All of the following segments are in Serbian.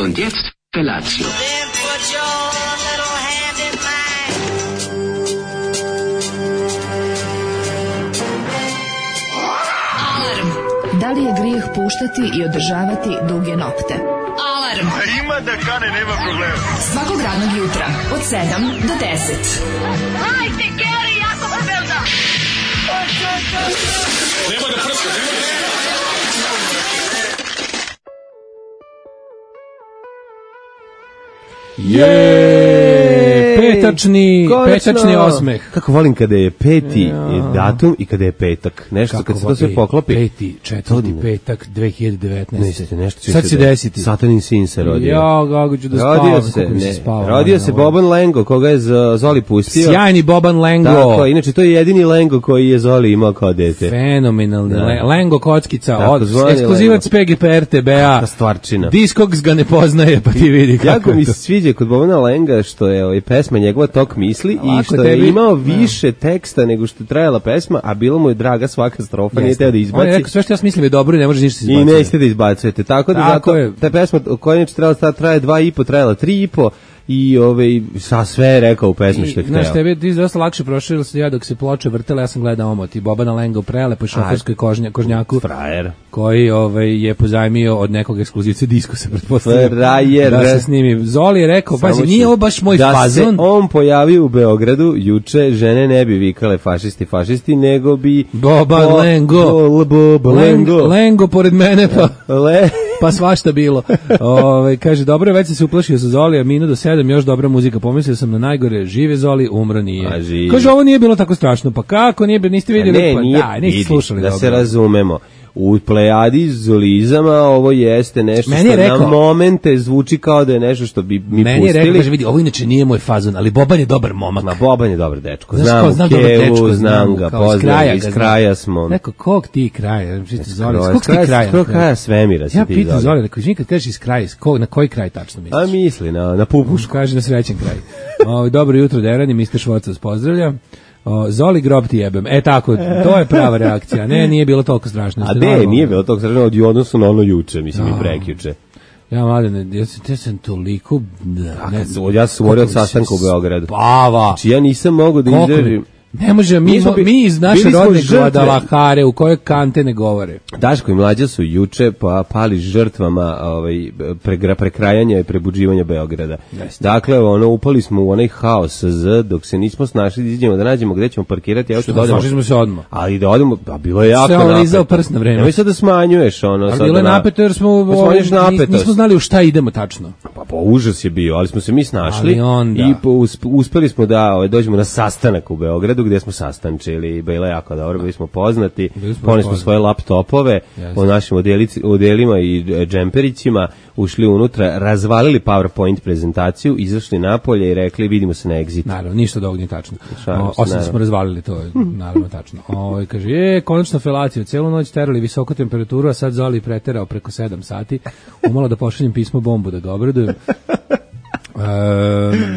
Und jetzt Felatio. Da li je grijeh puštati i održavati duge nokte? Alarm! A ima da kane, nema problema. Svakog radnog jutra, od 7 do 10. Hajde, Geri, jako se velda! Nema da prska, nema da prska. Petačni osmeh. Kako volim kada je peti datum i kada je petak. Nešto kad se to sve poklopi. Peti, četvrti petak 2019. Nešto sad se desiti. Satanin sin se rodio. Ja, kako ću da spavam. Rodio se Boban Lengo, koga je Zoli pustio. Sjajni Boban Lengo. Tako, inače to je jedini Lengo koji je Zoli imao kao dete. Fenomenalni Lengo kockica, ekskluzivac PGP RTB-a. Stvarčina. Discogs ga ne poznaje, pa ti vidi kako. Jako mi se sviđa kod Bobana Lenga što je pesma njegova tok misli i što je imao više teksta nego što je trajala pesma, a bilo mu je draga svaka strofa, nije teo da izbaci. On je rekao sve što ja mislim je dobro i ne može ništa se izbaciti. I nećete da izbacujete, tako da zato ta pesma koja je trebala traje 2,5, trajala 3,5 i sa sve je rekao u pesmi što je hteo. Znaš, tebi ti dosta lakše proširilo se ja dok se ploče vrtele, ja sam gledao omot i Bobana Lenga u prelepoj šoferskoj kožnjaku. Frajer. Koji je pozajmio od nekog ekskluzivca Diskosa, pretpostavljam. Frajer. Da se snimi. Zoli je rekao, pazi, nije ovo baš moj fazon. Da se on pojavio u Beogradu, juče žene ne bi vikale fašisti, nego bi... Boban Lengo. Lengo pored mene, pa svašta bilo. Kaže, dobro, već se uplašio sa Zoli, a minut do 7, još dobra muzika. Pomislio sam na najgore, žive Zoli, umro nije. Kaže, ovo nije bilo tako strašno. Pa kako nije, niste vidjeli? Niste slušali. Da se razumemo. U plejadi zolizama ovo jeste nešto što na momente zvuči kao da je nešto što bi mi pustili. Meni je rekao, kaže, vidi, ovo inače nije moj fazon, ali Boban je dobar momak. Ma Boban je dobar dečko. Znam Kevu, znam ga, poznam, iz kraja smo. Neko, kog ti kraja? Kog ti kraja? Kog kraja svemira si ti. Ja pitam Zoli, rekao, izvini kad kažeš iz kraja, na koji kraj tačno misliš? A misli, na Pupušku. Kaže na srećen kraj. Dobro jutro, Derani, Mr. Švoc vas pozdravlja. Zoli grob ti jebem. Tako, to je prava reakcija. Ne, nije bilo toliko strašno. A ne, nije bilo toliko strašno od odnosu na ono juče, mislim i prekjuče. Ja, mladene, ja sam toliko... Ja sam govorio od sastanka u Beogradu. Pava! Znači, ja nisam mogao da izdržim... Ne može, mi iz naše rodne Guadalajare u kojoj kante ne govore. Daško i Mlađa su juče pali žrtvama prekrajanja i prebuđivanja Beograda. Dakle, upali smo u onaj haos dok se nismo snašli da izađemo da nađemo gde ćemo parkirati. Snašli smo se odmah. Ali da odemo, bilo je jako napeto. Se lizao prst na vreme. Nemoj sad da smanjuješ Ali bilo je napeto jer smo nismo znali u šta idemo tačno. Pa užas je bio, ali smo se mi snašli i uspeli smo da dođemo na sastanak u Beogradu gdje smo sastančili, bilo je jako dobro, bili smo poznati, poneli smo svoje laptopove o našim odelima i džemperićima, ušli unutra, razvalili PowerPoint prezentaciju, izašli napolje i rekli vidimo se na Exitu. Naravno, ništa od ovog nije tačno. Osim da smo razvalili, to je naravno tačno. Kaže, konačno felaciju, celu noć terali visoku temperaturu, a sad Zoli preterao preko 7 sati, umalo da pošaljem pismo bombu da ga obradujem.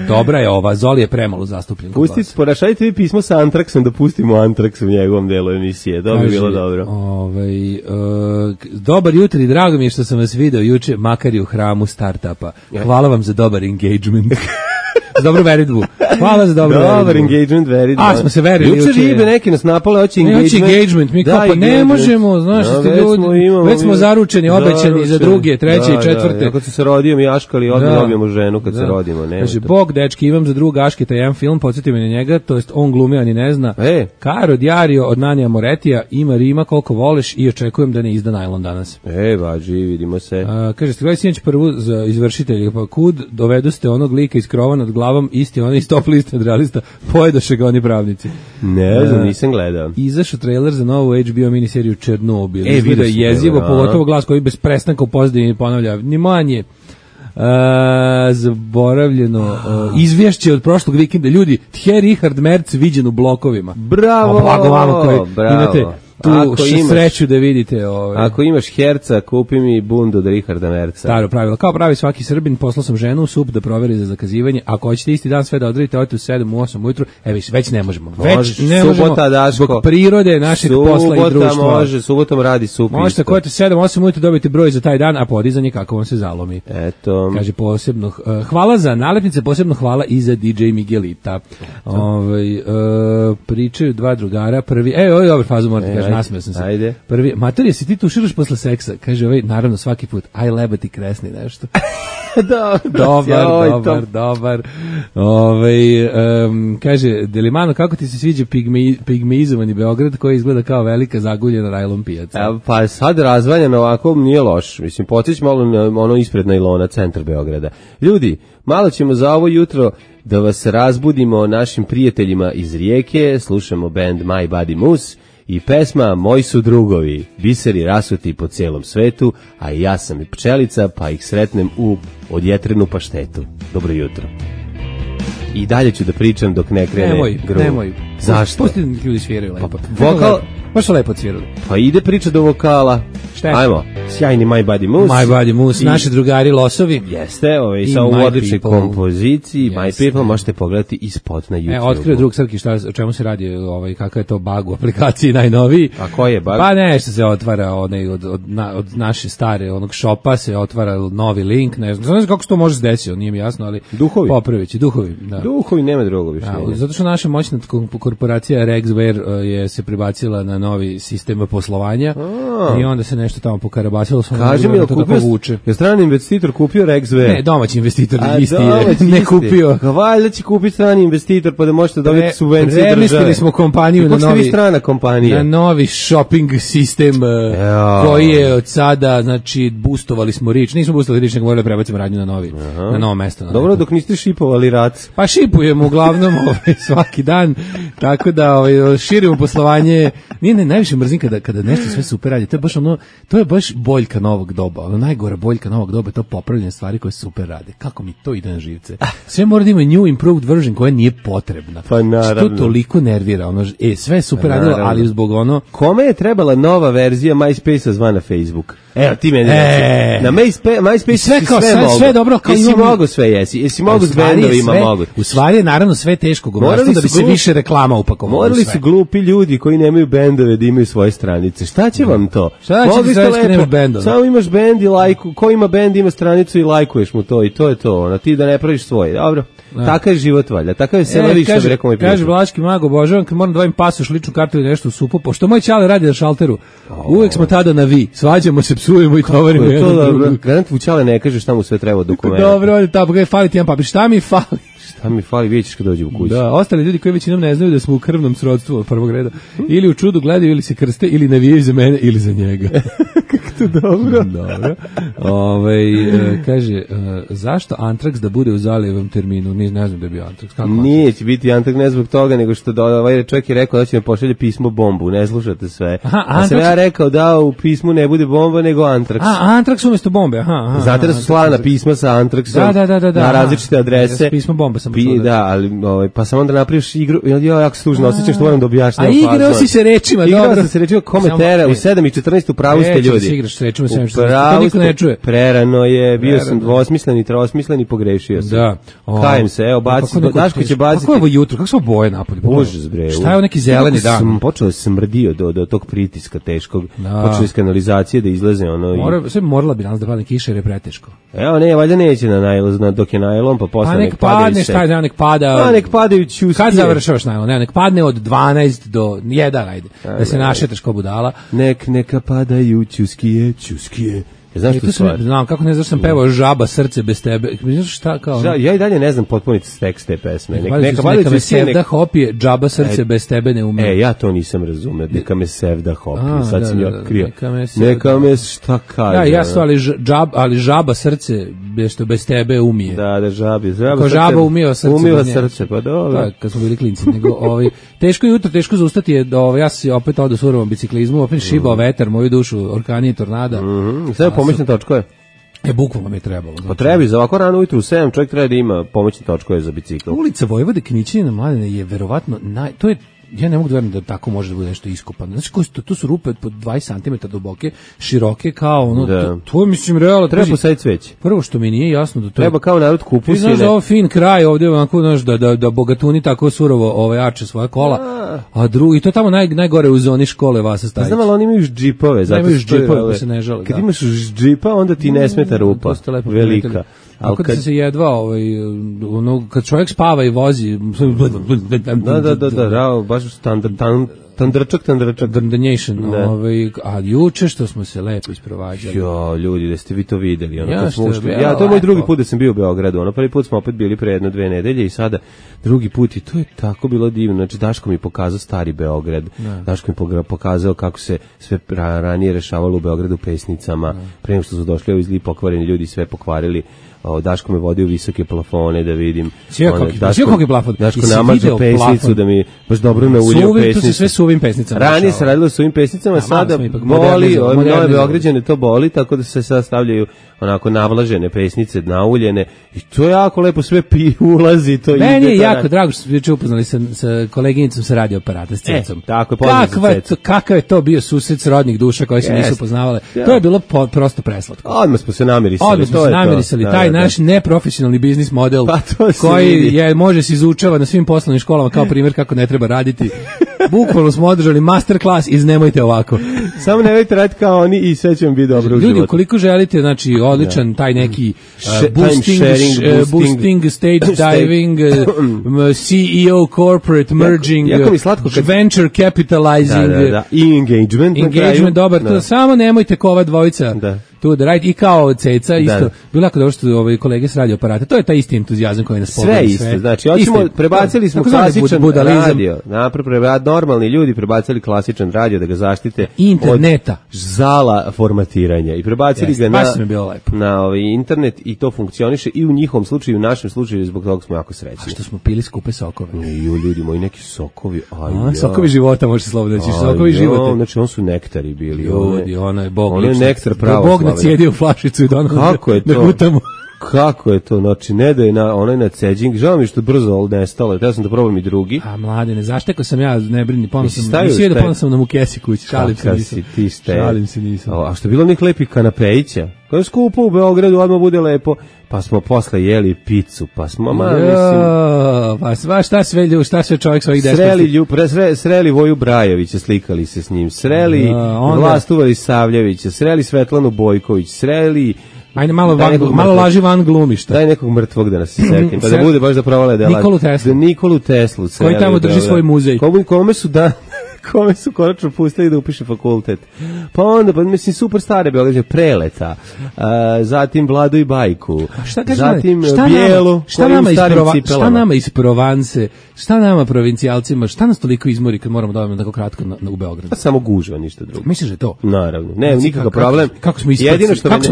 Dobra je ova, Zoli je premalo zastupljen. Porašajte vi pismo sa Antraksom da pustimo Antraks u njegovom delu emisije, to bi bilo dobro. Dobar jutro i drago mi je što sam vas video juče, makar i u hramu startupa. Hvala vam za dobar engagement. Za dobru veridbu. Hvala za dobru veridbu. Dobar engagement, veridba. Smo se verili juče. Juče ribe neki nas napale, hoće engagement. Mi kao pa ne možemo, znaš što ste ljudi, već smo zaručeni, obećani za druge, treće i četvrte. Kad se rodio mi Aškali, odmah dobijemo ženu kad se rodimo. Kaže, Bog, dečki, imam za druga Aškita jedan film, podsjeti me na njega, to jest on glumi, a ni ne zna. Caro Diario od Nanija Moretija, ima Rima koliko voleš i očekujem da ne izda najlon danas. Važi, vidimo se. Kaže, ste gledali sinoć prvu za izvršitelje, pa kud dovedu ste onog lika iz krova nad glavom, isti onaj stop list od realista, pojedoše ga oni pravnici. Ne znam, nisam gledao. Izašao trailer za novu HBO miniseriju Černobil. Izgleda jezivo, pogotovo glas koji bez prestanka u pozadini ponavlja, ni manje. Zaboravljeno izvješće od prošlog vikenda. Ljudi, Thierry Richard Merz viđen u blokovima. Bravo! Blago vama koji imate tu sreću da vidite. Ako imaš herca, kupi mi bundu od Richarda Merca. Staro pravilo. Kao pravi svaki Srbin, poslao sam ženu u SUP da proveri za zakazivanje. Ako hoćete isti dan sve da odradite, odite u 7, u 8 ujutru. Već ne možemo. Već ne možemo zbog prirode našeg posla i društva. Subotom radi SUP. Možete ako odete 7, 8 ujutru dobiti broj za taj dan, a podizanje kako vam se zalomi. Eto. Kaže posebno, hvala za nalepnice, posebno hvala i za DJ Miguelita. Pričaju dva drugara, prvi, ovo je dobar fazu, morate kaže, nasmeo sam se. Ajde. Prvi, mater, si ti tuširaš posle seksa? Kaže naravno svaki put, aj lebati kresni nešto. Dobar. Kaže, Delimano, kako ti se sviđa pigmeizovani Beograd koji izgleda kao velika zaguljena rajlon pijaca? Pa sad razvaljeno ovako nije loš. Mislim, potić malo na ono ispred najlona, centar Beograda. Ljudi, malo ćemo za ovo jutro da vas razbudimo našim prijateljima iz Rijeke, slušamo band My Body Moose i pesma Moji su drugovi, biseri rasuti po cijelom svetu, a i ja sam i pčelica, pa ih sretnem u odjetrenu paštetu. Dobro jutro. I dalje ću da pričam dok ne krene gruva. Nemoj. Zašto? Pusti da ljudi sviraju lepo. Vokal... Baš su lepo svirali. Pa ide priča do vokala. Ajmo, sjajni My Body Moose. My Body Moose, naši drugari Losovi. Jeste, sa u odličnoj kompoziciji. My People možete pogledati i spot na YouTube. Otkrio drug Srki o čemu se radi, kakav je to bug u aplikaciji najnoviji. A koji je bug? Pa nešto se otvara od naše stare onog šopa se otvara novi link, ne znam kako se to može desiti, nije mi jasno, ali popravići, duhovi. Da. Duhovi, nema drugo više. Zato što naša moćna korporacija Rexware je se prebacila na novi sistem poslovanja i onda se nešto tamo pokarabasilo. Kaži mi, je strani investitor kupio Rexware? Ne, domaći investitor isti je, ne kupio. Valjda će kupiti strani investitor pa da možete dobiti subvencije države. Premestili smo kompaniju na novi shopping sistem koji je od sada, znači, boostovali smo Rič. Nismo boostovali Rič, nego morali prebacimo radnju na novo mesto. Dobro, dok niste šipovali rac. Pa šipujemo uglavnom svaki dan, tako da širimo poslovanje. Nije najviše mrzim kada nešto sve super radi. To je baš boljka novog doba. Najgora boljka novog doba je to popravljanje stvari koje super rade. Kako mi to ide na živce. Sve mora da ima new improved version koja nije potrebna. Pa naravno. Što toliko nervira. Sve je super radilo, ali zbog Kome je trebala nova verzija MySpace-a zvana Facebook? Evo, ti meni reći. Na MySpace sve dobro. Jesi mogo sve, jesi mogo s bendovima mogo. U stvari je naravno sve teško govoriti da bi se više reklama upakovalo. Morali su glupi ljudi koji nemaju bendove da imaju svoje stranice. Šta će vam to? Šta će ti sve nemaš bendove? Samo imaš bend i lajku. Ko ima bend ima stranicu i lajkuješ mu to i to je to. Ti da ne praviš svoje. Dobro. Takav je život valjda. Takav je selaviš, što bi rekao moj prijatelj. Kaže Vlaški mag, obožavam kad moram da davim pasoš, ličnu kartu ili nešto u supu, pošto moj čale radi na šalteru. Uvek smo tada na vi. Svađamo se, psujemo i tovarimo jedan drugu. Garant vučale ne kaže šta mu sve treba dokumenta. Dobro, ovdje tamo, fali ti jedan papir. Šta mi fali? Šta mi fali, vidjet ćeš kad dođe u kuću. Da, ostali ljudi koji većinom ne znaju da smo u krvnom srodstvu od prvog reda. Ili u čudu gledaju, ili se krste, ili navijaju za mene, ili za njega. Kako to dobro. Dobro. Kaže, zašto Antrax da bude u Zalijevom terminu? Ne znam da je bio Antrax. Nije će biti Antrax, ne zbog toga, nego što ovaj čovjek je rekao da će me pošalje pismo bombu. Ne slušate sve. A sam ja rekao da u pismu ne bude bomba, nego Antrax. Antrax umjesto bombe. Znate da su slana pisma sa Antraxom na različite adrese. Pismo bomba sam da, ali pa sam onda napraviš igru, jako se tužno osjećam što moram da objašnjam. A igrao si se rečima, dobro. Igrao sam se rečima komentera u 7:14 u pravu ste ljudi. Igraš se rečima u 7:14, to niko ne čuje. Prerano je, bio sam dvosmislen i trosmislen i pogrešio sam. Da. Kajem se, evo, Daško će baciti. Kako je ovo jutro, kako su boje napolje? Bože bre. Šta je ovo neki zeleni dan? Počeo da se smrdio do tog pritiska teškog. Počeo iz kanalizacije da izlaze ono. Sve morala bi danas da padne kiša jer je preteško. Evo, ne, valjda neće na najlon, dok je najlon, pa posle nek padne. Nek pada. Nek padaju ćuskije. Kad završavaš najlon? Nek padne od 12 do 1, ajde. Da se našetaš ko budala. Neka padaju ćuskije. Znaš tu stvar? Znam, kako ne znaš sam pevao Žaba srce bez tebe. Znaš šta kao? Ja i dalje ne znam potpuniti tekst te pesme. Neka me sevda hopije, Džaba srce bez tebe ne umije. Ja to nisam razumeo. Neka me sevda hopije. Sad sam ja krio. Neka me šta kaže. Ja ali Žaba srce bez tebe umije. Da, žabi. Kao Žaba umio srce. Umio srce, pa dobro. Kad smo bili klinci. Teško jutro, teško zaustati je. Ja sam opet odo s urovom biciklizmu, opet šibao vetar, moju dušu, orkani i tornada. Pomoćne točkove. Bukvalno mi je trebalo. Pa trebi, za ovako rano ujutru u 7 čovjek treba da ima pomoćne točkove za bicikl. Ulica Vojvode Knićanina Mladene je verovatno, to je ja ne mogu da verujem da tako može da bude nešto iskopano. Znači, to su rupe po 20 cm duboke, široke, kao ono, to mislim, realno... Treba posaditi cveće. Prvo što mi nije jasno da to... Treba kao narod kupusine. Ti znaš da ovo fin kraj ovdje, onako, znaš, da bogatuni tako surovo arče svoja kola, a drugi, to je tamo najgore u zoni škole Vasa Stajić. Znam, ali oni imaju džipove. Imaju džipove, pa se ne žele. Kad imaš džipa, onda ti ne smeta rupa, velika. A kad se jedva, kad čovjek spava i vozi... Da, baš tandračak. Dandanjation. A juče što smo se lepo isprovađali. Jo, ljudi, da ste vi to videli. To je moj drugi put da sam bio u Beogradu. Prvi put smo opet bili pre 1-2 nedelje i sada drugi put i to je tako bilo divno. Znači, Daško mi pokazao stari Beograd. Daško mi pokazao kako se sve ranije rešavalo u Beogradu pesnicama. Pre nego što su došli ovi zli pokvareni ljudi, sve pokvarili. Daško me vodi u visoke plafone da vidim. Sio koliki plafon. Daško namažu pesnicu da mi baš dobro nauljio pesnicu. To se sve suvim pesnicama. Ranije se radilo suvim pesnicama, sada boli, nove Beograđane to boli, tako da se sad stavljaju onako navlažene pesnice, nauljene i to jako lepo sve ulazi. Meni je jako drago što smo juče upoznali sa koleginicom sa radio aparata, s Cecom. Tako je, poznam se Cecu. Kakav je to bio susret srodnih duša koje se nisu poznavale. To je bilo prosto preslatko. Odmah smo se namirisali. Taj naš neprofesionalni biznis model koji može se izučava na svim poslovnim školama kao primjer kako ne treba raditi. Bukvalno smo održali masterclass iz nemojte ovako. Samo nemojte raditi kao oni i sve će vam biti dobro u životu. Ljudi, ukoliko želite, znači, odličan taj neki boosting, stage diving, CEO, corporate merging, venture capitalizing, i engagement, dobar, to samo nemojte kova dvojica. Tu da radite i kao Ceca isto. Bilo jako dobro što kolege s radio aparata. To je taj isti entuzijazam koji nas pogleda. Sve isto. Znači, prebacili smo klasičan radio. Normalni ljudi prebacili klasičan radio da ga zaštite interneta. Od zala formatiranja. I prebacili ga na internet i to funkcioniše i u njihovom slučaju i u našem slučaju, zbog toga smo jako srećni. A što smo pili skupe sokove. Ljudi moji, neki sokovi. Sokovi života, može se slobodno reći. Sokovi života. Znači, on su nektari bili. Ljudi, ono je Bog lično. Ono je nektar pravo. Cijedi u flašicu i kako je to? Kako je to? Znači, ne da je onaj nadseđing. Žao mi što brzo nestalo. Ja sam da probam i drugi. A mladene, zaštekao sam ja, ne brini, ponosno sam nam u kesi kući. Šalim se nisam. A što je bilo onih lepih kanapejića? Kada je skupo u Beogradu, odmah bude lepo. Pa smo posle jeli picu, pa smo, pa šta sve čovjek svojih desnosti. Sreli Voju Brajovića, slikali se s njim, sreli Vlastu Savljevića, sreli Svetlanu Bojković, sreli... Ajde, malo laži van glumišta. Daj nekog mrtvog da nas se setim, pa da bude baš da provale da laži. Nikolu Teslu. Koji tamo drži svoj muzej. Kome su konačno pustili da upiše fakultet. Pa onda, mislim, super stare Beograđane, Preleta, zatim Vladu i Bajku, zatim Bijelu, šta nama iz Provance, šta nama provincijalcima, šta nas toliko izmori kad moramo da odemo tako kratko u Beogradu? Pa samo gužva, ništa drugo. Misliš da je to? Naravno, ne, nikakav problem. Kako smo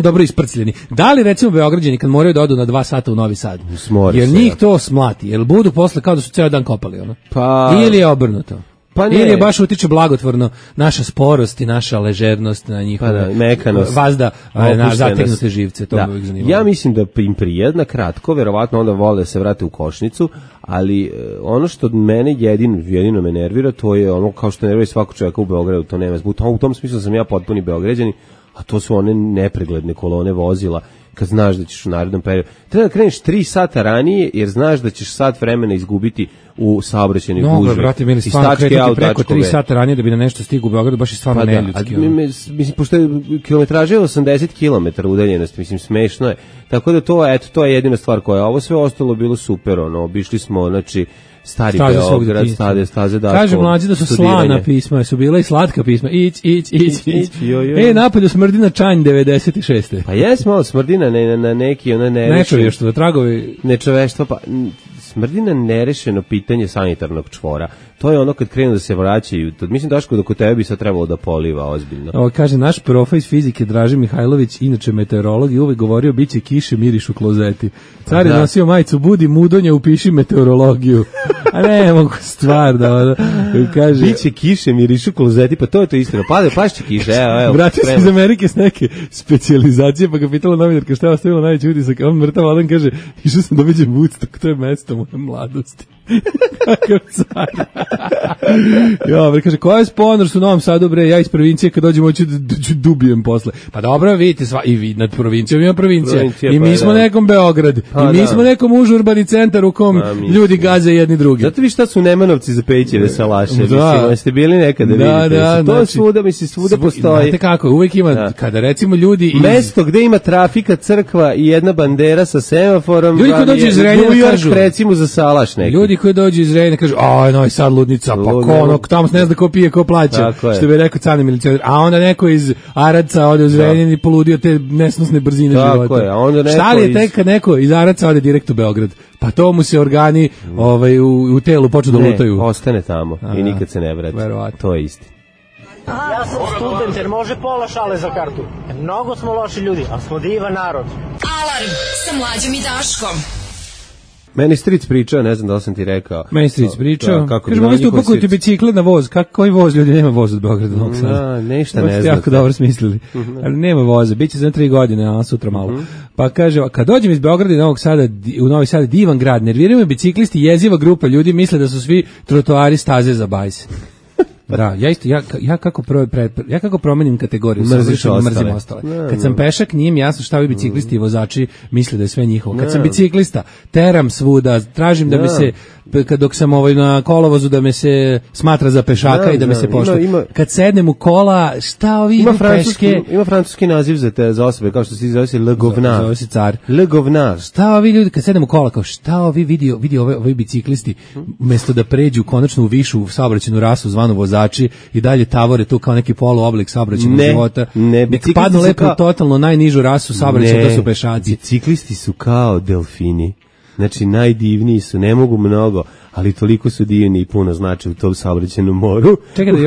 dobro isprcljeni. Da li, recimo, Beograđani kad moraju da odu na 2 sata u Novi Sad? Jer njih to smlati, jer budu posle kao da su ceo dan kopali, ono? Ili je obrnuto? Ili je baš utiče blagotvorno naša sporost i naša ležernost na njihovu vazda na zategnute živce. To me uvijek zanimalo. Ja mislim da im prijedna kratko, verovatno onda vole da se vrate u Košnicu, ali ono što mene jedino me nervira, to je ono kao što nervira svakog čovjeka u Beogradu, to nema zbog. U tom smislu sam ja potpuni Beograđanin, a to su one nepregledne kolone vozila kad znaš da ćeš u narednom periodu. Treba da kreneš 3 sata ranije, jer znaš da ćeš sat vremena izgubiti u saobraćajnoj gužvi. No, brate, mili, stvarno kretati preko 3 sata ranije da bi na nešto stigu u Beogradu, baš je stvarno neljudski. Mislim, pošto je kilometraža je 80 km udaljenosti, mislim, smešno je. Tako da to je jedina stvar koja je. Ovo sve ostalo bilo super, obišli smo, znači, stari Beograd, staze Daško. Kaže mlađi da su slana pisma, su bila i slatka pisma. Ić. Napolju smrdi na čanj 96. Pa jes malo smrdina na neki, ona nečovještvo, tragovi. Nečoveštvo, pa smrdi na nerešeno pitanje sanitarnog čvora. To je ono kad krenu da se vraćaju. Mislim, Daško, da kod tebe bi sad trebalo da poliva ozbiljno. Ovo kaže, naš profa iz fizike Draži Mihajlović, inače meteorolog, i uvek govorio, bit će kiše, miriš u klozeti. Car je nosio majicu, budi mudonja, upiši meteorologiju. A ne mogu stvar da kaže... Biće kiše, miriš u klozeti, pa to je to istina. Pašće kiše, evo. Vratio se iz Amerike s neke specijalizacije, pa ga pitala novinarka šta je ostavila najveći utisak. On mrtav, Alan kaže, išao sam da viđem Woodstock, to je mesto moje mladosti. Kakav car. Jo, kaže, koja je sponor su u Novom Sadu, bre, ja iz provincije, kad dođemo ću dubijem posle. Pa dobro, vidite, i vi nad provincijom ima provincija. I mi smo nekom Beograd. I mi smo nekom užurbani centar u kom ljudi gaze jedni drugi. Zato vi šta su Nemanovci za Pećeve salaše? Mislim, jeste bili nekada vidite. To svuda, mislim, svuda postoji. Znate kako, uvijek ima, kada recimo ljudi... Mesto gde ima trafika, crkva i jedna bandera sa semaforom, ljudi koji dođu iz Renjana kažu, recimo za salaš neki. Ljudi koji dođu iz Renjana kažu, aj, Novi Sad ludnica, pa ko tamo se ne zna ko pije, ko plaća, što bi rekao cani milicionar. A onda neko iz Aradca ode uz Renjan i poludio te nesnosne brzine života. Tako je, a onda neko šta li je tek kad neko iz Aradca ode direkt u Beograd? Pa to mu se organi u telu počnu da lutaju. Ne, ostane tamo i nikad se ne vrati. To je istina. Ja sam student jer može pola šale za kartu. Mnogo smo loši ljudi, ali smo divan narod. Alarm sa Mlađom i Daškom. Meni stric pričao, ne znam da li sam ti rekao. Meni stric pričao. Kaže, mogli ste upakuti bicikle na voz. Koji voz, ljudi, nema voz od Beograda do Novog Sada. Ništa ne znate. Jako dobro smislili. Ali nema voza, bit će za 3 godine, a sutra malo. Pa kaže, kad dođem iz Beograda i Novog Sada, u Novi Sad, divan grad, nerviraju me biciklisti, jeziva grupa ljudi, misle da su svi trotoari staze za bajs. Da, ja isto, ja kako promenim kategoriju, mrzim ostale. Kad sam pešak, nije mi jasno šta ovi biciklisti i vozači misle da je sve njihovo. Kad sam biciklista, teram svuda, tražim da me se, dok sam na kolovozu, da me se smatra za pešaka i da me se poštuje. Kad sednem u kola, šta ovi idu peške? Ima francuski naziv za osobe, kao što se zove se Le Govnar. Zove se car. Le Govnar. Šta ovi ljudi, kad sednem u kola, kao šta ovi vidi ovi biciklisti, umjesto da pređu konačno u višu saobraćajnu rasu zvanu vozači i dalje tavore tu kao neki poluoblik saobraćajnog života. Ne, padnu lepo totalno najnižu rasu saobraćaja, to su pešaci. Biciklisti su kao delfini. Znači, najdivniji su, ne mogu mnogo, ali toliko su divni i puno znači u tom saobraćajnom moru. Čekaj da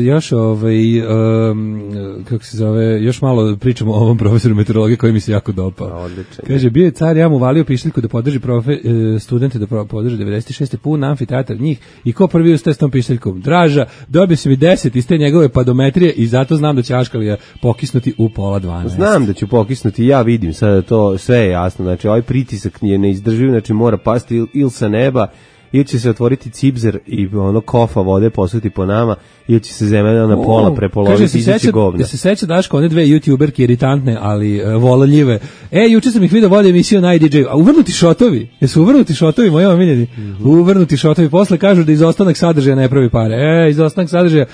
još kako se zove, još malo pričamo o ovom profesoru meteorologije koji mi se jako dopao. Odlično. Kaže, bio je car, ja mu valio pišljku da podrži studente da podrži 96. pun amfiteatar njih i ko prvi ustaje s tom pišljkom? Draža, dobio si mi 10 iz te njegove padometrije i zato znam da će Aškalija pokisnuti u 11:30. Znam da ću pokisnuti, ja vidim sada to, sve je jasno, znači ovaj pritisak nije neizdrživ, znači mora pasti ili sa neba, ili će se otvoriti cipzer i kofa vode posuti po nama, ili će se zemlja na pola prepoloviti i izaći govna. Ja se seća, Daško, one 2 youtuberke iritantne, ali vololjive. Juče sam ih vidio vode emisiju na IDJ. A uvrnuti šotovi? Jesu uvrnuti šotovi, moji omiljeni? Uvrnuti šotovi. Posle kažu da izostanak sadržaja ne pravi pare. Izostanak sadržaja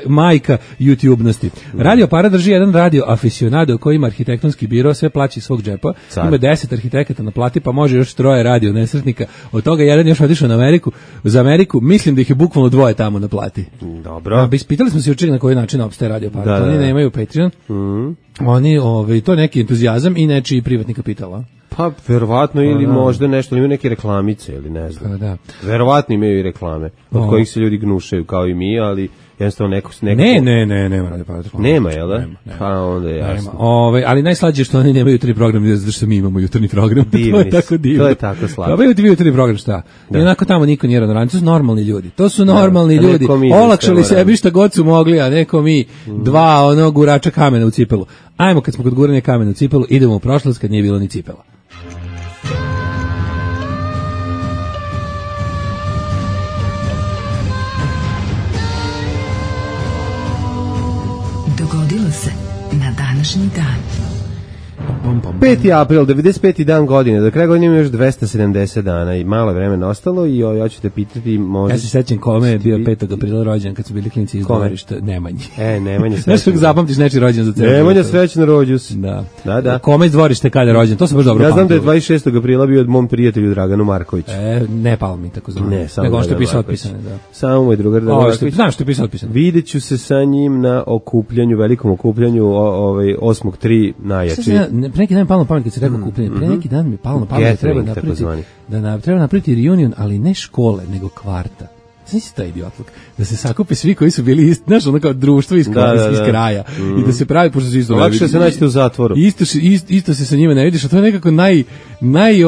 majka YouTubenosti. Radio Para drži jedan radio aficionado koji ima arhitektonski biro, sve plaći iz svog džepa. Ima 10 arhitekata na plati, pa može još 3 radio nesretnika. Od toga jedan još otišao na Ameriku. Za Ameriku mislim da ih je bukvalno 2 tamo na plati. Dobro. Ispitali smo se jučer na koji način opstaje Radio Para. Oni nemaju Patreon. Oni, to je neki entuzijazam i nečiji privatni kapital. Pa, verovatno, ili možda nešto, imaju neke reklamice, ili ne znam. Da. Verovatno imaju i reklame, od kojih se ljudi gnušaju, kao i mi, ali jednostavno neko... nema Radio Para. Nema, jel da? Pa, onda je jasno. Ali najslađe je što oni nemaju jutarnji program, zato što mi imamo jutarnji program. To je tako divno. To je tako slatko. Pa imaju jutarnji program, šta? I onako tamo niko nije rano. To su normalni ljudi. Olakšali sebi šta god su mogli, a neko mi 2 gurača kamena u cipelu. Ajmo, kad smo kod guranja kamena u cipelu, idemo u prošlost kad nije bilo ni cipela. Dogodilo se na današnji dan. 5. april, 95. dan godine, do kraja godine ima još 270 dana i malo vremena ostalo i ja ću te pitati možda... Ja se sećam kome je bio 5. aprila rođen kad su bili klinici iz dvorišta, Nemanji. Nemanja srećan. Znaš kako zapamtiš nečiji rođen za celu? Nemanja srećan rođus. Da. Kome iz dvorišta kada je rođen, to sam baš dobro pamtio. Ja znam da je 26. aprila bio od mom prijatelju Draganu Markoviću. Ne Palmi, tako zvano. Ne, samo nego on što je pisao otpisane, da. Samo moj drugar Dragan Marković. Znam što je pisao otpisane. Vidjet ću se sa njim na okupljanju, velikom okupljanju 8.3 najjači. Neki dan mi palo na pamet kad se rekao okupljenje. Pre neki dan mi palo na pamet da treba napraviti reunion, ali ne škole, nego kvarta. Znači taj idiotluk, da se sakupe svi koji su bili isti, znaš, ono kao društvo iz kraja i da se pravi, pošto su isto lakše se naći u zatvoru. Isto se sa njima ne vidiš, a to je nekako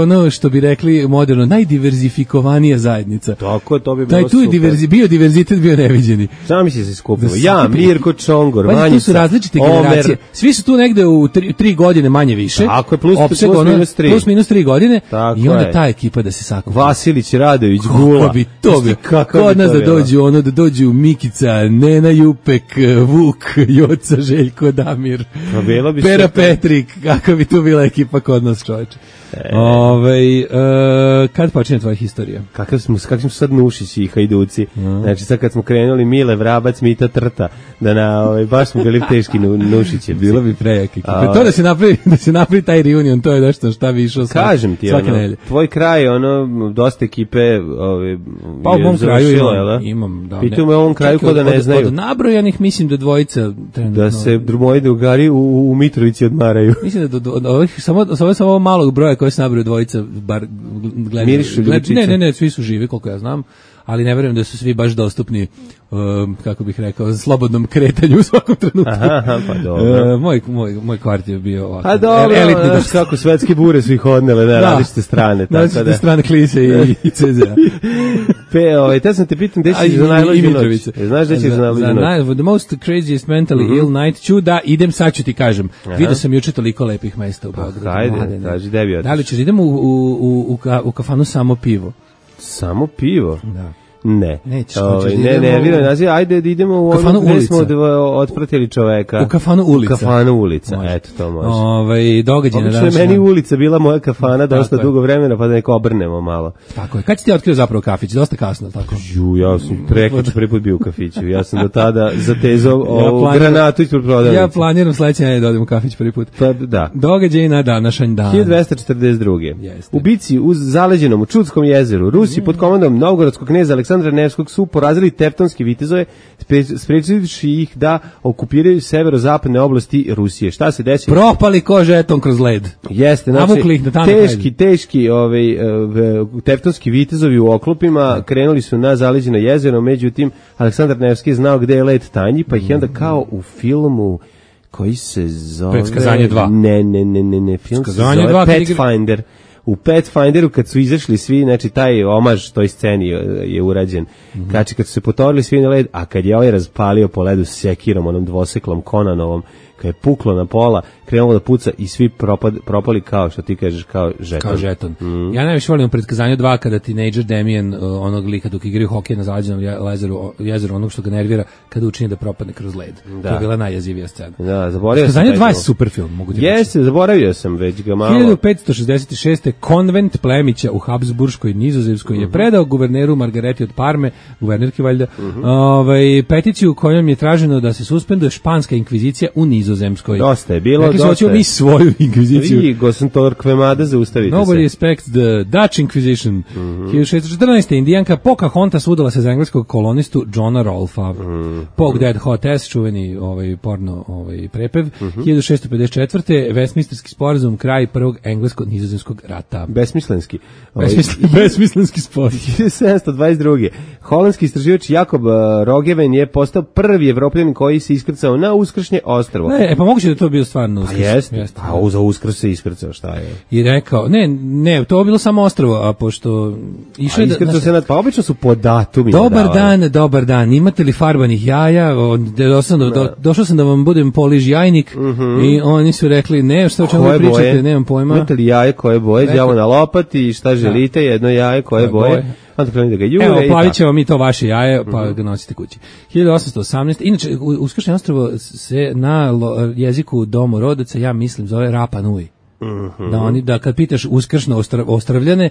ono što bi rekli moderno, najdiverzifikovanija zajednica. Tako, to bi bilo super. Bio diverzitet, bio neviđeni. Sami se skupilo. Ja, Mirko Čongor, Vanjica, tu su različite generacije. Svi su tu negde u 3 godine manje više. Tako je, plus minus 3 godine. Tako i onda ta ekipa da se sakupi. Vasilić, Radović, Gula. Kod nas da dođu Mikica, Nena Jupek, Vuk, Joca, Željko, Damir, Pera Petrik, kako bi tu bila ekipa kod nas, čoveče. Kad počinje tvoja historija? Kakvi smo sad Nušići i Hajduci. Znači sad kad smo krenuli Mile, Vrabac, Mita, Trta, baš smo bili teški Nušići. Bilo bi prejaki. To da se napravi taj reunion, to je nešto šta bi išao kažem ti, tvoj kraj, dosta ekipe pa u mom kraju imam. Pitu me u ovom kraju ko da ne znaju. Od nabrojanih mislim da dvojica da se moji drugari u Mitrovici odmaraju. Mislim da samo malog broja koji se nabraju dvojica bar gledaju. Mirišu ljubičice. Ne, svi su živi koliko ja znam, ali ne verujem da su svi baš dostupni, kako bih rekao, slobodnom kretanju u svakom trenutku. Aha, pa dobro. Moj kvart je bio ovako. A dobro, znaš kako svetske bure su ih odnele na različite strane. Različite strane Klise i CZ-a. Te sam te pitam, gde ćeš za najluđu noć? Znaš gde ćeš za najluđu noć? The most craziest mentally ill night ću da idem, sad ću ti kažem. Vidio sam juče toliko lepih mesta u Beogradu. Hajde, kaži, gde bi otiš? Da li ćeš, idemo u kafanu Samo pivo. Samo pivo? Da. Ne. Nećeš, ajde da idemo u ono gde smo otpratili čoveka. U kafanu Ulica. U kafanu Ulica, eto to može. Događaj na današnji. Obično je meni Ulica bila moja kafana dosta dugo vremena, pa da neko obrnemo malo. Tako je. Kad si ti otkrio zapravo kafić? Dosta kasno, tako? Ja sam prvi put bio u kafiću. Ja sam do tada zatezao granatu ispred prodavnice. Ja planiram sledeće nedelje da odem u kafić prvi put. Pa da. Događaj na današnji dan. 1242. U bici uz zaleđenom u Čudskom jezeru Rusi pod komandom novgorodskog kneza Aleksandra Nevskog su porazili tevtonske vitezove, sprečivši ih da okupiraju severozapadne oblasti Rusije. Šta se desilo? Propali ko žeton kroz led. Jeste, znači teški tevtonski vitezovi u oklopima krenuli su na zaleđeno jezero, međutim Aleksandar Nevski je znao gde je led tanji, pa ih je onda kao u filmu koji se zove... Predskazanje 2. Ne, film se zove Pathfinder. U Pathfinderu kad su izašli svi, znači taj omaž toj sceni je urađen. Znači kad su se potorili svi na led, a kad je ovaj razpalio po ledu sekirom, onom dvoseklom Konanovom, kad je puklo na pola, krenulo da puca i svi propali kao, što ti kažeš, kao žeton. Kao žeton. Ja najviše volim u Predskazanju 2 kada teenager Damien, onog lika dok igraju hokej na zaleđenom jezeru, onog što ga nervira, kada učini da propadne kroz led. Da. To je bila najjezivija scena. Da, zaboravio sam. Predskazanje 2 je super film, mogu ti reći. Jeste, zaboravio sam već ga malo. 1566. konvent plemića u Habsburškoj Nizozemskoj je predao guverneru Margareti od Parme, guvernerki valjda, peticiju kojom je traženo da se suspenduje španska inkvizicija u Nizozemskoj. Dosta je bilo, dosta. Hoćemo mi svoju inkviziciju. Vi, Gosentor Kvemada, zaustavite Nobody respects the Dutch Inquisition. 1614. Indijanka Pocahontas udala se za engleskog kolonistu Johna Rolfa. Pog Dead Hot S, čuveni porno prepev. 1654. Westminsterski sporazum, kraj prvog englesko-nizozemskog rata. Besmislenski. Besmislenski sporazum. 1722. Holandski istraživač Jakob Rogeven je postao prvi Evropljanin koji se iskrcao na Uskršnje ostrvo. Ne, pa moguće da to bio stvarno Uskrs. Jeste. A za Uskrs se iskrcao, šta je? I rekao, ne, to je bilo samo ostrvo, a pošto išao iskrcao se pa obično su po datumima. Dobar dan, imate li farbanih jaja? Došao sam da vam budem poliž jajnik i oni su rekli, ne, šta o čemu vi pričate, nemam pojma. Imate li jaje koje boje, đavo na lopati, šta želite, jedno jaje koje boje. Onda krenu da ga jure. Evo, plavit ćemo mi to vaše jaje, pa ga nosite kući. 1818. Inače, Uskršnje ostrvo se na jeziku domorodaca, ja mislim, zove Rapa Nui. Da kad pitaš uskršno Ostravljane,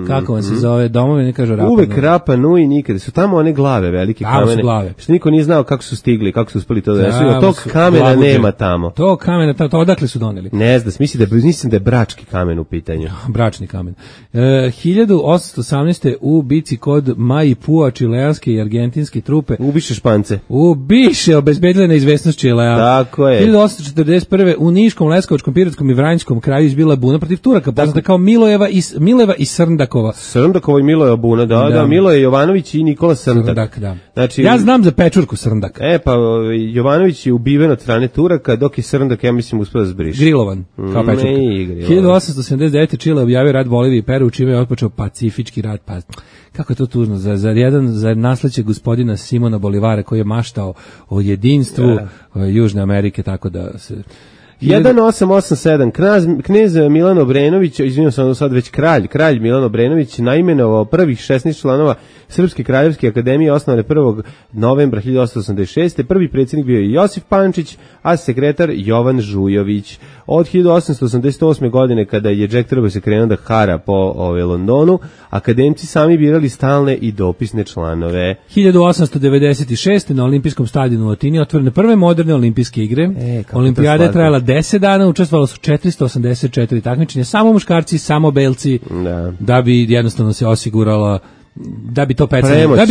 kako vam se zove domove, ne kažu Rapa Nui. Uvek Rapa Nui nikada. Su tamo one glave, velike kamene. Glave. Što niko nije znao kako su stigli, kako su uspeli to da nesu. Tog kamena nema tamo. Tog kamena, to odakle su doneli? Ne znam, mislim da je brački kamen u pitanju. Bračni kamen. 1818. u bici kod Maipua čileanske i argentinske trupe. Ubiše Špance. Obezbedile neizvesnost Čilea. Tako je. 1841. u Niškom, Leskovačkom, Piratskom i Vranjskom kraju kraju izbila buna protiv Turaka, poznata kao Mileva i Srndakova. Srndakova i Milojeva buna, da, Miloje Jovanović i Nikola Srndak. Da. Znači, ja znam za pečurku Srndak. Pa Jovanović je ubiven od strane Turaka, dok je Srndak, ja mislim, uspio da zbriše. Grilovan, kao pečurka. 1879. Čile objavio rat Bolivije i Peru, čime je otpočeo Pacifički rat. Pa kako je to tužno za nasleđe gospodina Simona Bolivara koji je maštao o jedinstvu Južne Amerike, tako da se 1887. Knez Milan Obrenović, izvinjam se, sad već kralj Milan Obrenović naimenovao prvih 16 članova Srpske kraljevske akademije osnovane 1. novembra 1886. Prvi predsjednik bio je Josif Pančić, a sekretar Jovan Žujović. Od 1888. godine, kada je Jack Trebao se krenuo da hara po Londonu, akademci sami birali stalne i dopisne članove. 1896. na olimpijskom stadionu u Atini otvorene prve moderne olimpijske igre. Olimpijada je trajala 10 dana, učestvovalo su 484 takmičenja, samo muškarci, samo belci, da bi jednostavno se osigurala da bi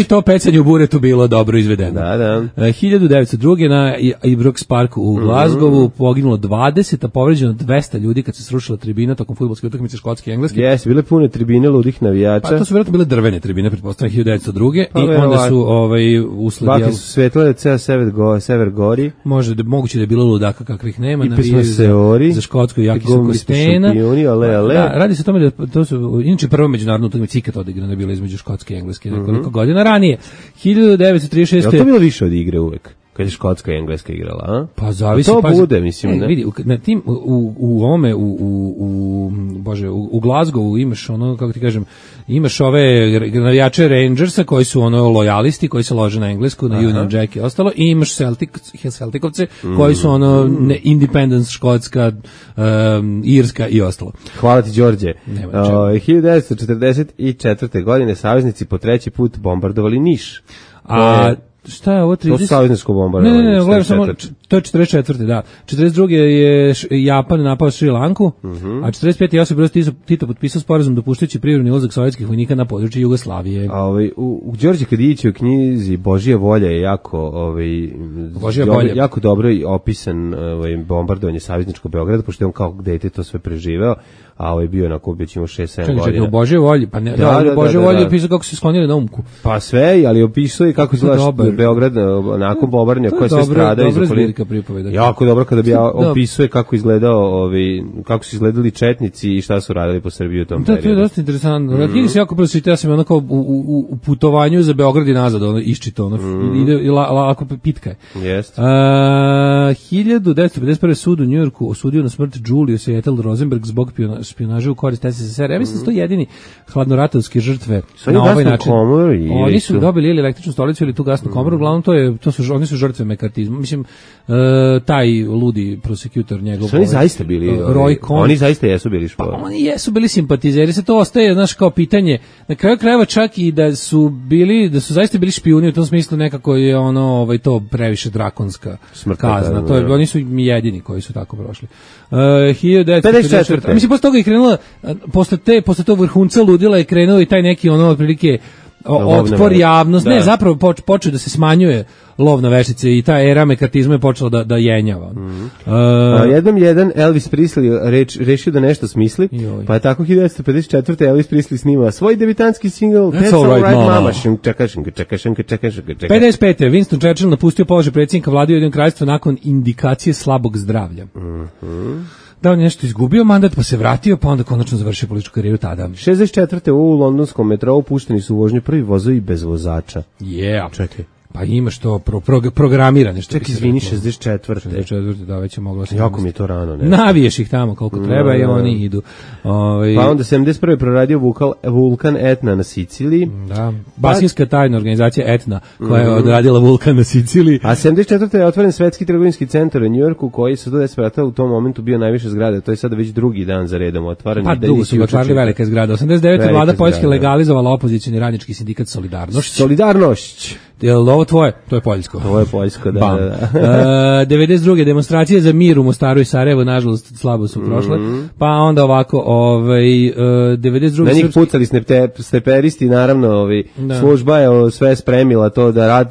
to pecanje u buretu bilo dobro izvedeno. Da. 1902. na Ibrox Parku u Glasgowu poginulo 20, a povređeno 200 ljudi kad se srušila tribina tokom fudbalske utakmice Škotske i Engleske. Jesi, bile pune tribine ludih navijača. Pa to su vjerojatno bile drvene tribine, pretpostavljam 1902. I onda su usled... Bake su svetlale ceo sever gori. Moguće da je bilo ludaka kakvih nema. I pismo seori. Za Škotsku i Jaki su Kostena. Radi se o tome da to su, inače prvo međunarodno utakmice ikad odigrano je bilo između Škotske i Engleske nekoliko godina ranije. 1936. Je li to bilo više od igre uvek? Kad je Škotska i Engleska igrala, a? Pa zavisi. To bude, mislim, ne? Vidi, na tim, u Glasgowu imaš ono, kako ti kažem, imaš ove navijače Rangersa koji su ono lojalisti, koji se lože na Englesku, na Union Jack i ostalo, i imaš Celticovce koji su ono Independence, Škotska, Irska i ostalo. Hvala ti, Đorđe. 1944. godine saveznici po treći put bombardovali Niš. Šta je ovo 30? To su savezničko bombardovanje. Ne, gledam samo, to je 44. da. 42. je Japan napao Šri Lanku, a 45. Josip Broz Tito potpisao sporazum dopuštajući privremeni ulazak sovjetskih vojnika na područje Jugoslavije. U Đorđe Kadićevoj knjizi Božja volja je jako dobro opisan bombardovanje savezničkog Beograda, pošto je on kao dete to sve preživeo, a bio je onako već imao 6-7 godina. Čekaj, u Božje volji, pa ne, Božje volji je opisao kako se sklonili na Umku. Pa sve, ali opisao i kako izgleda Beograd nakon bombardovanja koje sve strada iz okoline. Jako dobro kada bi opisuje kako kako su izgledali četnici i šta su radili po Srbiji u tom periodu. To je dosta interesantno. Knjigi se jako pročitao, ja sam onako u putovanju za Beograd i nazad, iščitao, ide lako pitka je. Jeste. 1951. sud u Njujorku osudio na smrt Julius Ethel Rosenberg zbog špijunaže u korist SSSR. Ja mislim da su to jedini hladnoratovske žrtve na ovaj način. Oni su dobili ili električnu stolicu ili tu gasnu komoru, uglavnom oni su žrtve mekartizma. Mislim, taj ludi prosekutor njegov. Su oni zaista bili? Roy Cohn. Oni zaista jesu bili špijuni. Pa oni jesu bili simpatizeri, se to ostaje, znaš, kao pitanje. Na kraju krajeva čak i da su zaista bili špijuni, u tom smislu nekako je to previše drakonska kazna. Oni su jedini koji su tako prošli. 1954. Mislim, posle toga je krenula, posle tog vrhunca ludila je krenuo i taj neki otprilike otpor javnost, ne, zapravo počeo da se smanjuje lov na veštice i ta era mekartizma je počela da jenjava. Jednom Elvis Presley rešio da nešto smisli, pa je tako 1954. Elvis Presley snimao svoj debitanski single That's All Right Mama. 55. Winston Churchill napustio položaj predsjednika vlade Ujedinjenog kraljevstva nakon indikacije slabog zdravlja. Da on nešto izgubio mandat, pa se vratio, pa onda konačno završio političku karijeru tada. 64. u londonskom metrou pušteni su u vožnju prvi vozovi bez vozača. Čekaj. Pa imaš to programirane. Čekaj, izvini, 64. Da, već je moglo se... Jako mi je to rano, ne? Naviješ ih tamo koliko treba i oni idu. Pa onda 71. proradio vulkan Etna na Siciliji. Da, Baskijska tajna organizacija Etna, koja je odradila vulkan na Siciliji. A 74. je otvoren svetski trgovinski centar u Njujorku, koji su do 10 vrata u tom momentu bio najviše zgrade. To je sada već drugi dan za redom otvoren. Pa dugo su otvarali velike zgrade. 89. vlada Poljske legalizovala opozicijni radnički sindikat Solidarnošć. Jel ovo tvoje? To je poljsko. To je poljsko, da. 92. demonstracije za mir u Mostaru i Sarajevu, nažalost, slabo su prošle. Pa onda ovako, 92. Na njih pucali snajperisti, naravno, služba je sve spremila to da rat...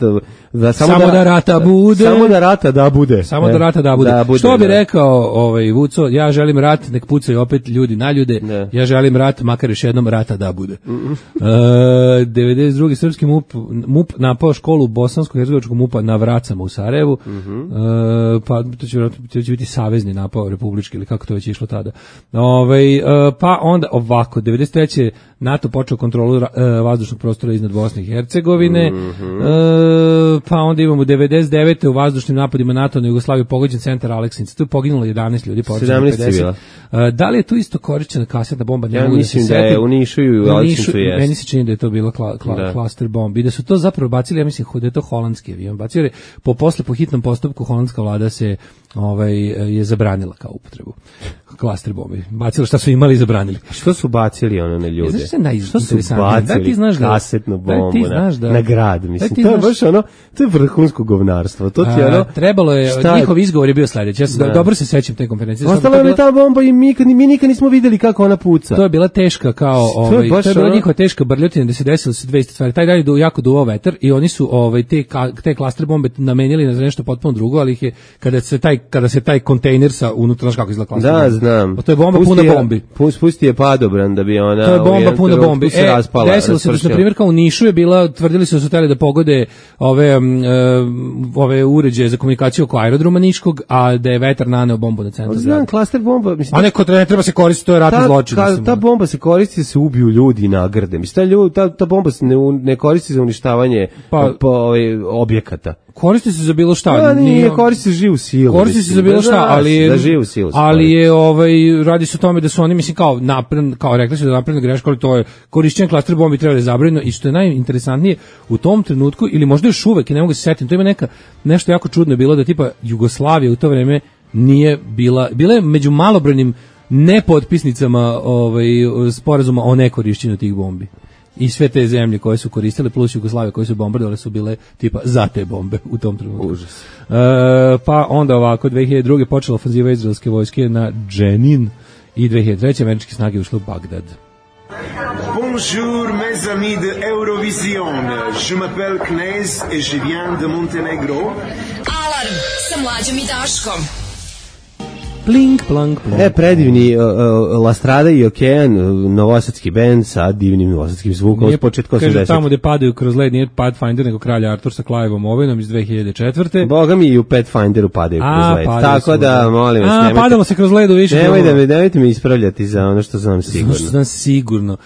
Samo da rata bude. Samo da rata da bude. Samo da rata da bude. Što bi rekao Vuco, ja želim rat, nek pucaju opet ljudi na ljude. Ne. Ja želim rat, makar još jednom rata da bude. 92. srpski MUP napao školu bosansko-hercegovačkog MUP-a na Vracama u Sarajevu. Pa to će biti savezni napao republički ili kako to već išlo tada. Pa onda ovako, 93. NATO počeo kontrolu vazdušnog prostora iznad Bosne i Hercegovine. Pa onda imamo 99. u vazdušnim napadima NATO na Jugoslaviju pogođen centar Aleksinca. Tu je poginulo 11 ljudi, 17 50. Da li je tu isto korišćena kasetna bomba? Ja mislim da je u Nišu i u Aleksincu jest. Meni se čini da je to bilo klaster bomb i da su to zapravo bacili, ja mislim da je to holandski avion. Bacili po hitnom postupku holandska vlada se je zabranila kao upotrebu klaster bombi. Bacilo šta su imali i zabranili. Što su bacili na ljude? Što su bacili kasetnu bombu na grad, mislim. To je baš to je vrhunsko govnarstvo. To ti trebalo je, njihov izgovor je bio sledeći. Ja dobro se sećam te konferencije. Ostala je ta bomba i mi nikad nismo videli kako ona puca. To je bila teška kao to je bila njihova teška brljotina da se desilo se dve stvari. Taj dan je jako duvao vetar i oni su te klaster bombe namenili na nešto potpuno drugo, ali ih je kada se taj kontejner sa unutra, znaš kako izgleda klaster bomba. Da, znam. To je bomba puna bombi. Pusti je padobran da bi ona... To je bomba puna bombi. Desilo se, na primjer, kao u Nišu je bila, tvrdili su hteli da pogode ove uređaje za komunikaciju oko aerodroma Niškog, a da je vetar naneo bombu na centar. Znam, klaster bomba... A neko ne treba se koristiti, to je ratni zločin. Ta bomba se koristi da se ubiju ljudi i nagrade. Mislim, ta bomba se ne koristi za uništavanje objekata. Koristi se za bilo šta. Da, nije, koristi se živu silu. Koristi se za bilo šta, ali je radi se o tome da su oni, mislim, kao rekli su da napravljena greška, ali to je korišćenje klaster bombi treba da je zabranjeno i što je najinteresantnije u tom trenutku, ili možda još uvek, ne mogu se setiti, to ima nešto jako čudno je bilo da tipa Jugoslavija u to vreme nije bila je među malobrojnim nepotpisnicama sporazuma o nekorišćenju tih bombi. I sve te zemlje koje su koristile plus Jugoslavije koje su bombardovale su bile tipa za te bombe u tom trenutku. Užas. Pa onda ovako 2002. počela ofanziva izraelske vojske na Dženin i 2003. američke snage ušle u Bagdad. Bonjour mes amis de Eurovision. Je m'appelle Knez et je viens de Montenegro. Alarm sa Mlađom i Daškom. Plink, plank, plank. Predivni La Strada i Okean, novosadski bend sa divnim novosadskim zvukom od početka 80. Kaže, tamo gde padaju kroz led nije Pathfinder, nego Kralj Artur sa Cliveom Owenom iz 2004. Boga mi i u Pathfinderu padaju kroz led. Tako da, molim vas, nemojte... Padalo se kroz ledu više. Nemojte me ispravljati za ono što znam sigurno. Što znam sigurno.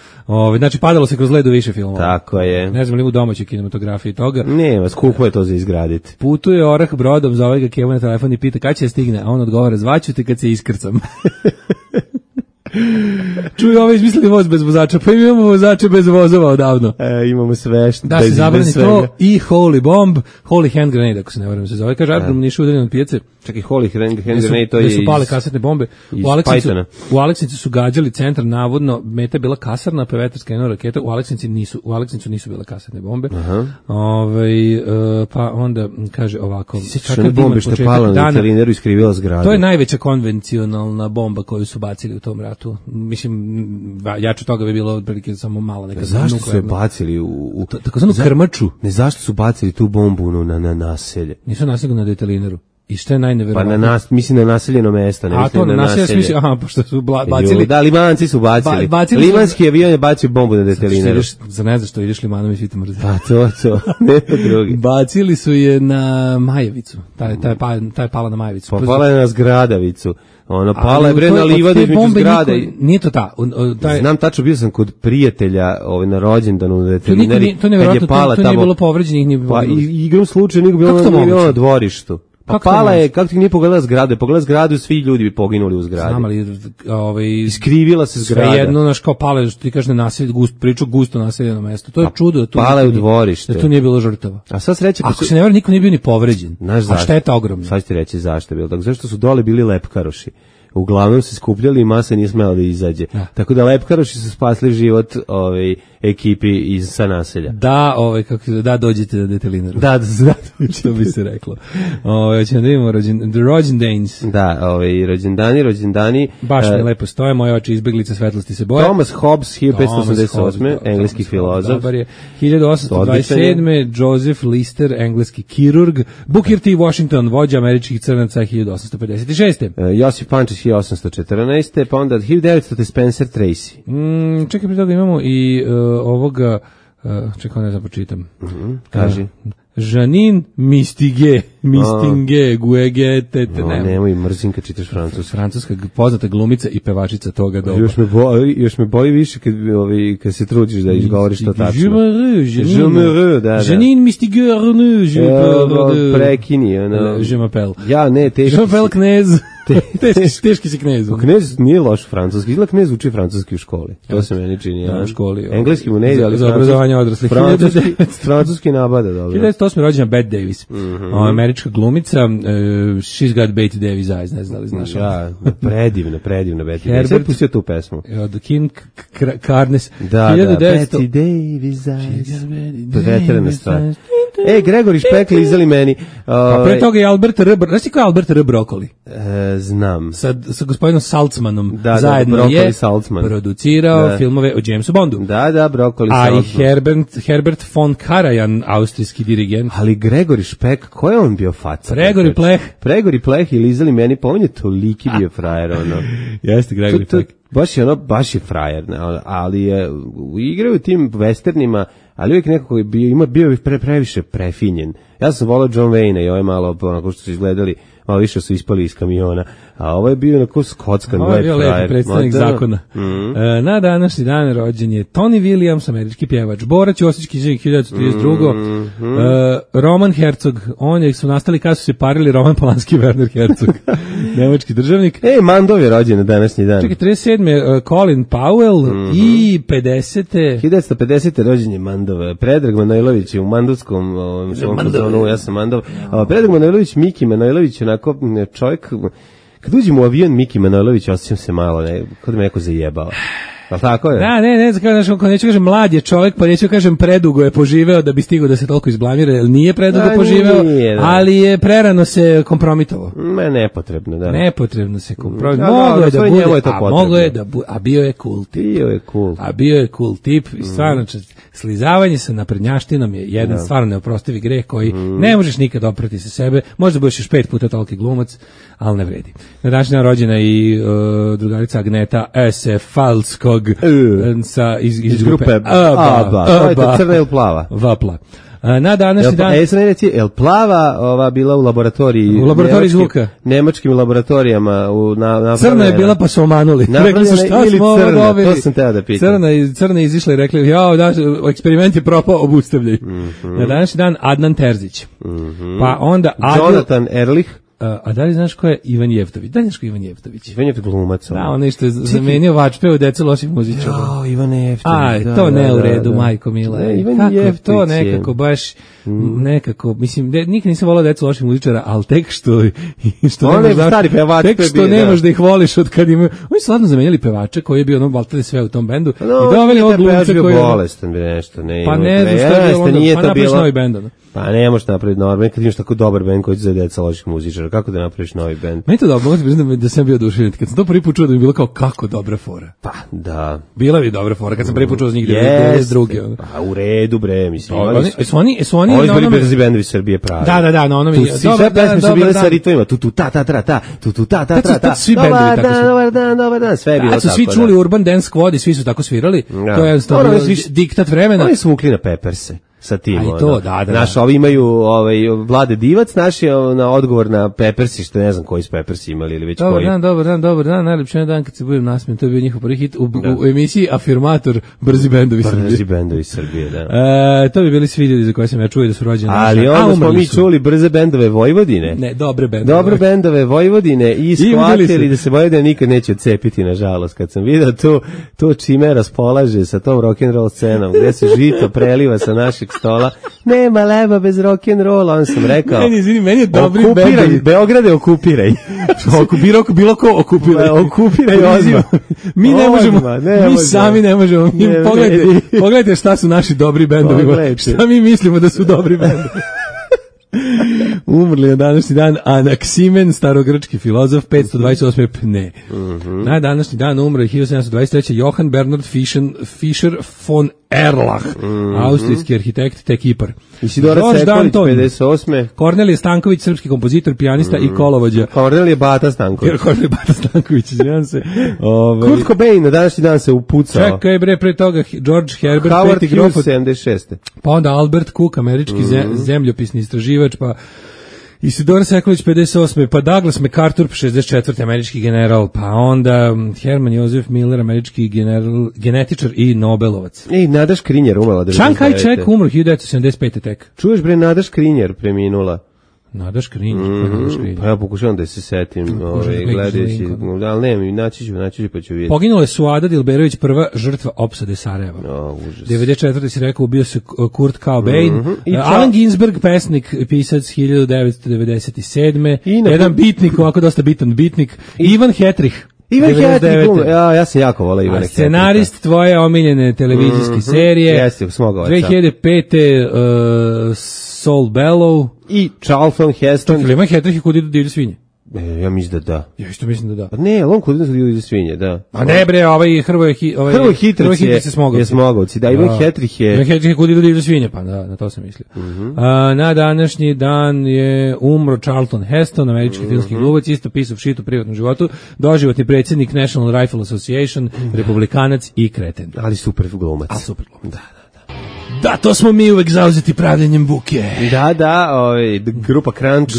Znači, padalo se kroz ledu više filmova. Tako je. Ne znam li u domaćoj kinematografiji toga. Nema, skupo je to za izgraditi. Putuje orah brodom, zove ga Kevu na telefon i pita kada će stigne, a on odgovara, zvaću te kad se iskrcam. Čuj, ovo izmislili voz bez vozača, pa imamo vozače bez vozova odavno. Imamo sve što da se zabrani to i Holy Bomb, Holy Hand Grenade, ako se ne varam se zove. Kaže, aerodrom Niš udaljen od pijace. Čekaj, Holy Hand Grenade, to je iz... su pale kasetne bombe. U Aleksincu su gađali centar, navodno, meta je bila kasarna, pa vetar skrenuo raketa. U Aleksincu nisu bile kasetne bombe. Pa onda, kaže ovako... Sjećaš one bombe što je pala na Italineru i skrivila zgradu? To je najveća konvencionalna bomba koju su bacili u tom ratu. Mislim, jače toga bi bilo otprilike samo mala neka nuklearna. Zašto su je bacili u takozvanu krmaču? Ne, zašto su bacili tu bombu na naselje? Nisu naselje na Italineru. I što je najneverovatnije? Pa mislim na naseljeno mesto, ne mislim na naselje. Pošto su bacili... Da, Limanci su bacili. Limanski avion je bacio bombu na Detelineru. Za ne znaš što, ideš Limanom i svi te mrze. Pa to, ne drugi. Bacili su je na Majevicu. Ta je pala na Majevicu. Pa pala je na Zgradavicu. Pala je bre na livadu između zgrade. Nije to ta. Znam tačno, bio sam kod prijatelja na rođendanu u Detelineri. To nije bilo povređenih, nije bilo. Pa igrom slučaju nije bilo na dvorištu. Pa pala je, kako ti nije pogledala zgrade? Pogledala zgradu, svi ljudi bi poginuli u zgradi. Znam, ali iskrivila se zgrada. Sve jedno, znaš, kao pale, što ti kaže, priču gusto naseljeno mesto. To je čudo. Pala je u dvorište. Da tu nije bilo žrtava. A sad sreće... Ako se ne vara, niko nije bio ni povređen. A šteta ogromna. Sad ću ti reći zašto je bilo. Tako, zašto su dole bili lepkaroši uglavnom se skupljali i masa nije smela da izađe. Tako da lepkaroši su spasli život ekipi sa naselja. Da, dođete na detelinaru. Da, što bi se reklo. Hoćemo da vidimo rođendanes. Da, rođendani. Baš mi lepo stoje, moje oči izbeglice svetlosti se boje. Thomas Hobbes, 1588. engleski filozof. Dobar je. 1827. Joseph Lister, engleski kirurg. Booker T. Washington, vođa američkih crnaca, 1856. Josip Pančić, 1814. Pa onda 1900. Spencer Tracy. Čekaj, prije toga imamo i ovoga, čekaj, ne znam, počitam. Kaži. Janine Mistingue, Guege, tete, nemoj mrzim kad čitaš francuski. Francuska poznata glumica i pevačica toga doba. Još me boli više kad se trudiš da izgovoriš to tačno. Janine Mistingue, prekini, je m'appelle. Ja, ne, teški. Je m'appelle Knez. Teški si Knez. Knez nije loš francuski. Izgleda Knez uči francuski u školi. To se meni čini. U školi. Engleski mu ne ide, ali za obrazovanje odraslih. Francuski nabada, dobro. 1908. rođena Bette Davis. Američka glumica. She's got Bette Davis eyes, ne znam li znaš. Ja, predivna Bette Davis. Sve pustio tu pesmu. The King Carnes. Da, Bette Davis eyes. Veterana stvar. Gregori Špekli izdali meni. Pa pre toga je Albert R. Znaš ti ko je Albert R. Brokoli? Znam. Sa gospodinom Saltzmanom zajedno je producirao filmove o Jamesu Bondu. Da, Brokoli Saltzman. A i Herbert von Karajan, austrijski dirigent. Ali Gregori Špek, ko je on bio faca? Pregori Pleh ili izdali meni, pa on je toliki bio frajer, ono. Jeste, Gregori Pleh. Baš je frajer, ali je igrao u tim westernima, ali uvijek nekako je bio previše prefinjen. Ja sam volao John Wayne i ovo je malo, onako što su izgledali, malo više su ispali iz kamiona, a ovo je bio onako skockan. Ovo je bio lepi predstavnik zakona. Na današnji dan rođen je Tony Williams, američki pjevač, borac Josički književnik 1932. Roman Herzog, su nastali kada su se parili Roman Polanski i Werner Herzog, nemački državnik. Mandov je rođen na današnji dan. Čekaj, 37. Colin Powell i 50. 1950. rođen je Mandov. Predrag Manojlović je u mandovskom zonu, ja sam Mandov. Predrag Manojlović, Miki Manojlović, onako čovjek. Kad uđem u avion Miki Manojlović, osjećam se malo, kod me neko zajebao. Ali tako je? Da, neću kažem mlad je čovjek, pa neću kažem predugo je poživeo da bi stigao da se toliko izblamira, jer nije predugo poživeo, ali je prerano se kompromitovao. Nepotrebno, da. Nepotrebno se kompromitovao. Moglo je da bude, a bio je cool tip. Bio je cool tip i stvarno, slizavanje sa naprednjaštinom je jedan stvarno neoprostivi greh koji ne možeš nikad oprati sa sebe, možda budeš još 5 puta toliki glumac, ali ne vredi. Na današnji dan rođena i drugarica Agneta S. Falskog iz grupe ABBA. To je to crna ili plava? Vapla. Na današnji dan... El plava ova bila u laboratoriji... U laboratoriji zvuka. Nemačkim laboratorijama. Crna je bila pa su omanuli. Rekli su šta smo ovo dobili. To sam teo da pitam. Crna izišla i rekli, eksperiment je propao, obustavljaj. Na današnji dan Adnan Terzić. Pa onda... Jonathan Erlich. A da li znaš ko je Ivan Jevtović? Da li znaš ko je Ivan Jevtović? Ivan Jevtović glumac. Da, onaj što je zamenio Vačpe u Decu loših muzičara. Ivan Jevtović. To ne u redu, majko mila. Ivan Jevtović to nekako baš, nekako, mislim, nikad nisam volao Decu loših muzičara, ali tek što ne možeš da ih voliš od kad imaju. Oni su ladno zamenjali pevača koji je bio baltade sve u tom bendu i doveli ovog glumca koji je... bolestan bi nešto, ne. Pa ne znam šta je bilo onda, pa napraviš novi bend. Pa ne možeš napraviti novi bend kad imaš tako dobar bend koji će za Deca loših muzičara. Kako da napraviš novi bend? Meni to dobro, mogu ti priznati da sam bio oduševljen. Kad sam to prvi put čuo da mi je bilo kao kako dobra fora. Pa, da. Bila bi dobra fora kad sam prvi put čuo za njih 92. Pa, u redu bre, mislim. Su oni na onome... brzi bendovi Srbije pravi. Da, na onome... Sve pesme su bile sa ritmima. Tu ta ta ta ta, tu ta ta ta ta. Svi bendovi tako su. Dobar dan, sve je bilo tako. Su svi čuli Urban Dance Squad i svi su tako svirali. To je diktat vremena. Oni su vukli na Pepperse. Sa tim, naš, ovi imaju Vlade Divac, naš je na odgovor na Peppersi, što ne znam koji su Peppersi imali ili već koji. Dobar dan, najljepši dan kad se budem nasmijen, to je bio njihov prvi hit u emisiji Afirmator Brzi bendovi Srbije, da. To bi bili svi ljudi za koje sam ja čuo da su rođeni. Ali onda smo mi čuli brze bendove Vojvodine. Ne, dobre bendove. Dobre bendove Vojvodine i shvatili da se Vojvodina nikad neće odcepiti, nažalost. Kad sam vidio to čime raspolaže sa tom rock'n'roll scenom, gde se žito preliva sa našeg stola. Nema leba bez rock'n'rolla, on sam rekao. Meni je dobri bend. Okupiraj, Beograde, okupiraj. Bilo ko okupiraj. Okupiraj odmah. Mi ne možemo, mi sami ne možemo. Pogledajte šta su naši dobri bendovi. Šta mi mislimo da su dobri bendovi. Umrli na današnji dan Anaksimen, starogrčki filozof, 528. pne. Na današnji dan umre 1723. Johann Bernhard Fischer von Erlach, austrijski arhitekt te kipar. Isidora Sekulić, 58. Kornelije Stanković, srpski kompozitor, pijanista i kolovođa. Kornelije Bata Stanković. Kornelije Bata Stanković, izvinjam se. Kurt Cobain na današnji dan se upucao. Čekaj bre, pre toga George Herbert, Howard Hughes, 76. Pa onda Albert Cook, američki zemljopisni istraživač, pa Isidora Sekulić 58. pa Douglas MacArthur 64. američki general, pa onda Herman Josef Miller, američki genetičar i Nobelovac. I Nada Škrinjer umrla 99. Chiang Kai-shek umro 1975. tek. Čuješ bre, Nada Škrinjer preminula. Nada Škrinjer, pa ja pokušavam da se setim, gledajući, ali ne, naći ću pa ću vidjeti. Poginula je Suada Dilberović, prva žrtva opsade Sarajeva. Užas. 94. si rekao, ubio se Kurt Cobain. Allen Ginsberg, pesnik, pisac 1997. Jedan bitnik, ovako dosta bitan bitnik. Ivan Hetrich. Ivan Hetrich, ja sam jako volao Ivana Hetricha. Scenarist tvoje omiljene televizijske serije. Jeste, smogovaca. 2005. Saul Bellow. I Charlton Heston. Ivan Hetrich je Kud idu divlje svinje. Ja mislim da da. Ja isto mislim da da. Ne, on Kud idu divlje svinje, da. A ne bre, Hrvoje Hitrić je Smogovci. Da, Ivan Hetrich je... Ivan Hetrich je Kud idu divlje svinje, pa da, na to sam mislio. Na današnji dan je umro Charlton Heston, američki filmski glumac, isto pisao shit u privatnom životu, doživotni predsjednik National Rifle Association, republikanac i kreten. Ali super glumac. A super glumac. Da, to smo mi uvek zauzeti pravljenjem buke. Da, grupa Crunch.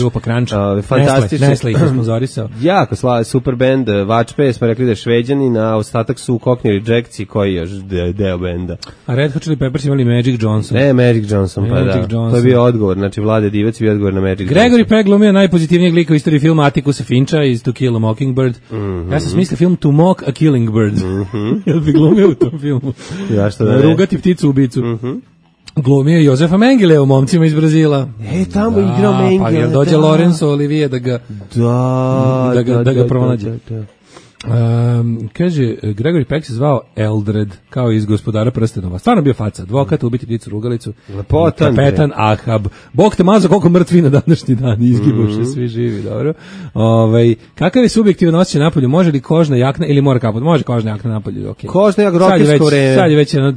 Fantastično. Nestle ih je sponzorisao. Jako super band, Vačpe, smo rekli da je šveđanin, a ostatak su Cockney Rejectsi, koji je još deo benda. A Red Hot Chili Peppers imali Magic Johnson. Ne, Magic Johnson, pa da. To je bio odgovor, znači Vlade Divac je bio odgovor na Magic Johnson. Gregory Peck glumio najpozitivnijeg lika u istoriji filma Atticusa Fincha iz To Kill a Mockingbird. Ja sam smislio film To Mock a Killing Bird. Jel bi glumio u tom filmu? Ja što da ne. Rugati pticu ubicu. Glumio je Jozefa Mengele u Momcima iz Brazila. Tamo igrao Mengele. Pa jel dođe Lorenzo Olivier da ga pronađe. Kaže, Gregory Peck se zvao Eldred, kao iz Gospodara prstenova. Stvarno bio faca, advokat, ubiti pticu rugalicu. Lepotan. Kapetan Ahab. Bog te mazo koliko mrtvi na današnji dan, izgibuše, svi živi, dobro. Kakav je subjektivan osjećaj napolju? Može li kožna jakna ili mora kaput? Može kožna jakna napolju, okej. Kožna jakna, rock'n'roll vreme. Sad je već 14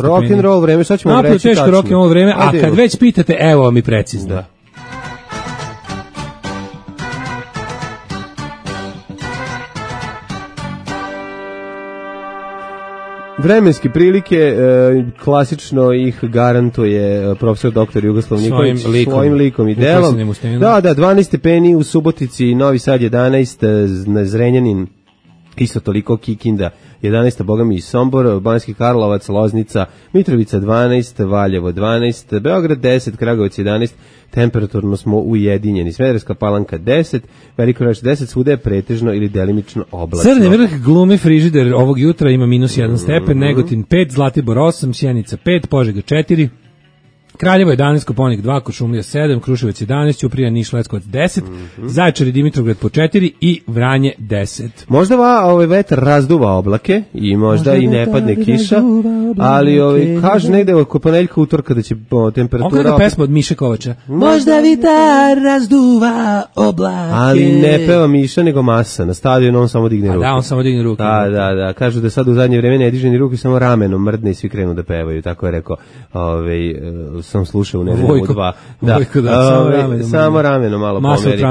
rock'n'roll vreme, sad ćemo reći tačno. Napolju teško rock'n'roll vreme, a kad već pitate, evo mi precizno. Da. Vremenske prilike, klasično ih garantuje profesor dr. Jugoslav Nikolić svojim likom i delom. Da, 12 stepeni u Subotici, Novi Sad 11, Zrenjanin isto toliko, Kikinda 11, bogami i Sombor, Banjski Karlovac, Loznica, Mitrovica 12, Valjevo 12, Beograd 10, Kragujevac 11, temperaturno smo ujedinjeni. Smederevska Palanka 10, Veliko Gradište 10, svuda je pretežno ili delimično oblačno. Crni vrh glumi frižider ovog jutra, ima -1 stepen, Negotin 5, Zlatibor 8, Sjenica 5, Požega 4, Kraljevo 11, Koponik 2, Kuršumlija 7, Kruševac 11, Ćuprija, Niš, Leskovac 10, Zaječar i Dimitrovgrad po 4 i Vranje 10. Možda vetar razduva oblake i možda i ne padne kiša, ali kaže negde oko ponedeljka, utorka da će temperatura... On gleda pesma od Miše Kovača. Možda vitar razduva oblake. Ali ne peva Miša, nego Masa. Na stadionu on samo digne ruke. Da, on samo digne ruke. Da. Kažu da sad u zadnje vreme ne diže ni ruke, samo ramenom mrdne i svi krenu da pevaju. Tako je rekao, sam slušao u nedelju u 2. Samo rameno malo pomeri.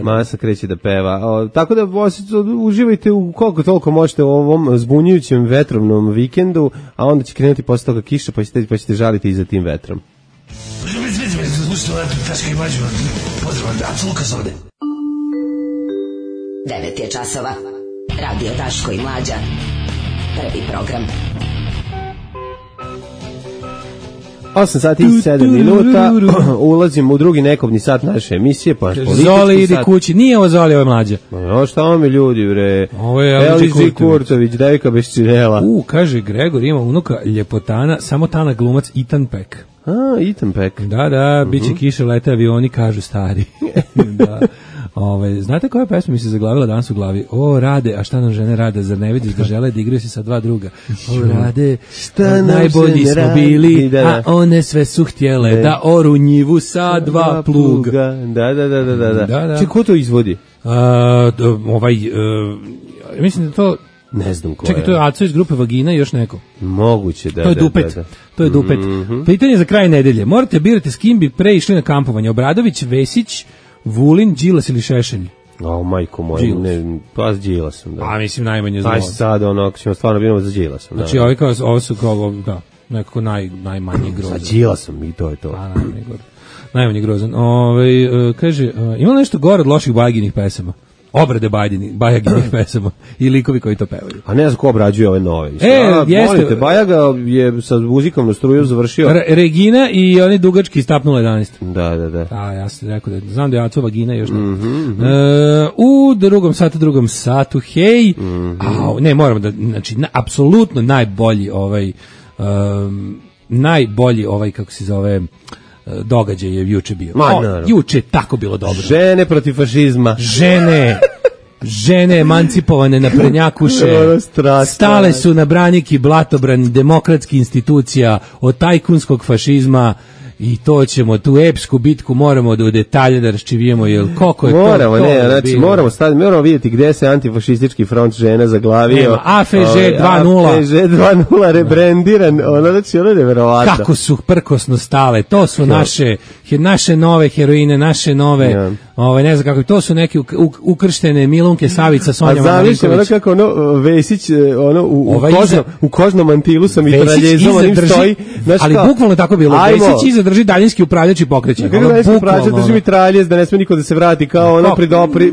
Masa kreće da peva. Tako da uživajte u koliko toliko možete u ovom zbunjujućem vetrovnom vikendu, a onda će krenuti posle toga kiša, pa ćete žaliti i za tim vetrom. 9 je časova. Radio Daško i Mlađa. Prvi program. 8 sati i 7 minuta, ulazimo u drugi nekobni sat naše emisije, pa politički Zoli, idi kući, nije ovo Zoli, ovo je Mlađa. Šta vam je ljudi, bre? Ovo je Elži Kurtović, devika bez činela. Kaže Gregor, ima unuka ljepotana, samo tana glumac Ethan Peck. Ethan Peck. Da, biće kiše, lete avioni, kažu stari. Da. Znate koja pesma mi se zaglavila danas u glavi? O, Rade, a šta nam žene rade, zar ne vidiš da žele da igraju se sa dva druga? O, Rade, šta najbolji smo bili, a one sve su htjele da oru njivu sa dva pluga. Da. Če, ko to izvodi? Mislim da to... Ne znam ko je. Čekaj, to je Aco iz grupe Vagina i još neko. Moguće, da. To je Dupet. To je Dupet. Pitanje za kraj nedelje. Morate birati s kim bi pre išli na kampovanje. Obradović, Vesić, Vulin, Đilas ili Šešelj? Majko moj, pa s Đilasom, da. Mislim najmanje zlo. Sad, ćemo stvarno biramo za Đilasom. Znači, ovo su kao, nekako najmanje grozan. Sa Đilasom i to je to. Najmanje grozan. Kaže, ima nešto gore od loših Bajaginih pesama? Obrade Bajaginih pesama i likovi koji to pevaju. A ne znam ko obrađuje ove nove. Jeste. Molite, Bajaga je sa muzikom na struju završio. Regina i oni dugački iz Tap 011. Da. Ja sam rekao da znam da je Aco Vagina još ne. U drugom satu, hej. Ne, moramo da, znači, apsolutno najbolji kako se zove, događaj je juče bio. Juče je tako bilo dobro. Žene protiv fašizma. Žene emancipovane na prednjakuše, stale su na branik i blatobran demokratskih institucija od tajkunskog fašizma i to ćemo, tu epsku bitku moramo da u detalje da raščivijemo, jer koliko je moramo vidjeti gde se antifašistički front žena zaglavio. AFŽ 2.0. AFŽ 2.0 rebrendiran, znači ono je neverovatno. Kako su prkosno stale, to su naše nove heroine, naše nove, ne znam kako, to su neke ukrštene Milunke, Savica, Sonja Marinković. A znaš kako Vesić u kožnom mantilu sa mitraljezom, onim stoji. Ali bukvalno tako bilo, Vesić iza drži daljinski upravljač i pokreće. Kako daljinski upravljač drži mitraljez da ne sme niko da se vrati kao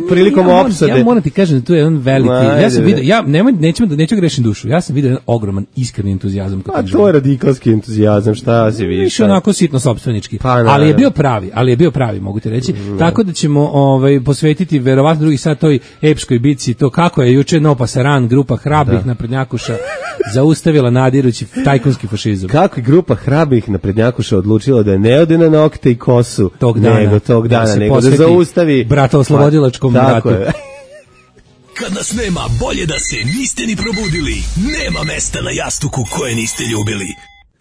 prilikom opsade. Ja moram ti kažem da tu je jedan veliki, ja sam vidio, neću grešim dušu, ja sam vidio jedan ogroman iskreni entuzijazam. A to je radikalski entuzijazam, šta si vidiš? Više onako sitno sopstvenički, ali je bio pravi, mogu ti reći, tako da ćemo posvetiti verovatno drugi sat toj epskoj bici, to kako je juče No Pasaran, grupa hrabrih naprednjakuša zaustavila nadirući tajkunski fašizam. Kako je grupa hrabrih naprednjakuša odlučila da ne ode na nokte i kosu tog dana, nego da zaustavi bratooslobodilačkom ratu. Kad nas nema, bolje da se niste ni probudili. Nema mesta na jastuku koje niste ljubili.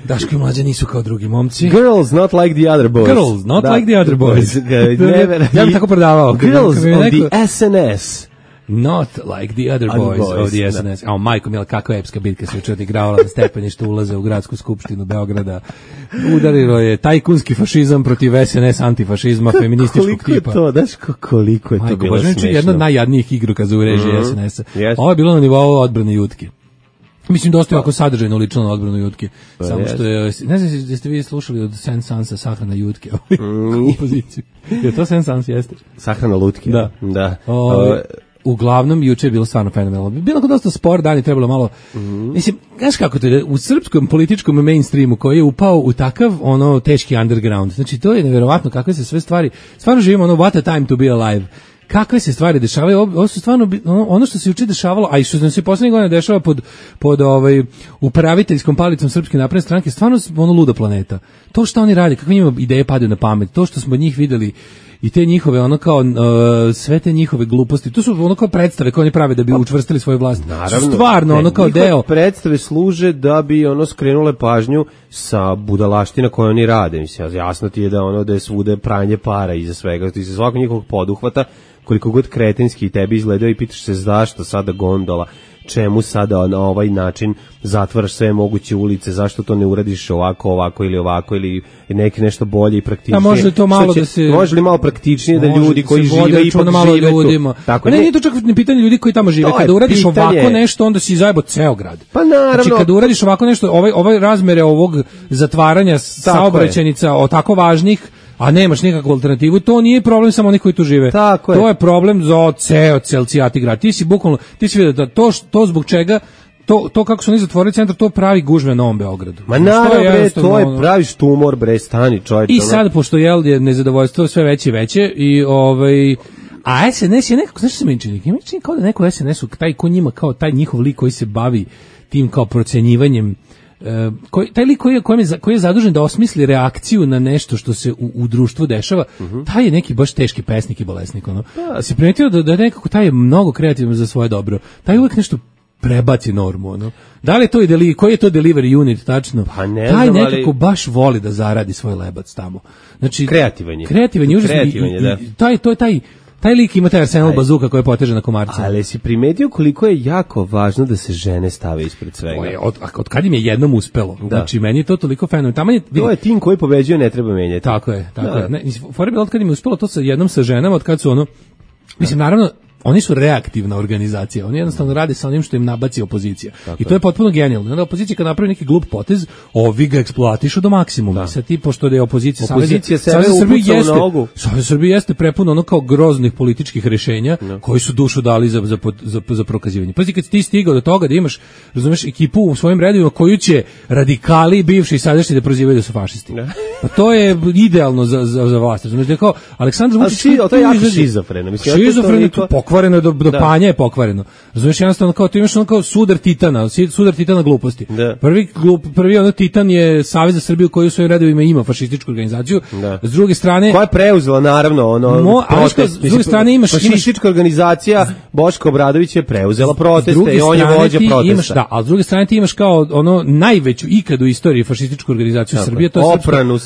Daško i Mlađa nisu kao drugi momci. Girls not like the other boys. Girls not like the other boys. Ja bih tako prodavao. Girls of the SNS. Not like the other boys of the SNS. Majko mila, kakva epska bitka se juče odigravala na stepeništu ulaze u gradsku skupštinu Beograda. Udarilo je tajkunski fašizam protiv SNS antifašizma feminističkog tipa. Koliko je to bilo smešno. Jedna od najjadnijih igrukaza u režiji SNS-a. Ovo je bilo na nivou odbrane Jutke. Mislim, dosta je ovako sadržajno lično na odbranu Jutke. Samo što je, ne znam da ste vi slušali od Sensansa Sahrana Jutke, kompoziciju. Je to Sensans, jeste? Sahrana Lutke. Da. Uglavnom, juče je bilo stvarno fenomenalno. Bilo kao dosta spor, dan je trebalo malo... Mislim, znaš kako to je, u srpskom političkom mainstreamu koji je upao u takav, teški underground. Znači, to je neverovatno kakve se sve stvari... Stvarno živimo, what a time to be alive. Kakve se stvari dešavaju, ovo su stvarno ono što se juče dešavalo, a i što se poslednjih godina dešava pod upraviteljskom palicom Srpske napredne stranke, stvarno luda planeta. To što oni rade, kakve njima ideje padaju na pamet, to što smo od njih videli i te njihove sve te njihove gluposti, to su kao predstave koje oni prave da bi učvrstili svoju vlast. Naravno. Stvarno kao deo. Predstave služe da bi skrenule pažnju sa budalaština koje oni rade. Mislim, jasno ti je da je svude pranje para iza svega, iza svakog njihovog poduhvata, koliko god kretenski tebi izgledao i pitaš se zašto sada gondola, čemu sada na ovaj način zatvaraš sve moguće ulice, zašto to ne uradiš ovako ili nešto bolje i praktičnije. A može to malo da se... Može li malo praktičnije da ljudi koji žive ipak žive tu? Tako, nije to čak ni pitanje ljudi koji tamo žive. Kada uradiš ovako nešto, onda si zajebo ceo grad. Pa naravno. Znači, kada uradiš ovako nešto, ovaj razmere ovog zatvaranja saobraćajnica o tako važnih, a nemaš nikakvu alternativu, to nije problem samo onih koji tu žive. To je problem za ceo cijati grad. Ti si vidio da to zbog čega, to kako su oni zatvorili centar, to pravi gužve na Novom Beogradu. Ma naravno, to je pravi štumor, stani čovječ. I sad, pošto je nezadovoljstvo sve veće i veće, a SNS je nekako, znaš što se meni čini? Meni čini kao da neko SNS-u, taj ko njima, kao taj njihov lik koji se bavi tim kao procenjivanjem taj lik koji je zadužen da osmisli reakciju na nešto što se u društvu dešava, taj je neki baš teški pesnik i bolesnik. Ono. Si primetio da nekako taj je mnogo kreativan za svoje dobro. Taj uvek nešto prebaci normu. Ono. Da li je to koji je to delivery unit tačno? Pa ne taj znam, nekako baš voli da zaradi svoj lebac tamo. Znači, kreativan je užasno. Taj lik ima taj arsenal bazuka koji je poteže na komarca. Ali si primetio koliko je jako važno da se žene stave ispred svega? Od kad im je jednom uspelo. Da. Znači, meni je to toliko fenomenalno. To je tim koji pobeđuje, ne treba menjati. Tako je. Fora je bilo od kad im je uspelo to sa ženama, od kad su ono... Mislim, naravno, oni su reaktivna organizacija, oni jednostavno rade sa onim što im nabaci opozicija. Tako. I to je potpuno genijalno. Onda opozicija kad napravi neki glup potez, ovi ga eksploatišu do maksimuma. Sad ti, pošto je opozicija sebe upuca u nogu. Savez Srbije jeste prepuno ono kao groznih političkih rješenja koji su dušu dali za prokazivanje. Pazi, kad ti stigao do toga da imaš, razumeš, ekipu u svojim redovima koju će radikali, bivši i sadašnji da prozivaju da su fašisti. Pa to je idealno za vlast. Razumeš, da je kao Aleksandar Vučić... To je jako šizofreno. Pokvareno je do panja je pokvareno. Razumiješ, jednostavno kao ti imaš ono kao sudar titana gluposti. Prvi ono titan je Savez za Srbiju koji u svojim redovima ima fašističku organizaciju. S druge strane... Koja je preuzela naravno protest. S druge strane imaš... Fašistička organizacija Boško Obradović je preuzela proteste i on je vođa protesta. Ali s druge strane ti imaš kao ono najveću ikad u istoriji fašističku organizaciju Srbije, to je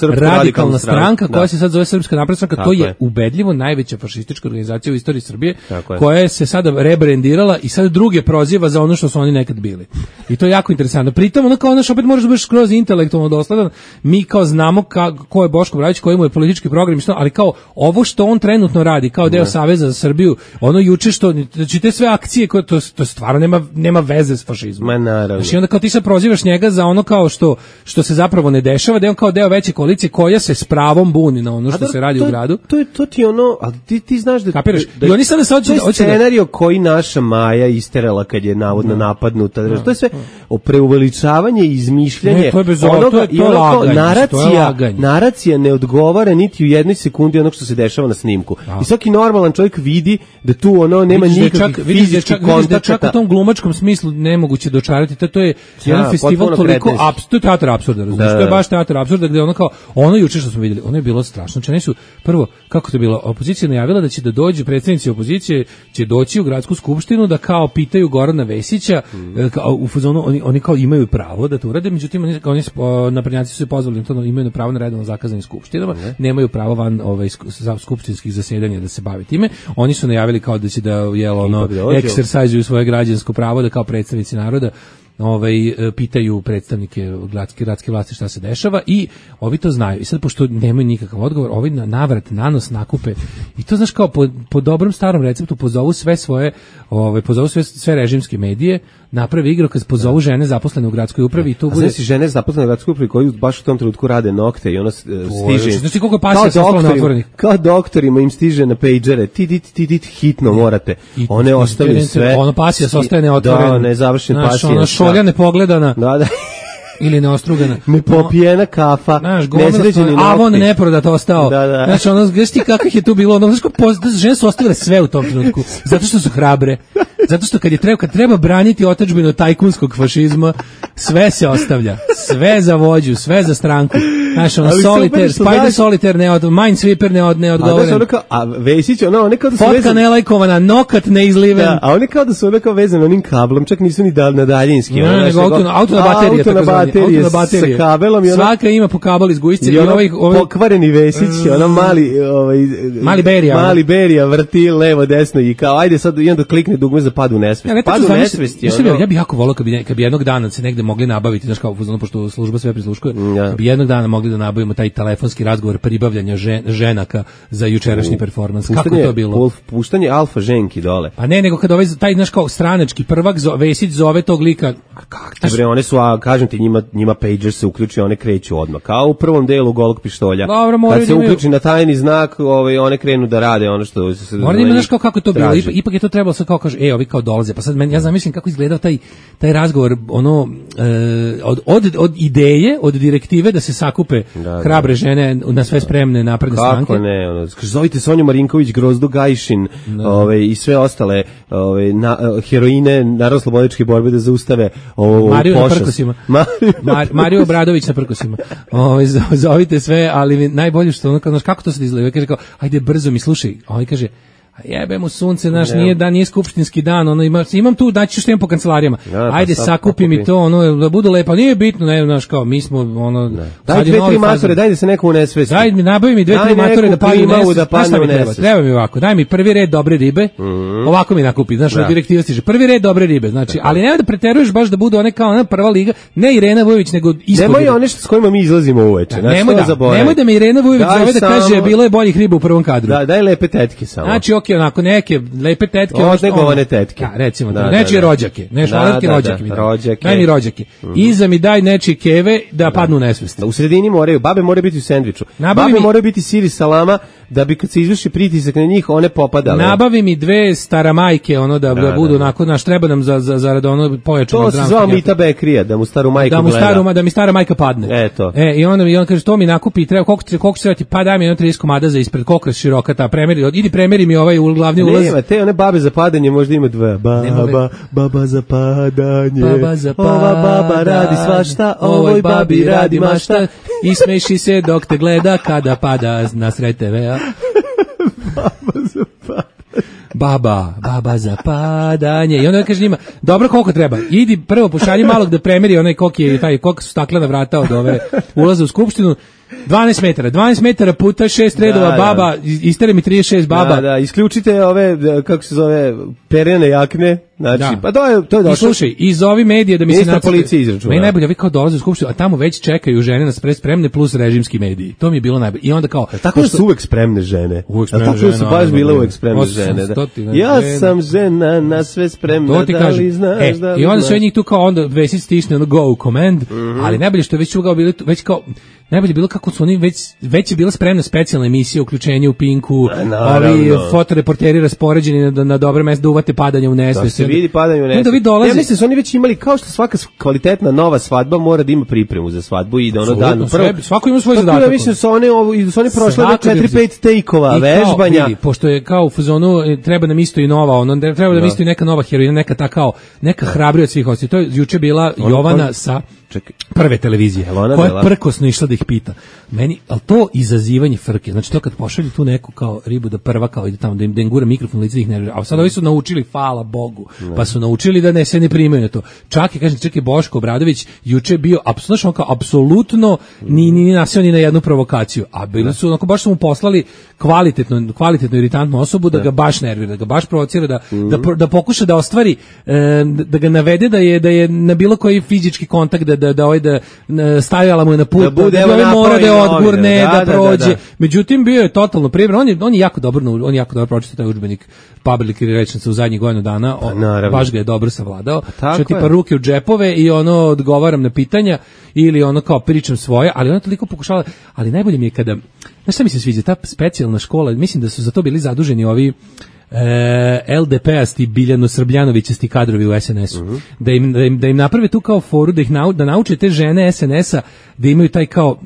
Srpska radikalna stranka koja se sad zove Srpska napredna stranka, to je ubedljivo najveća fašistička organizacija u istoriji Srbije, koja je se sada rebrendirala i sad druge proziva za ono što su oni nekad bili. I to je jako interesantno. Pritom, ono kao opet možeš biti skroz intelektualno dosledan, mi kao znamo ko je Boško Obradović, koji mu je politički program, ali kao ovo što on trenutno radi, kao deo Saveza za Srbiju, ono juče što, znači te sve akcije, koje to stvarno nema veze s fašizmom. Ma naravno. Znači onda kao ti sad prozivaš njega za ono kao što se zapravo ne dešava, da je on kao deo veće koalicije koja se s pravom buni na ono što se radi u gradu. To ti ono, ali ti znaš da... Kapiraš? I oni sada scenario koji naša Maja isterala kad je navodno napadnuta. To je sve preuveličavanje i izmišljanje. To je bez onoga, naracija ne odgovara niti u jednoj sekundi onog što se dešava na snimku. I svaki normalan čovjek vidi da tu ono nema nikakvih fizičkih kontakata. Čak u tom glumačkom smislu nemoguće dočarati. To je jedan festival toliko to je teatar apsurda. To je baš teatar apsurda gde ono kao ono juče što smo vidjeli, ono je bilo strašno. Znači su prvo kako to je bilo, opozicija najavila da će da dođu predstavnici opozicije će doći u gradsku skupštinu da kao pitaju Gorana Vesića u fazonu oni kao imaju pravo da to urade, međutim oni naprednjaci su se pozvali na to, imaju pravo na redovno zakazanim skupštinama, nemaju pravo van skupštinskih zasedanja da se bavi time. Oni su najavili kao da će da eksersajzuju svoje građansko pravo da kao predstavnici naroda pitaju predstavnike gradske vlasti šta se dešava i ovi to znaju. I sad pošto nemaju nikakav odgovor, ovi navrat nanos nakupe i to znaš kao po dobrom starom receptu pozovu sve svoje sve režimske medije, napravi igrokaz, pozovu žene zaposlene u gradskoj upravi i tu bude si žene zaposlene u gradskoj upravi koji baš u tom trenutku rade nokte i ona stiže. Znači koliko pasija sa stolom otvorenih. Kao doktorima im stiže na pejđere. Hitno morate. One ostavljaju sve. Ono pasija se ostaje neotvorena. Da, nezavršen pasija. Šolja nepogledana. Da. Ili neostrugana. Nepopijena kafa, nesređeni nokti. Avon neprodat ostao. Da. Znači, znaš ti kakvih je tu bilo, žene su ostavile sve u tom trenutku, zato što su hrabre. Zato što kad treba braniti otadžbinu od tajkunskog fašizma, sve se ostavlja. Sve za vođu, sve za stranku. Znaš, solitaire, Spider Solitaire, Minesweeper ne odgovoren. A Vesić, one kao da su fotka nelajkovana, nokat neizliven. Da, a one kao da su kao vezane onim kablom, čak nisu ni na daljinski. Ne, nego auto na baterije, sa kabelom. Svaka ima po kabel iz gujice. I pokvareni Vesić, mali Berija vrti levo, desno i kao, ajde sad i onda klikne dugme za pad u nesvest. Pad u nesvest je ja bih jako volao kad bi jednog dana se negde mogli nabaviti, znaš kao, pošto služba sve prisluškuje, kad bi jednog dana mogli da nabavimo taj telefonski razgovor pribavljanja ženaka za jučerašnji performans. Kako to bilo? Puštanje alfa ženki dole. Pa ne, nego kad taj naš kao stranački prvak Vesić zove tog lika. Bre, one su, kažem ti, njima pager se uključi, one kreću odmah. Kao u prvom delu Golog pištolja. Kad se uključi na tajni znak, one krenu da rade ono što se... Mora da ima, znaš kako je to bilo. Ipak je to trebalo sad kao kaže, ovi kao dolaze. Pa sad ja zamislim kako izgledao taj razgovor, od ideje, od direktive da se sakupe skupe hrabre žene na sve spremne napredne stranke. Kako ne, ono, zovite Sonju Marinković, Grozdu Gajšin, i sve ostale heroine Narodno-slobodilačke borbe da zaustave ovo Mariju pošast. Na prkosima. Mariju Obradović na prkosima. Zovite sve, ali najbolje što ono, kako to se izgleda? Kaže kao, ajde brzo mi slušaj. On kaže, a jebe mu sunce, znaš, nije skupštinski dan, ono, imam tu, daći što imam po kancelarijama. Ajde, sakupi mi to, ono, da budu lepo, nije bitno, ne, znaš, kao, mi smo, ono... Daj 2-3 matore, daj da se neko unesvesti. Daj mi, nabavi mi 2-3 matore da padne u nesvest. Treba mi ovako, daj mi prvi red dobre ribe, ovako mi nakupi, znaš, direktiva stiže, prvi red dobre ribe, znači, ali nema da preteruješ baš da budu one kao ona prva liga, ne Irena Vujović, nego ispod. Nemoj one s kojima mi izlazimo uveče, nemoj da me Irena Vujović zove da kaže, bilo je boljih riba u prvom kadru. Daj lepe tetke samo. Znači, okej, onako neke lepe tetke, negovane tetke. Recimo, nečije rođake, rođake. Daj mi rođake. Iza mi daj nečije keve da padnu u nesvest. U sredini babe moraju biti u sendviču. Babe moraju biti sir i salama da bi kad se izvrši pritisak na njih one popadale. Nabavi mi 2 staramajke, ono da budu onako, naš treba nam za ono pojačano zdravstvo. To se zvao Mita Bekrija, da mu staru majku gleda. Da mi stara majka padne. Eto. I on kaže, to mi nakupi, treba, koliko će trebati, pa daj mi 30 komada za ispred, koliko je široka ta, idi premeri mi ovaj glavni ulaz. Nema, te one babe za padanje možda ima 2. Baba za padanje. Ova baba radi svašta, ovoj babi radi mašta. I smeši se dok te gleda kada pada na sred TV-a. Baba za padanje. Baba za padanje. I onda kaže njima, dobro, koliko treba? Idi prvo pošalji malog da premeri onaj koliko su staklena vrata od ove ulaza u skupštinu. 12 metara puta 6 redova baba, istere mi 36 baba. Da, isključite ove, kako se zove, perene jakne, znači, pa to je došlo. I slušaj, iz ovi medije da mi se policija izračuna. Meni najbolje, vi kao dolaze u skupštinu, a tamo već čekaju žene na spremne plus režimski mediji. To mi je bilo najbolje. I onda kao... Tako da su uvek spremne žene. Uvek spremne žene. Tako su baš bile uvek spremne žene. Ja sam žena na sve spremna, da li znaš, da li i onda sve njih tu kao onda već stisne ono go command, ali najbolje što je već ugao bili, već kao najbolje bilo kako su oni već je bila spremna specijalna emisija uključenje u Pinku, ovi fotoreporteri raspoređeni na dobre mesta da uvate padanje u nesvest. Da se vidi padanje u nesvest. Ja mislim su oni već imali, kao što svaka kvalitetna nova svadba mora da ima pripremu za svadbu i da ono dan svako ima svoj zadatak. Ja mislim su one prošle 4-5 tejkova vežbanja. Pošto je kao u fazonu treba nam isto i nova, treba da nam isto i neka nova heroina, neka ta kao neka hrabrija od svih ostali. To je juče bila Jovana sa Prve televizije, koja je prkosno išla da ih pita. Meni, ali to izazivanje frke, znači to kad pošalju tu neku kao ribu da prva kao ide tamo, da im gura mikrofon lice ih nervira, a sad ovi su naučili, hvala Bogu, pa su naučili da se ne primaju na to. Čak je Boško Obradović juče bio apsolutno ni nasio ni na jednu provokaciju, a bili su, baš su mu poslali kvalitetno iritantnu osobu da ga baš nervira, da ga baš provocira, da pokuša da ostvari, da ga navede da je na bilo koji fizički kontakt da stavljala mu je na put, da mora da je odgurne, da prođe. Međutim, bio je totalno pribran. On je jako dobro pročitao taj udžbenik Public Relations u zadnjih godinu dana. Baš ga je dobro savladao. Što tipa ruke u džepove i ono odgovaram na pitanja ili ono kao pričam svoje, ali ona toliko pokušala, ali najbolje mi je kada, znaš šta mi se sviđa, ta specijalna škola, mislim da su za to bili zaduženi ovi LDP-asti Biljano-Srbljanovićasti kadrovi u SNS-u. Da im naprave tu kao foru, da nauče te žene SNS-a da imaju taj kao,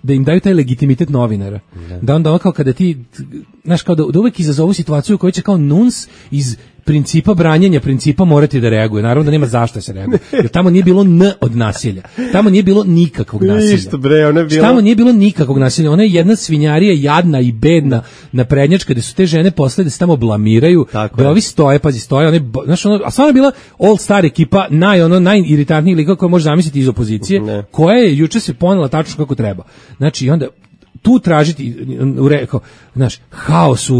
da im daju taj legitimitet novinara. Da onda ono kao kada ti, znaš, kao da uvek izazovu situaciju u kojoj će kao nuns iz principa branjenja principa morati da reaguje. Naravno da nema zašto se reaguje. Jer tamo nije bilo od nasilja. Tamo nije bilo nikakvog nasilja. Ništa bre, ona je bila... Tamo nije bilo nikakvog nasilja. Ona je jedna svinjarija, jadna i bedna naprednjačka, gde su te žene posle da se tamo blamiraju, da ovi stoje, znaš, a stvarno je bila all star ekipa, najiritantniji lika koja može zamisliti iz opozicije, koja je juče se ponela tačno kako treba. Znači, onda tu tražiti, znaš, haos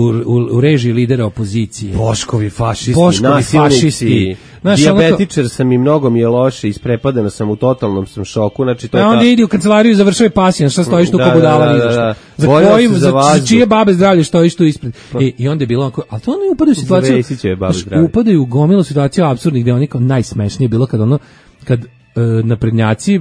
u režiji lidera opozicije. Boškovi fašisti. Dijabetičar sam i mnogo mi je loše, isprepadena sam, u totalnom sam šoku. Znači, to je onda idi u kancelariju i završaj pasijan, šta stojiš tu kao budala, za čije babe zdravlje stojiš tu ispred. I onda je bilo onako, ali to oni upadaju u situaciju, upadaju u gomilu situaciju apsurdnih, gde oni kao najsmešnije bilo kad naprednjaci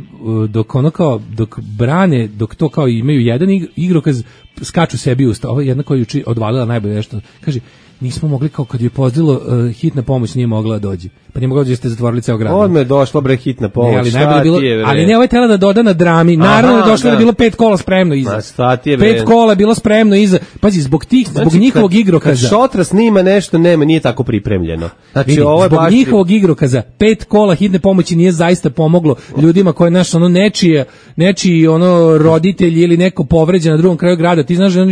dok brane, dok to kao imaju jedan igrokaz, skaču sebi usta. Ovo je jedna koja je odvalila najbolje nešto. Kaže, nismo mogli, kao kad je pozdilo hitna pomoć nije mogla da dođe. Pa nije mogla da ste zatvorili ceo grad. Odmah je došla bre hitna pomoć. Ne, ali najbolje bilo, ali ne, ovaj tela da doda na drami. Naravno je došlo da je bilo 5 kola spremno iza. 5 kola je bilo spremno iza. Pazi, zbog njihovog igrokaza. Kad Šotra snima nešto, nije tako pripremljeno. Znači, vidi, ovo je zbog njihovog igrokaza 5 kola hitne pomoći nije zaista pomoglo ljudima koji nečiji roditelji ili neko povređen na drugom kraju grada. Ti znaš da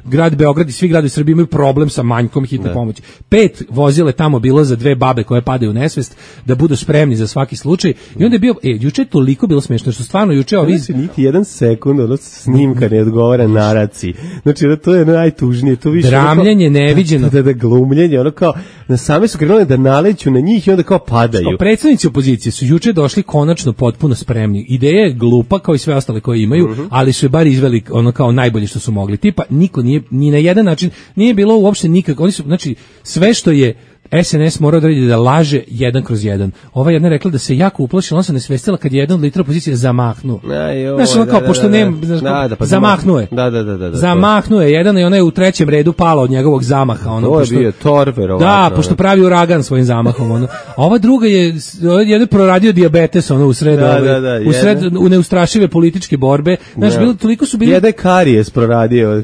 grad Beograd i svi gradovi Srbije imaju problem sa manjkom hitne pomoći. 5 vozile tamo bilo za 2 babe koje padaju u nesvest da budu spremni za svaki slučaj. I onda je bio, juče je toliko bilo smiješno što stvarno juče niti jedan sekund snimka ne odgovara naraciji. Znači to je najtužnije, to više dramljenje neviđeno, da glumljenje, ono kao na same su krenuli da naleću na njih i onda kao padaju. Predstavnici opozicije su juče došli konačno potpuno spremni. Ideja je glupa kao i sve ostale koje imaju, ali su je bar izveli ono kao najbolje što su mogli. Tipa niko nije ni na jedan način nije bilo uopšte nikako. Oni su, znači sve što je SNS morao da radi da laže 1/1. Ova jedna rekla da se jako uplašila, ona se nesvestila kad je jedan od lidera opozicije zamahnuo. Znaš, ono kao, pošto nema, zamahnuo je. Zamahnuo je jedan i ona je u 3. redu pala od njegovog zamaha. To je bio torver. Da, pošto pravi uragan svojim zamahom. A ova druga je jedan proradio dijabetes usred neustrašive političke borbe. Znaš, toliko su bili... Jedan karijes proradio.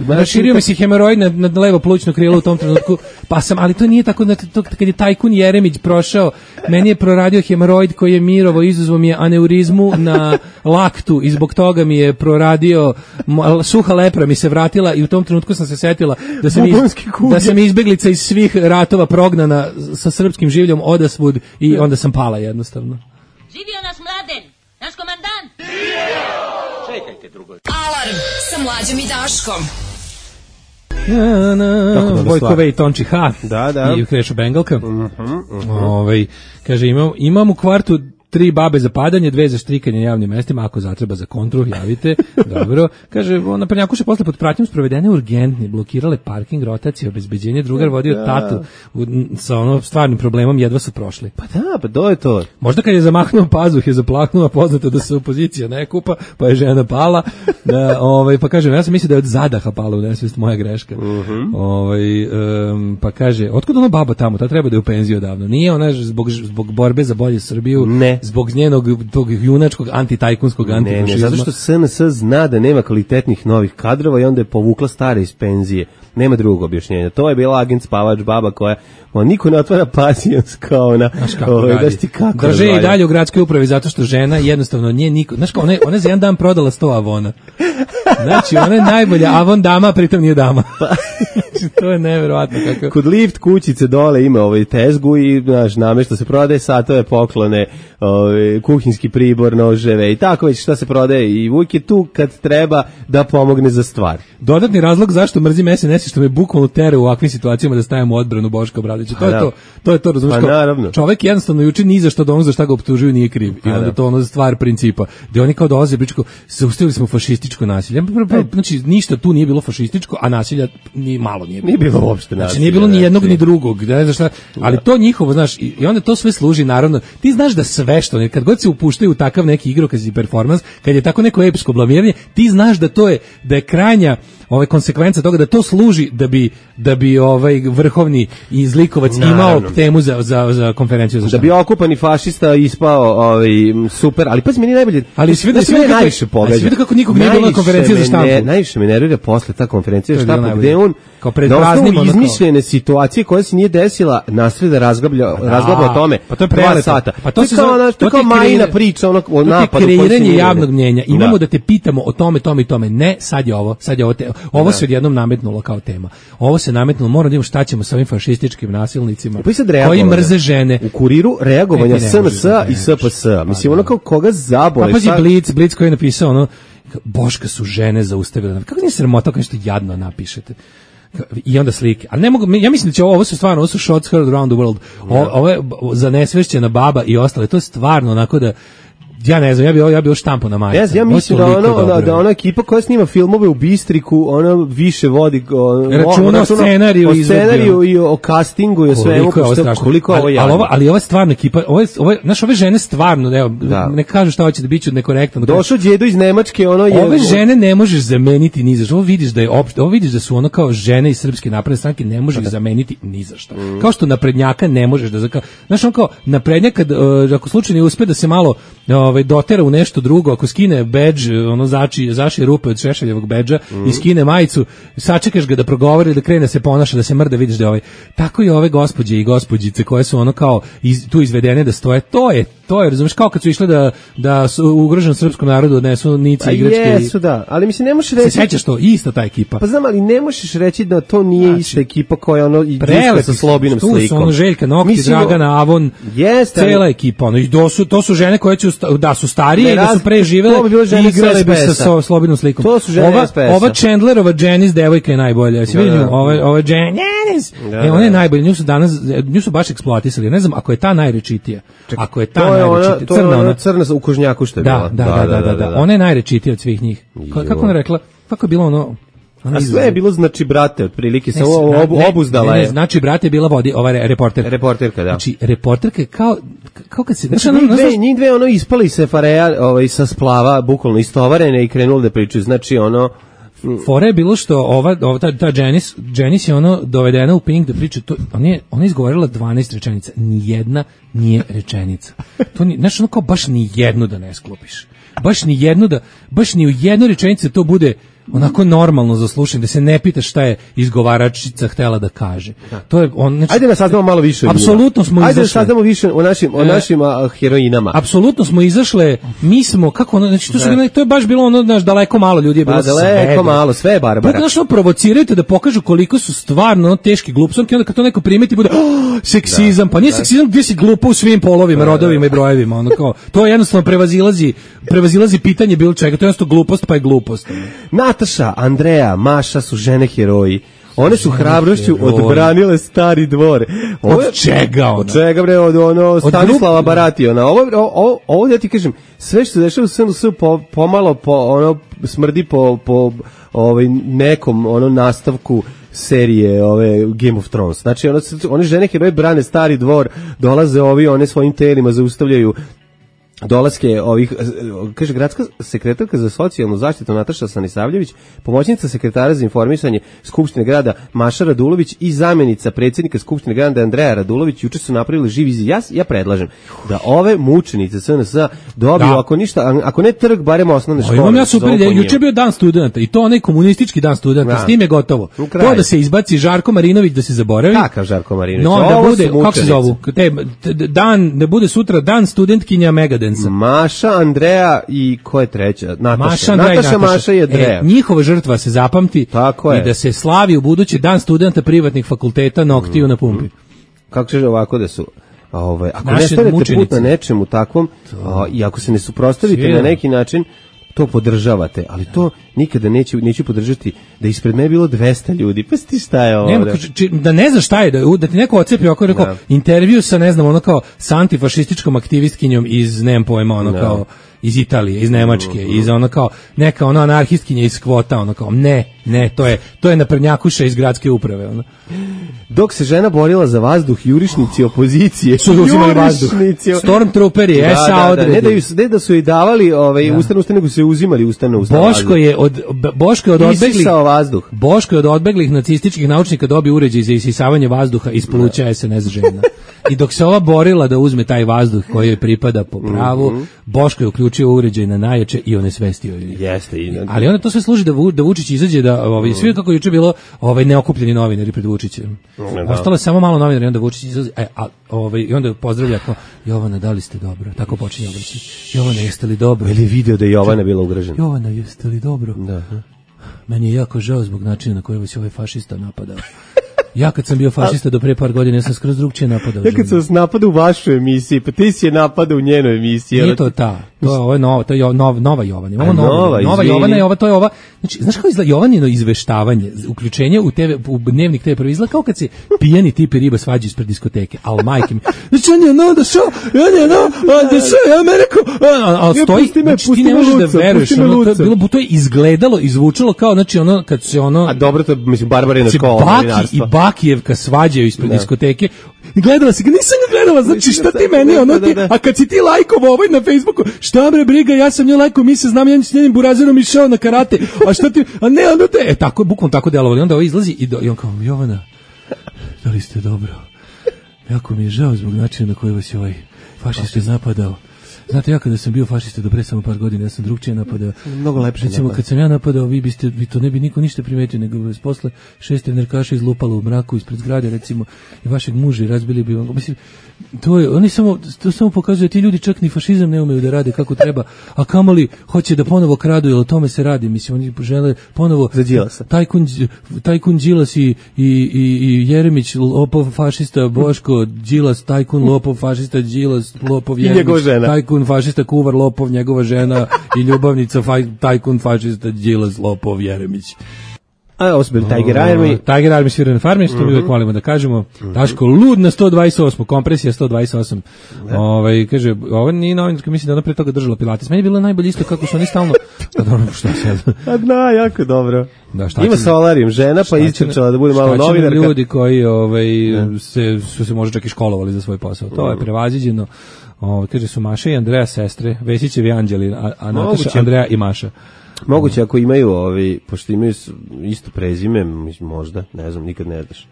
Raširio mi se hemeroid na levo plućno krilo u tom trenutku, pa sam, ali to nije tako da kad je tajkun Jeremić prošao, meni je proradio hemoroid koji je mirovo, izazvao mi je aneurizmu na laktu i zbog toga mi je proradio, suha lepra mi se vratila i u tom trenutku sam se setila da sam izbeglica iz svih ratova prognana sa srpskim življom odasvud i onda sam pala jednostavno. Živio naš Mladen, naš komandant! Čekajte drugo. Alarm sa Mlađom i Daškom. Vojkove i Tonči H. Da. I Krešo Bengalka. Kaže, imam u kvartu 3 babe za padanje, 2 za štrikanje na javnim mestima, ako zatreba za kontru, javite. Dobro. Kaže, na Prnjakuše posle pod pratnjom sprovedene urgentni, blokirale parking, rotacije, obezbeđenje, drugar vodio tatu sa stvarnim problemom, jedva su prošli. Pa to je to. Možda kad je zamahnuo pazuh, je zaplaknuo, poznato da se opozicija ne kupa, pa je žena pala. Pa kaže, ja sam mislio da je od zadaha pala u nesvest, moja greška. Pa kaže, otkud baba tamo, ta treba da je u penziju odavno. Nije ona zbog borbe za bolje Srbiju, ne. Zbog njenog tog junačkog antitajkunskog antifašizma. Ne, zato što SNS zna da nema kvalitetnih novih kadrova i onda je povukla stare iz penzije. Nema drugog objašnjenja. To je bila agent spavač baba koja niko ne otvara pasijans kao ona. Drže i dalje u gradskoj upravi zato što žena jednostavno nije niko. Znaš kao, ona za jedan dan prodala 100 avona. Znači, ona je najbolja avon dama, pritom nije dama. Znači, to je neverovatno kako. Kod lift kućice dole ima tezgu i namešta se prodaje satove, poklone, kuhinjski pribor, noževe i tako već šta se prodaje i uvijek je tu kad treba da pomogne za stvar. Dodatni razlog zašto mrzim SNS što me bukvalno tere u ovakvim situacijama da stavimo odbranu Boška Obradovića. To je to, razumiješ? Čovjek jednostavno juče ni za što da za šta ga optužuju nije kriv. I onda to stvar principa. Gde oni kao dolaze pričaju, zaustavili smo fašističko nasilje. Znači ništa tu nije bilo fašističko, a nasilja ni malo nije bilo. Nije bilo uopšte nasilja. Znači nije bilo ni jednog ni drugog. Ne znaš šta, ali to njihovo, znaš, i onda to sve služi naravno. Ti znaš da sve što kad god se upuštaju u takav neki igrokaz i performans, kad je tako neko epsko blamiranje, ti znaš da je krajnja konsekvenca toga da to služi da bi vrhovni izlikovac imao temu za konferenciju za da bi okupani fašista ispao super, ali pazi, meni najbolje, ali svi najviše pogađa. Svi kako nikog nije bilo na konferenciji za štampu. Najviše me nervira posle ta konferencija za štampu gde on kao pred praznim izmišljene situacije koja se nije desila nastavi da razglaba o tome. Pa to je prelepo. Sata. Pa to je kao Majina priča o napadu. Kreiranje javnog mnjenja. Imamo da te pitamo o tome, tome i tome. Ne, sad je ovo. Ovo se odjednom nametnulo kao tema. Ovo se nametnulo, moramo da imamo šta ćemo sa ovim fašističkim nasilnicima koji mrze žene. U Kuriru reagovanja SNS i SPS. Mislim, ono kao koga zabole. Pa pazi Blic koji je napisao Boška su žene zaustavile. Kako nije sramota kao nešto jadno napišete? I onda slike. Ali ne mogu, ja mislim da će ovo su shots heard around the world. Ovo je za nesvešćena baba i ostale. To je stvarno onako da Ja ne znam, ja bio štampo na majicu. Ja mislim da ona ekipa koja snima filmove u Bistriku, ona više vodi računa o scenariju i o castingu i o svemu. Koliko ovo je. Ali ova stvarna ekipa, ove žene stvarno, evo, ne kažu šta hoće da biću nekorektan. Došao đedo iz Nemačke, ove žene ne možeš zameniti ni za što. Ovo vidiš da su ono kao žene iz Srpske napredne stranke, ne možeš ih zameniti ni za šta. Kao što naprednjaka ne možeš da znaš, on kao naprednjak ako slučajno uspe da se malo dotera u nešto drugo, ako skine bedž, ono zaši rupe od Šešeljevog bedža i skine majicu, sačekaš ga da progovori, da krene se ponaša, da se mrda, vidiš da tako i ove gospođe i gospođice koje su ono kao tu izvedene da stoje, to je, razumeš, kao kad su išle da su ugroženom srpskom narodu odnesu nice igračke. Jesu, da, ali mislim ne možeš reći. Se sećaš to, ista ta ekipa. Pa znam, ali ne možeš reći da to nije ista ekipa koja igra sa Slobinom slikom. Tu su ono Željka Nokti, Dragana Avon, cela ekipa, i to su žene koje su starije i da su pre živele i igrale bi sa Slobinom slikom. To su žene SPS-a. Ova Chandlerova Janice devojka je najbolja. Si vidim, ova Janice. Ona je najbolja. Nju su baš eksploatisali. Ne znam, ako je ta najrečitija. Ako je ta najrečitija. Crna u kožnjaku što je bila. Da. Ona je najrečitija od svih njih. Kako ona rekla? Kako je bilo ono... A sve je bilo znači brate, otprilike se obuzdala je. Znači brate je bila ova reporterka. Reporterka, da. Znači reporterka kao kad se njih dve ono ispali se fareja sa splava, bukvalno istovarene i krenuli da pričaju. Znači ono fora je bilo što ta Janice je ono dovedena u Pink da priča, ona je izgovorila 12 rečenica, nijedna nije rečenica. To ni, znaš, ono kao baš ni jednu da ne sklopiš. Baš ni u jednoj rečenici to bude onako normalno za slušanje, da se ne pitaš šta je izgovaračica htela da kaže. To je znači, ajde da saznamo malo više. Apsolutno smo izašli. Ajde da saznamo više o našim heroinama. Apsolutno smo izašle. Mi smo kako ono, znači to je baš bilo ono, znaš, daleko malo ljudi je bilo. Daleko malo, sve je Barbara. Znaš, provocirajte da pokažu koliko su stvarno teški glupsonke, onda kad to neko primeti bude seksizam, pa nije seksizam gdje si glupa u svim polovima, rodovima i brojevima, ono kao. To jednostavno prevazilazi pitanje bilo čega, to je jednostavno glupost, pa je glupost. Nataša, Andreja, Maša su žene heroji. One su hrabrošću odbranile Stari dvor. Od čega ona? Od čega, bre, od Stanislava Barationa. Ovo da ti kažem, sve što se dešava u SNS pomalo smrdi po nekom nastavku serije Game of Thrones. Znači, one žene heroji brane Stari dvor, dolaze one svojim telima zaustavljaju dolaske ovih, kaže gradska sekretarka za socijalnu zaštitu Nataša Stanisavljević, pomoćnica sekretara za informisanje Skupštine grada Maša Radulović i zamjenica predsjednika Skupštine grada Andreja Radulović juče su napravili živ izjaz. Ja predlažem da ove mučenice SNS dobiju, ako ne trg, barem osnovne škole. Imam ja super ideju, juče je bio dan studenta i to onaj komunistički dan studenta, s tim je gotovo. To da se izbaci Žarko Marinović, da se zaboravi. Kakav Žarko Marinović? No, da bude, kako se zovu? Da bude sutra dan studentkinja Megadensa. Maša, Andreja i ko je treća? Nataša, Maša i Andreja. Njihova žrtva se zapamti i da se slavi u budući dan studenta privatnih fakulteta Noktiju na pumpi. Kako će ovako da su... ako ne stavite put na nečemu takvom i ako se ne suprotstavite na neki način, to podržavate, ali to nikada neću podržati da ispred mene bilo 200 ljudi. Pa ti šta je ovo? Da ne znaš šta je, da ti neko ocepi oko rekao intervju sa, ne znam, sa antifašističkom aktivistkinjom iz, nemam pojma, kao iz Italije, iz Nemačke, iz kao neka anarhistkinja iz kvota, kao ne, to je naprednjakuša iz gradske uprave. Dok se žena borila za vazduh, jurišnici opozicije su uzimali vazduh. Stormtrooperi, SA odredi. Ne da su joj davali ustavno, nego su joj uzimali ustavno Boško je od odbeglih nacističkih naučnika dobio uređaj za isisavanje vazduha iz pluća SNS žena. I dok se ova borila da uzme taj vazduh koji joj pripada po pravu, Boško je uključio uređaj na najjače i onesvestio je. Jeste. Ali onda to sve služi da Vučić izađe, da svi kako juče bilo neokupljeni novinari pred Vučićem. Ostalo je samo malo novinara i onda Vučić izlazi, i onda pozdravlja kao, Jovana, da li ste dobro? Tako počinje obraćanje. Jovana, jeste li dobro? Ili video da je Jovana bila ugrožena. Jovana, jeste li dobro? Da. Meni je jako žao zbog načina na koji vas je ovaj fašista napadao. Ja kad sam bio fašista do pre par godina, ja sam skroz drugčije napadao. Ja kad sam vas napadao u vašoj emisiji, pa ti si je napadao u njenoj emisiji. Nije to ta, to je nova Jovana. Imamo nova Jovana je ova, to je ova. Znači, znaš kako izgleda Jovanino izveštavanje, uključenje u dnevnik TV prvi izgleda kao kad se pijani tip i riba svađaju ispred diskoteke, al majke mi. Znači, on je da ja me rekao, al stoji, znači ti ne možeš da veruješ, to je izgledalo, izvučalo kao, znači ono, kad se ono... A dobro, to mislim, Barbarina škola. Baki i Bakijevka svađaju ispred diskoteke. Gledala si ga, nisam ga gledala, znači šta ti meni, ono ti, a kad si ti lajkovao ovaj na Facebooku, šta bre briga, ja sam nju lajkovao, mi se znam, ja s njenim burazerom išao na karate, a šta ti, a ne, ono te, tako, bukvalno tako delovali, onda ovo izlazi i on kao, Jovana, da li ste dobro? Jako mi je žao zbog načina na koji vas je ovaj fašist napadao. Znate, ja kada sam bio fašista do pre samo par godina, ja sam drugčije napadao. Mnogo lepše. Recimo, kad sam ja napadao, vi to ne bi niko ništa primetio, nego vas posle 6 trenerkaša izlupalo u mraku ispred zgrade, recimo, i vašeg muža i razbili bi vam. Mislim, to samo pokazuje, ti ljudi čak ni fašizam ne umeju da rade kako treba, a kamoli hoće da ponovo kradu, jer o tome se radi. Mislim, oni žele ponovo... Za Đilasa. Tajkun Đilas i Jeremić, lopov fašista, Boško, Đilas, tajkun, lopov fašista, Đilas, lopov Jeremić, tajkun fašista, kuvar, lopov, njegova žena i ljubavnica, tajkun fašista, Đilas, lopov, Jeremić. A ovo su bili Tiger Army. Tiger Army svira na farmi, što mi uvijek volimo da kažemo. Daško, lud na 128, kompresija 128. Kaže, ovo nije novinarka, mislim da ona pre toga držala pilates. Meni je bilo najbolje isto kako su oni stalno... Pa dobro, šta sad? A da, jako dobro. Da, ima solarium žena, pa istrčala da bude malo novinarka. Ljudi koji su se možda čak i školovali za svoj posao. To je prevaziđeno. Kaže, su Maša i Andreja sestre, Vesićevi anđeli, a Nataša, Andreja i Maša. Moguće ako imaju pošto imaju isto prezime, možda, ne znam, nikad ne znaš.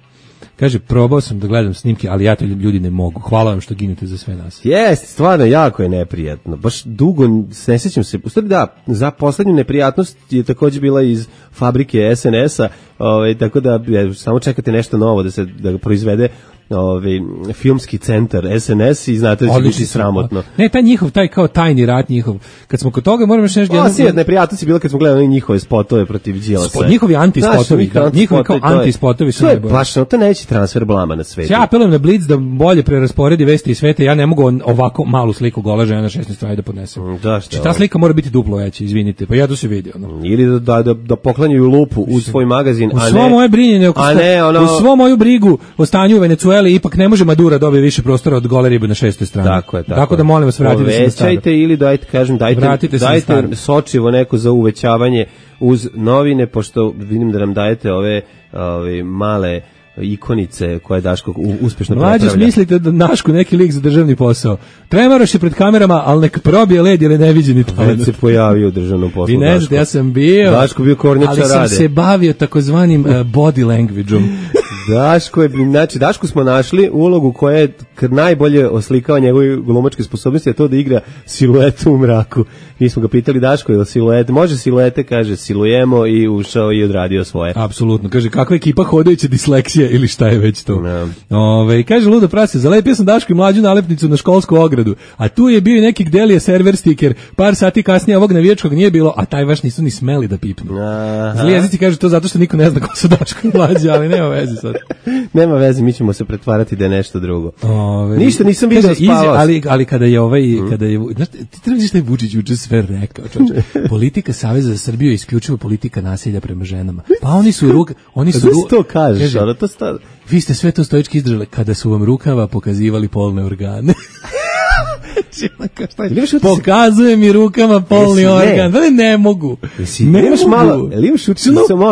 Kaže, probao sam da gledam snimke, ali ja to ljudi ne mogu. Hvala vam što ginete za sve nas. Jeste, stvarno, jako je neprijatno. Baš dugo, ne sjećam se. U stvari da, za poslednju neprijatnost je također bila iz fabrike SNS-a, tako da samo čekate nešto novo da ga proizvede filmski centar SNS i znate da će biti sramotno. Ne, taj kao tajni rat njihov. Kad smo kod toga, moram još nešto... neprijatnost je bila kad smo gledali njihove spotove protiv Đilasa. Njihovi antispotovi, njihovi kao antispotovi su najbolji. Baš, to neće transfer blama na svetu. Ja apelujem na Blitz da bolje prerasporedi vesti iz sveta, ja ne mogu ovako malu sliku gola žena na 16 strana da podnesem. Ta slika mora biti duplo veća, izvinite, pa ja to se vidi. Ili da poklanjaju lupu u svoj magazin, a ne... U svo moje brinjenje, u svo moju brigu o stanju u Venecueli, ipak ne može Madura dobije više prostora od gole ribe na 6. strani. Tako da molim vas, vratite se na staro. Povećajte ili dajte sočivo neko za uvećavanje uz novine, pošto vidim da nam dajete ove male ikonice koje Daško uspešno prepravlja. Mlađe, mislite da Daško neki lik za državni posao. Tremaroš je pred kamerama, ali nek probije led jer je neviđeni talent. Već se pojavio u državnom poslu. Vi ne znate, ja sam bio, Daško bio kornjača ali sam se bavio takozvanim body language-om. Dašku smo našli ulogu koja je najbolje oslikava njegove glumačke sposobnosti, a to da igra siluetu u mraku. Mi smo ga pitali, Daško, je li siluete? Može siluete, kaže, silujemo, i ušao i odradio svoje. Apsolutno, kaže, kakva ekipa hodajuća disleksija ili šta je već to. Kaže, ludo prase, zalepio sam Daško i Mlađu nalepnicu na školsku ogradu, a tu je bio i neki Gdelija server stiker, par sati kasnije ovog navijačkog nije bilo, a taj vaš nisu ni smeli da pipnu. Zli jezici kažu to zato što niko ne zna ko su Daško i Mlađa, ali nema veze sad. Nema veze, mi ćemo se pretvarati da je nešto drugo. Ništa, nisam vidio spavao. Ali kada je znaš, ti treba šta je Vučić juče sve rekao, čovječe. Politika Saveza za Srbiju je isključivo politika nasilja prema ženama. Pa oni su to kažeš, kaže, vi ste sve to stoički izdržali kada su vam rukava pokazivali polne organe. Pokazuje mi rukama polni organ. Ne mogu. Imaš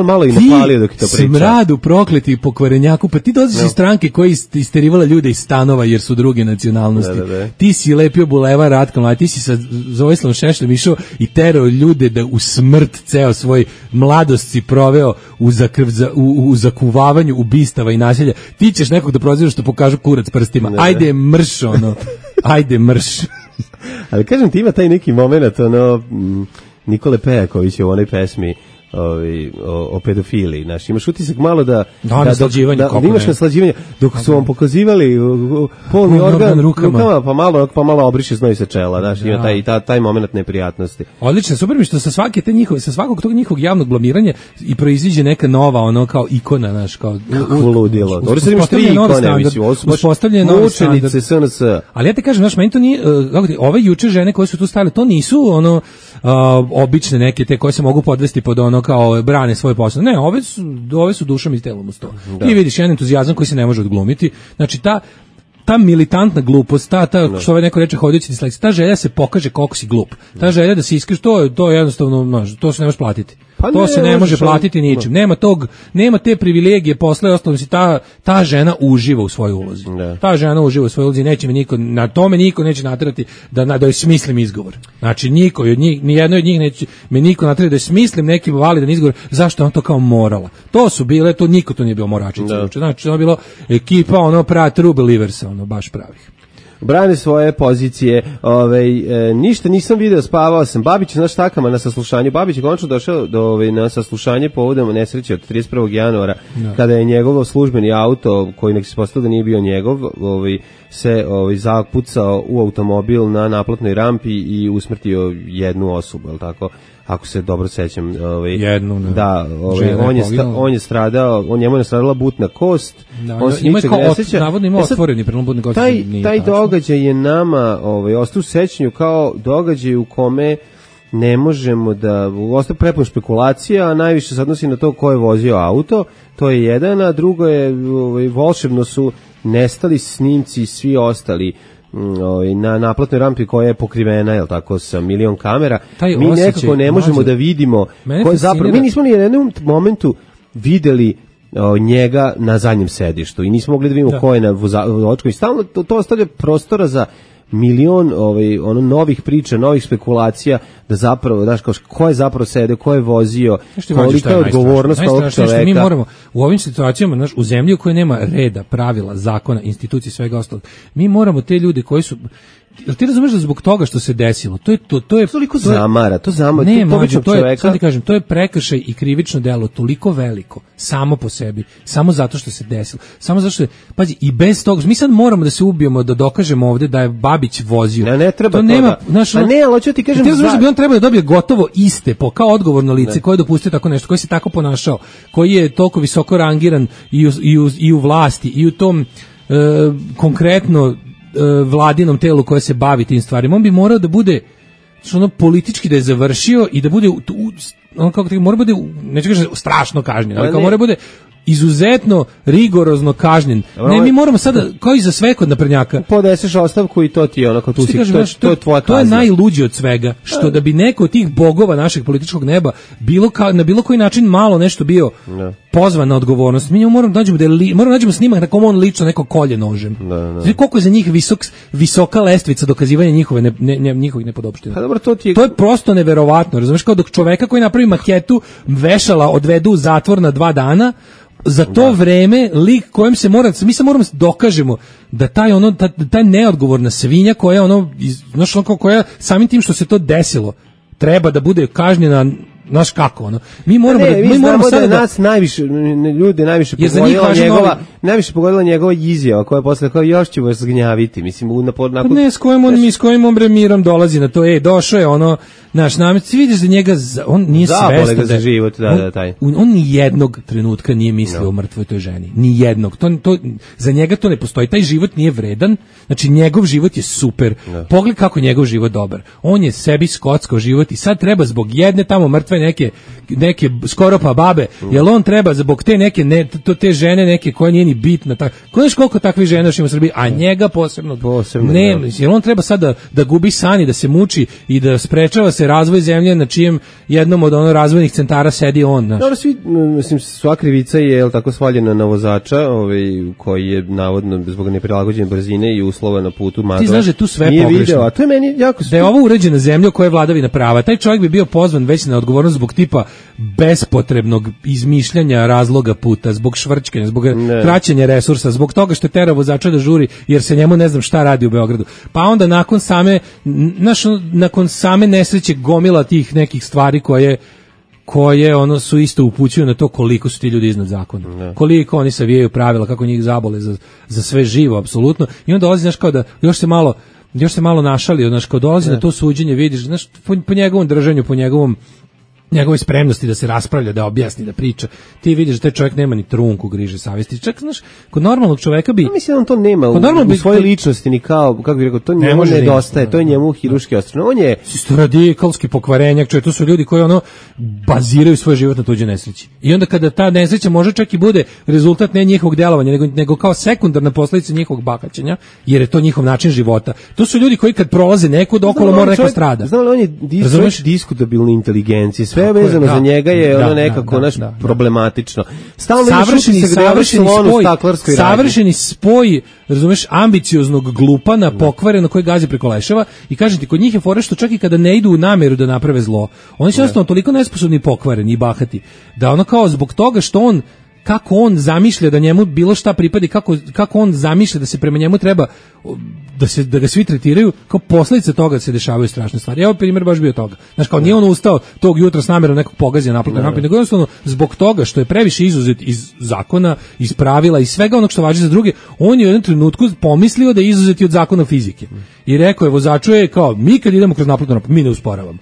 malo i napalio dok to priča. Smradu, prokleti, pokvarenjaku. Pa ti dolaziš iz stranke koji isterivala ljude iz stanova jer su druge nacionalnosti. Ti si lepio bulevar Ratka Mladića, ti si sa Vojislavom Šešljem išao i terao ljude da u smrt ceo svoj mladost si proveo u zakuvavanju ubistava i nasilja. Ti ćeš nekog da prozivaš što pokažu kurac prstima. Ajde mrš, ajde mrš. Ali kažem ti, ima taj neki moment, Nikole Pejaković u onoj pesmi, o pedofiliji. Znaš, imaš utisak malo da imaš naslađivanje, dok su vam pokazivali polni organ rukama, pa malo obriše znoj sa čela, znaš, ima taj moment neprijatnosti. Odlično, super mi što sa svakog tog njihovog javnog blamiranja i proiziđe neka nova, ono kao ikona, znaš, kao ludilo. Dobro, sad imaš 3 ikone, mislim, ovo su baš mučenice SNS. Ali ja te kažem, znaš, meni to nije, ove juče žene koje su tu stale, to nisu obične neke te koje se mogu podvesti pod ono kao brane svoj posao. Ne, ove su dušom i telom uz to. Ti vidiš jedan entuzijazam koji se ne može odglumiti. Znači ta militantna glupost, što neko reče hodajući disleksija, ta želja se pokaže koliko si glup. Ta želja da se iskriš, to je jednostavno, to se ne može platiti. To se ne može platiti ničim. Nema te privilegije posle, ostalo si ta žena uživa u svojoj ulozi. Ta žena uživa u svojoj ulozi, neće me niko neće naterati da joj smislim izgovor. Znači ni jedno od njih neće me niko naterati da joj smislim neki validan izgovor zašto on to kao morala. Niko to nije bio moračica. Znači ono je bilo ekipa true believers, baš pravih. Brane svoje pozicije, ništa nisam video, spavao sam. Babić na štakama na saslušanju. Babić je konačno došao na saslušanje povodom nesreće od 31. januara, kada je njegov službeni auto, koji nek se postao da nije bio njegov, se zapucao u automobil na naplatnoj rampi i usmrtio jednu osobu, je li tako? Ako se dobro sećam, on je stradao, njemu je stradala butna kost. On se ničeg ne seća. Navodno ima otvoreni prelom butne kosti. Taj događaj je nama ostao u sećanju kao događaj u kome ne možemo da ostaje prepun špekulacija, a najviše se odnosi na to ko je vozio auto. To je jedan, a drugo je volšebno su nestali snimci svi ostali na naplatnoj rampi koja je pokrivena, je li tako, sa milion kamera. Mi nekako ne možemo da vidimo ko je zapravo. Mi nismo ni u jednom momentu videli njega na zadnjem sedištu i nismo mogli da vidimo ko je na vozačku i stalno to ostavlja prostora za milion novih priča, novih spekulacija, da zapravo, znaš, ko je zapravo sedeo, ko je vozio, kolika je odgovornost ovog čoveka. Mi moramo u ovim situacijama, znaš, u zemlji u kojoj nema reda, pravila, zakona, institucije, svega ostalog, mi moramo te ljude koji su, jel ti razumeš da zbog toga što se desilo, to je toliko zamara, to je prekršaj i krivično delo toliko veliko, samo po sebi, samo zato što se desilo, samo zato što, pazi, i bez toga, mi sad moramo da se ubijemo da dokažemo ovde da je Babić vozio. Ne treba to nema, ali hoću ti kažem, ti razumeš da bi on trebao da dobije gotovo iste kao odgovorno lice koje je dopustio tako nešto, koji se tako ponašao, koji je toliko visoko rangiran i u vlasti i u tom konkretno vladinom telu koje se bavi tim stvarima. On bi morao da bude politički da je završio i da bude mora bude, neću kažem strašno kažnjen, ali kao mora bude izuzetno rigorozno kažnjen. Ne, mi moramo sada, kao i za sve kod naprednjaka, podeseš ostavku i to ti je onako tu si, to je tvoja kazna. To je najluđe od svega, što da bi neko od tih bogova našeg političkog neba na bilo koji način malo nešto bio pozvan na odgovornost. Mi moramo nađemo snimak na kom on lično neko kolje nožem. Znači koliko je za njih visoka lestvica dokazivanja njihovih nepodopština. To je prosto neverovatno, razumeš, kao dok čoveka koji napravi maketu vešala odvedu u zatvor na 2 dana, za to vreme lik kojem se mi se moramo dokažemo da taj neodgovorna svinja koja koja samim tim što se to desilo treba da bude kažnjena, znaš kako mi moramo sada da nas najviše pogodila njegova izjava koja je posle kao još ću vas zgnjaviti, mislim ne s kojim on mirom dolazi na to, došao je naš namет, ti vidiš da njega on nije svestan za život, on ni jednog trenutka nije mislio o mrtvoj toj ženi, ni jednog, to za njega to ne postoji, taj život nije vredan, znači njegov život je super, pogledaj kako je njegov život dobar, on je sebi skockao život i sad treba zbog jedne tamo mrtve neke skoro pa babe, jel on treba zbog te neke te žene neke koja nije ni bitna, znaš koliko takvih žena još ima u Srbiji, a njega posebno ne, jel on treba sad da gubi sani, da se muči i da sprečava se razvoj zemlje na čijem jednom od razvojnih centara sedi on. Dobro, sva krivica je tako svaljena na vozača, koji je navodno zbog neprilagođene brzine i uslova na putu ti znaš da tu sve pogrešno, to je meni jako da je ovo uređena zemlja koja je vladavina prava, taj čovjek bi bio pozvan već na odgovornost zbog tipa bespotrebnog izmišljanja razloga puta, zbog švrčkanja, zbog traćenja resursa, zbog toga što je terao vozača da žuri jer se njemu ne znam šta radi u Beogradu. Pa onda nakon same nesreće gomila tih nekih stvari koje koje ono su isto upućuju na to koliko su ti ljudi iznad zakona. Koliko oni savijaju pravila, kako njih zabole za sve živo, apsolutno. I onda dolazi, znaš, kao da još se malo našalio, znaš, kao dolazi na to suđenje, vidiš, znaš, po njegovom držanju, po njegove spremnosti da se raspravlja, da objasni, da priča. Ti vidiš da taj čovjek nema ni trunku griže savjesti. Čak, znaš, kod normalnog čovjeka bi... mislim da on to nema u svojoj ličnosti, ni kao, kako bih rekao, to njemu nedostaje, to je njemu hiruški ostrano. On je... Isto radikalski pokvarenjak, čovjek, to su ljudi koji ono baziraju svoj život na tuđe nesreći. I onda kada ta nesreća može čak i bude rezultat ne njihovog djelovanja, nego kao sekundarna posljedica njihovog bakaćenja, jer je to njihov način života. To su ljudi koji kad prolaze nekud okolo mora neko strada. Znam li, on je diskutabilne inteligencije, sve vezano za njega je ono nekako problematično. Stalno savršeni spoj, razumeš, ambicioznog glupana, pokvareno koji gazi preko leševa i kažem ti, kod njih je fora što čak i kada ne idu u namjeru da naprave zlo, oni su jednostavno toliko nesposobni i pokvareni i bahati, da ono kao zbog toga što kako on zamišlja da njemu bilo šta pripadi, kako on zamišlja da se prema njemu treba da ga svi tretiraju, kao posljedica toga se dešavaju strašne stvari. Evo primjer baš bio toga. Znaš, kao nije on ustao tog jutra s namjerom nekog pogazija naplatnog napad, nego jednostavno zbog toga što je previše izuzet iz zakona, iz pravila i svega onog što važi za druge, on je u jednom trenutku pomislio da je izuzet od zakona fizike. I rekao je vozaču je kao, mi kad idemo kroz naplatno napad, mi ne usporavamo.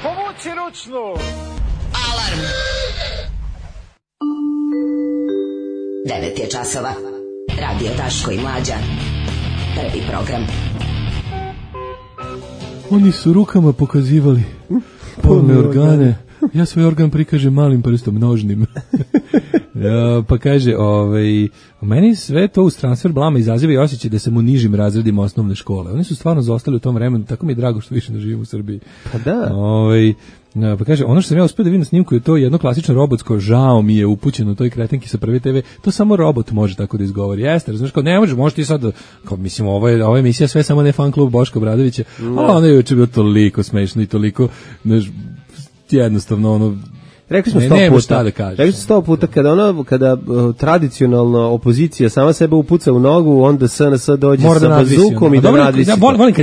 Povuci ručnu! Alarm! 9 je časova. Radio Daško i Mlađa. Prvi program. Oni su rukama pokazivali polne organe. Ja svoj organ prikažem malim prstom, nožnim. Pa kaže, u meni sve to uz transfer blama izaziva i osjećaj da sam u nižim razredima osnovne škole. Oni su stvarno zostali u tom vremenu, tako mi je drago što više ne živim u Srbiji. Pa da. Pa kaže, ono što sam ja uspio da vidim na snimku je to jedno klasično robotsko, žao mi je upućeno toj kretenki sa Prve TV, to samo robot može tako da izgovori. Jeste, razumiješ, kao ne može ti sad, kao mislim, ovo je emisija sve samo ne fan klub Boška Obradovića, ali ono je juče bilo toliko smešno i toliko, jednostavno ono, rekli smo 100 puta kada tradicionalna opozicija sama sebe upuca u nogu, onda SNS dođe sa bazukom i da nadvisi. Volim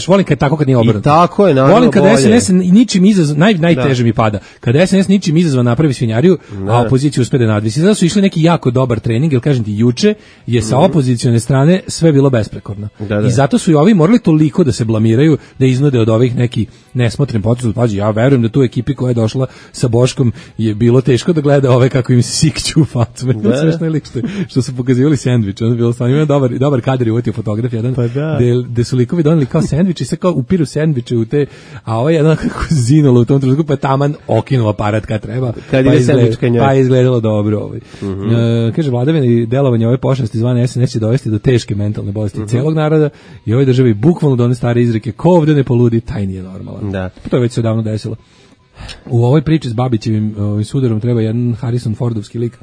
kad je tako, kad nije obrnuto. I tako je, naravno. Volim kada SNS ničim izazvan, najteže mi pada. Kada SNS ničim izazvan napravi svinjariju, a opozicija uspe da nadvisi. Zato su išli neki jako dobar trening, jer kažem ti, juče je sa opozicione strane sve bilo besprekorno. I zato su i ovi morali toliko da se blamiraju, da iznude od ovih neki nesmotren potez. Pađi, ja verujem da tu ekipi koja je došla sa Boškom je bilo teško da gleda ove kako im se sikću u facu. Sve lik što su pokazivali sendvič. Ono je bilo stvarno, ima dobar kadar i uvetio fotograf jedan, gde su likovi doneli kao sendvič i sve kao upiru sendviče u te, a ovo je jedan kako zinulo u tom trenutku, pa taman okinuo aparat kad treba, pa je izgledalo dobro. Kaže, vladavina i delovanje ove pošasti zvane SNS će dovesti do teške mentalne bolesti celog naroda i ovoj državi bukvalno do one stare izreke, ko ovdje ne poludi, taj nije normalan. To je već se davno desilo. U ovoj priči s Babićevim sudarom treba jedan Harrison Fordovski lik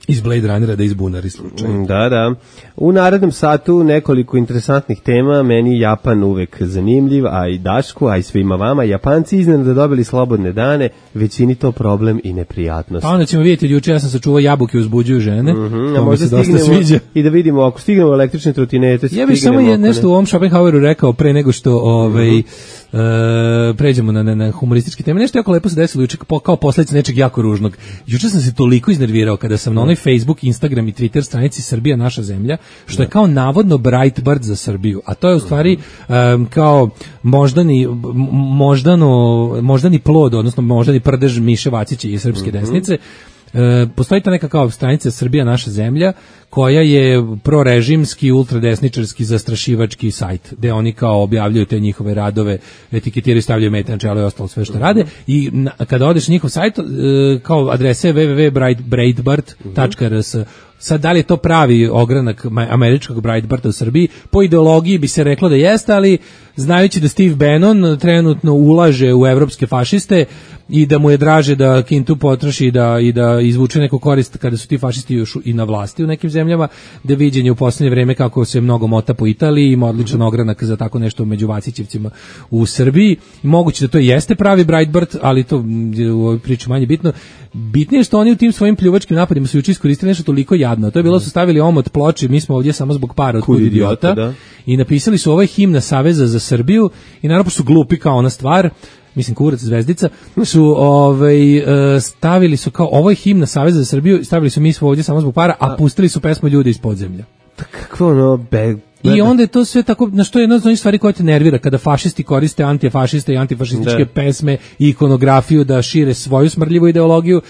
iz Blade Runnera da izbunari slučaj. Da. U narednom satu nekoliko interesantnih tema, meni Japan uvek zanimljiv, a i Dašku, a i svima vama. Japanci iznenada dobili slobodne dane, većini to problem i neprijatnost. Pa onda ćemo vidjeti, juče ja sam sačuvao jabuke uzbuđuju žene, a možda stignemo i da vidimo, ako stignemo električne trotinete, ja bih samo nešto u ovom Schopenhaueru rekao pre nego što pređemo na humorističke teme. Nešto jako lepo se desilo juče kao posljedica nečeg jako ružnog. Juče sam se toliko iznervirao kada sam na onoj Facebook, Instagram i Twitter stranici Srbija naša zemlja, što je kao navodno Breitbart za Srbiju, a to je u stvari kao moždani plod, odnosno moždani prdež Miše Vacića i srpske desnice. Postoji ta neka kao stranica Srbija naša zemlja koja je prorežimski, ultradesničarski, zastrašivački sajt gde oni kao objavljuju te njihove radove, etiketiraju, stavljaju mete na čelo i ostalo sve što rade i kada odeš na njihov sajt kao adrese www.breitbart.rs. Sad, da li je to pravi ogranak američkog Breitbarta u Srbiji? Po ideologiji bi se reklo da jeste, ali znajući da Steve Bannon trenutno ulaže u evropske fašiste i da mu je draže da kintu potroši i da izvuče neku korist kada su ti fašisti još i na vlasti u nekim zemljama, da viđenje u posljednje vreme kako se mnogo mota po Italiji, ima odličan ogranak za tako nešto među Vacićevcima u Srbiji. Moguće da to jeste pravi Breitbart, ali to je u ovoj priči manje bitno. Bitnije je što oni u tim svojim pljuvačkim napadima su juče iskoristili nešto toliko jadno. To je bilo, su stavili omot ploče, mi smo ovdje samo zbog para od kud idiota, i napisali su ovo je himna Saveza za Srbiju i naravno su glupi kao ona stvar. mislim Kurac Zvezdica, su stavili su kao, ovo je himna Saveza za Srbiju, stavili su mi smo ovdje samo zbog para, a pustili su pesmu Ljudi iz podzemlja. Kakvo ono, I onda je to sve tako, na što je jedna od onih stvari koja te nervira, kada fašisti koriste antifašiste i antifašističke pesme i ikonografiju da šire svoju smrdljivu ideologiju.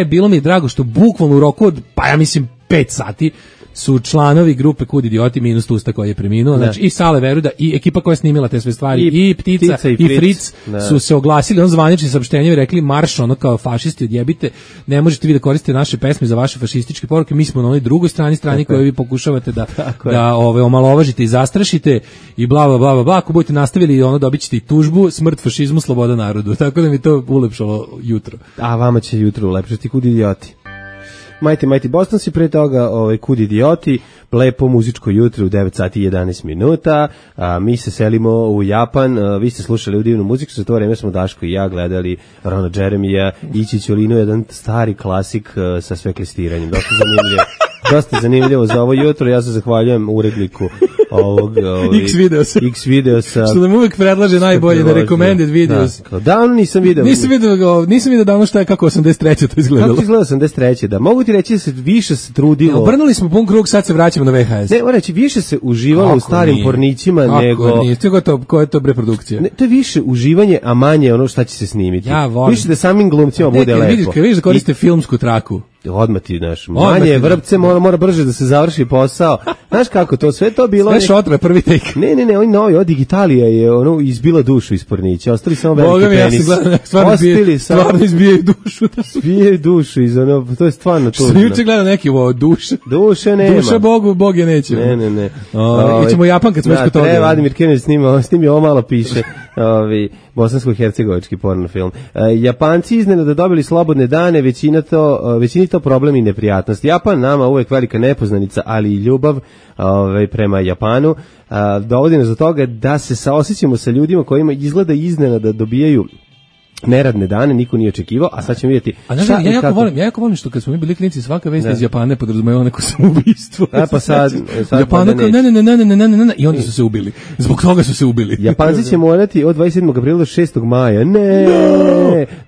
Bilo mi je drago što bukvalno u roku od, pa ja mislim, 5 sati su članovi grupe Kud idioti minus Tusta koji je preminuo, znači i Sale Veruda i ekipa koja je snimila te sve stvari i Ptica i Fritz su se oglasili on zvanični saopštenjem i rekli marš ono kao fašisti odjebite, ne možete vi da koristite naše pesme za vaše fašističke poruke, mi smo na onoj drugoj strani koju vi pokušavate da omalovažite i zastrašite i bla bla bla bla, ako budete nastavili ono dobićete i tužbu, smrt fašizmu, sloboda narodu, tako da mi to ulepšalo jutro. A vama će jutro ulepšati Kud idioti. Mighty Boston si pre toga Kud idioti, lepo muzičko jutro u 9 sati i 11 minuta, mi se selimo u Japan, vi ste slušali u divnu muziku, za to vreme smo Daško i ja gledali Rona Jeremija i Čičolinu, jedan stari klasik sa sveklistiranjem, dosta zanimljivo za ovo jutro, ja se zahvaljujem uredniku ovog X videosa. Što nam uvek predlaže najbolje na recommended videos. Davno nisam video davno šta je kako 83. to izgledalo. Kako izgleda 83. Da, mogu ti reći da se više se trudilo. Obrnuli smo pun krug, sad se vraćamo na VHS. Ne, moram reći, više se uživalo u starim pornićima nego... Kako nije, koja je to reprodukcija? Ne, to je više uživanje, a manje ono šta će se snimiti. Ja volim. Više da samim glumcima bude lepo. Vidiš da koriste filmsku traku. Odmah ti, znaš, manje vrpce, mora brže da se završi posao. Znaš kako to, sve to bilo... Sve šotra, prvi take. Ne, oni novi, od Digitalija je izbila dušu iz pornića, ostali samo veliki penis. Stvarno izbijaju dušu. Izbijaju dušu iz ono, to je stvarno tužno. Što juče gleda neki duše. Duše nema. Duša Bogu, Bog je neće. Ne. Ićemo u Japan kad smo još kod toga. Vladimir Kenović snimio ovo malo piše, bosansko-hercegovački porno film. Japanci iznenada dobili slobodne dane, većini to problem i neprijatnost. Japan nama uvek velika nepoznanica, ali i ljubav prema Japanu dovodi nas do toga da se saosećamo sa ljudima kojima izgleda iznenada dobijaju neradne dane, niko nije očekivao, a sad ćemo vidjeti. Ja jako volim što kad smo mi bili klinici, svaka vest iz Japana podrazumeva neko samoubistvo. Pa sad Japana kao ne, i onda su se ubili. Zbog toga su se ubili. Japanci će morati od 27. aprila do 6. maja,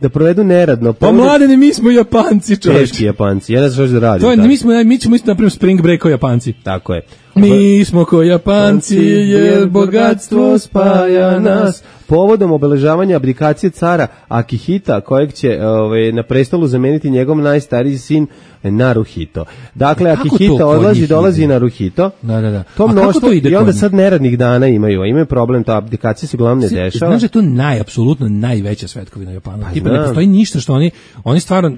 da provedu neradno. Pa mladene, mi smo Japanci, čovječ. Teški Japanci, ja ne znam što da radim. Mi ćemo isto napraviti spring break kao Japanci. Tako je. Mi smo ko Japanci, jer bogatstvo spaja nas. Povodom obeležavanja abdikacije cara Akihita, kojeg će na prestolu zameniti njegov najstariji sin Naruhito. Dakle, Akihita dolazi Naruhito. Da. To mnoštvo i onda sad neradnih dana imaju problem, ta abdikacija se uglavnom ne dešava. Znaš da je to apsolutno najveća svetkovina Japana. Tipa ne postoji ništa što oni stvarno...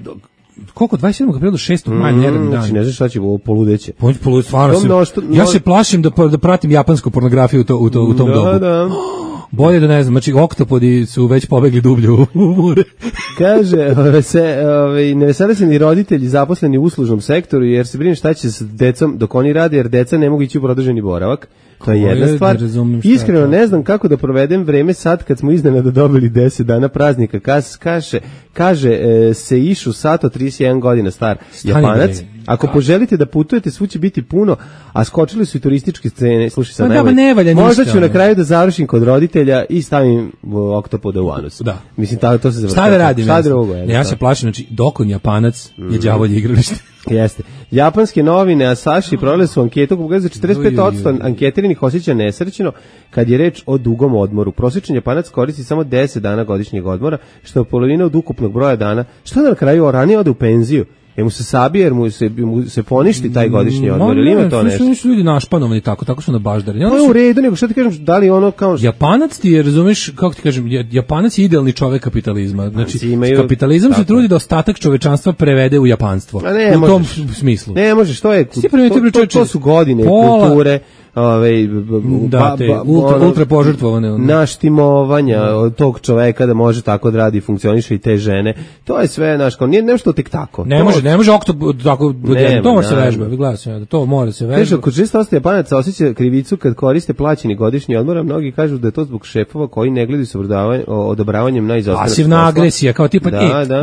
Koliko? 27. aprila do 6. maja neradni dan. Znači ne znaš šta će ovo poludeće. Stvarno ja se plašim da pratim japansku pornografiju u tom dobu. Da. Bolje da ne znam, znači oktopodi su već pobegli dublje u more. Kaže, ne vesele se ni roditelji zaposleni u uslužnom sektoru, jer se brine šta će sa decom dok oni rade, jer deca ne mogu ići u produženi boravak. To je jedna stvar. Iskreno ne znam kako da provedem vreme sad kad smo iznenada dobili 10 dana praznika. Kaže Seišu Sato, 31 godina star Japanac. Ako poželite da putujete, svu će biti puno, a skočili su i turističke scene. Slušaj sad najbolje. Možda ću na kraju da završim kod roditelja i stavim oktopoda u anus. Da. Mislim, to se završava. Šta da radim? Ja se plašim, znači, dokon Japanac je đavolje igralište. Jeste. Japanske novine Asahi provele su anketu koja pokazuje 45% anketiranih osjeća nesrećno kad je reč o dugom odmoru. Prosječan Japanac koristi samo 10 dana godišnjeg odmora, što je polovina od ukupnog broja dana. Što na kraju ranije ode u penziju? Jer mu se sabije, jer mu se poništi taj godišnji odmor, ili ima to nešto? Su ljudi našpanovani tako su na baždari. To je u redu, nego što ti kažem, da li ono kao... Japanac ti je, razumeš, kako ti kažem, Japanac je idealni čovek kapitalizma. Znači, kapitalizam se trudi da ostatak čovečanstva prevede u japanstvo. U tom smislu. Ne možeš, to su godine kulture, ultra požrtvovane naštimovanja tog čoveka da može tako da radi, funkcioniše i te žene. To je sve, znaš, nije nešto tek tako. Ne može tako, to može se vežba, gledaj, to mora se vežba. Kaže, kod 6% Japanaca osjeća krivicu kad koriste plaćeni godišnji odmor, a mnogi kažu da je to zbog šefova koji ne gledaju sa odobravanjem na izostanak. Pasivna agresija, kao tipa,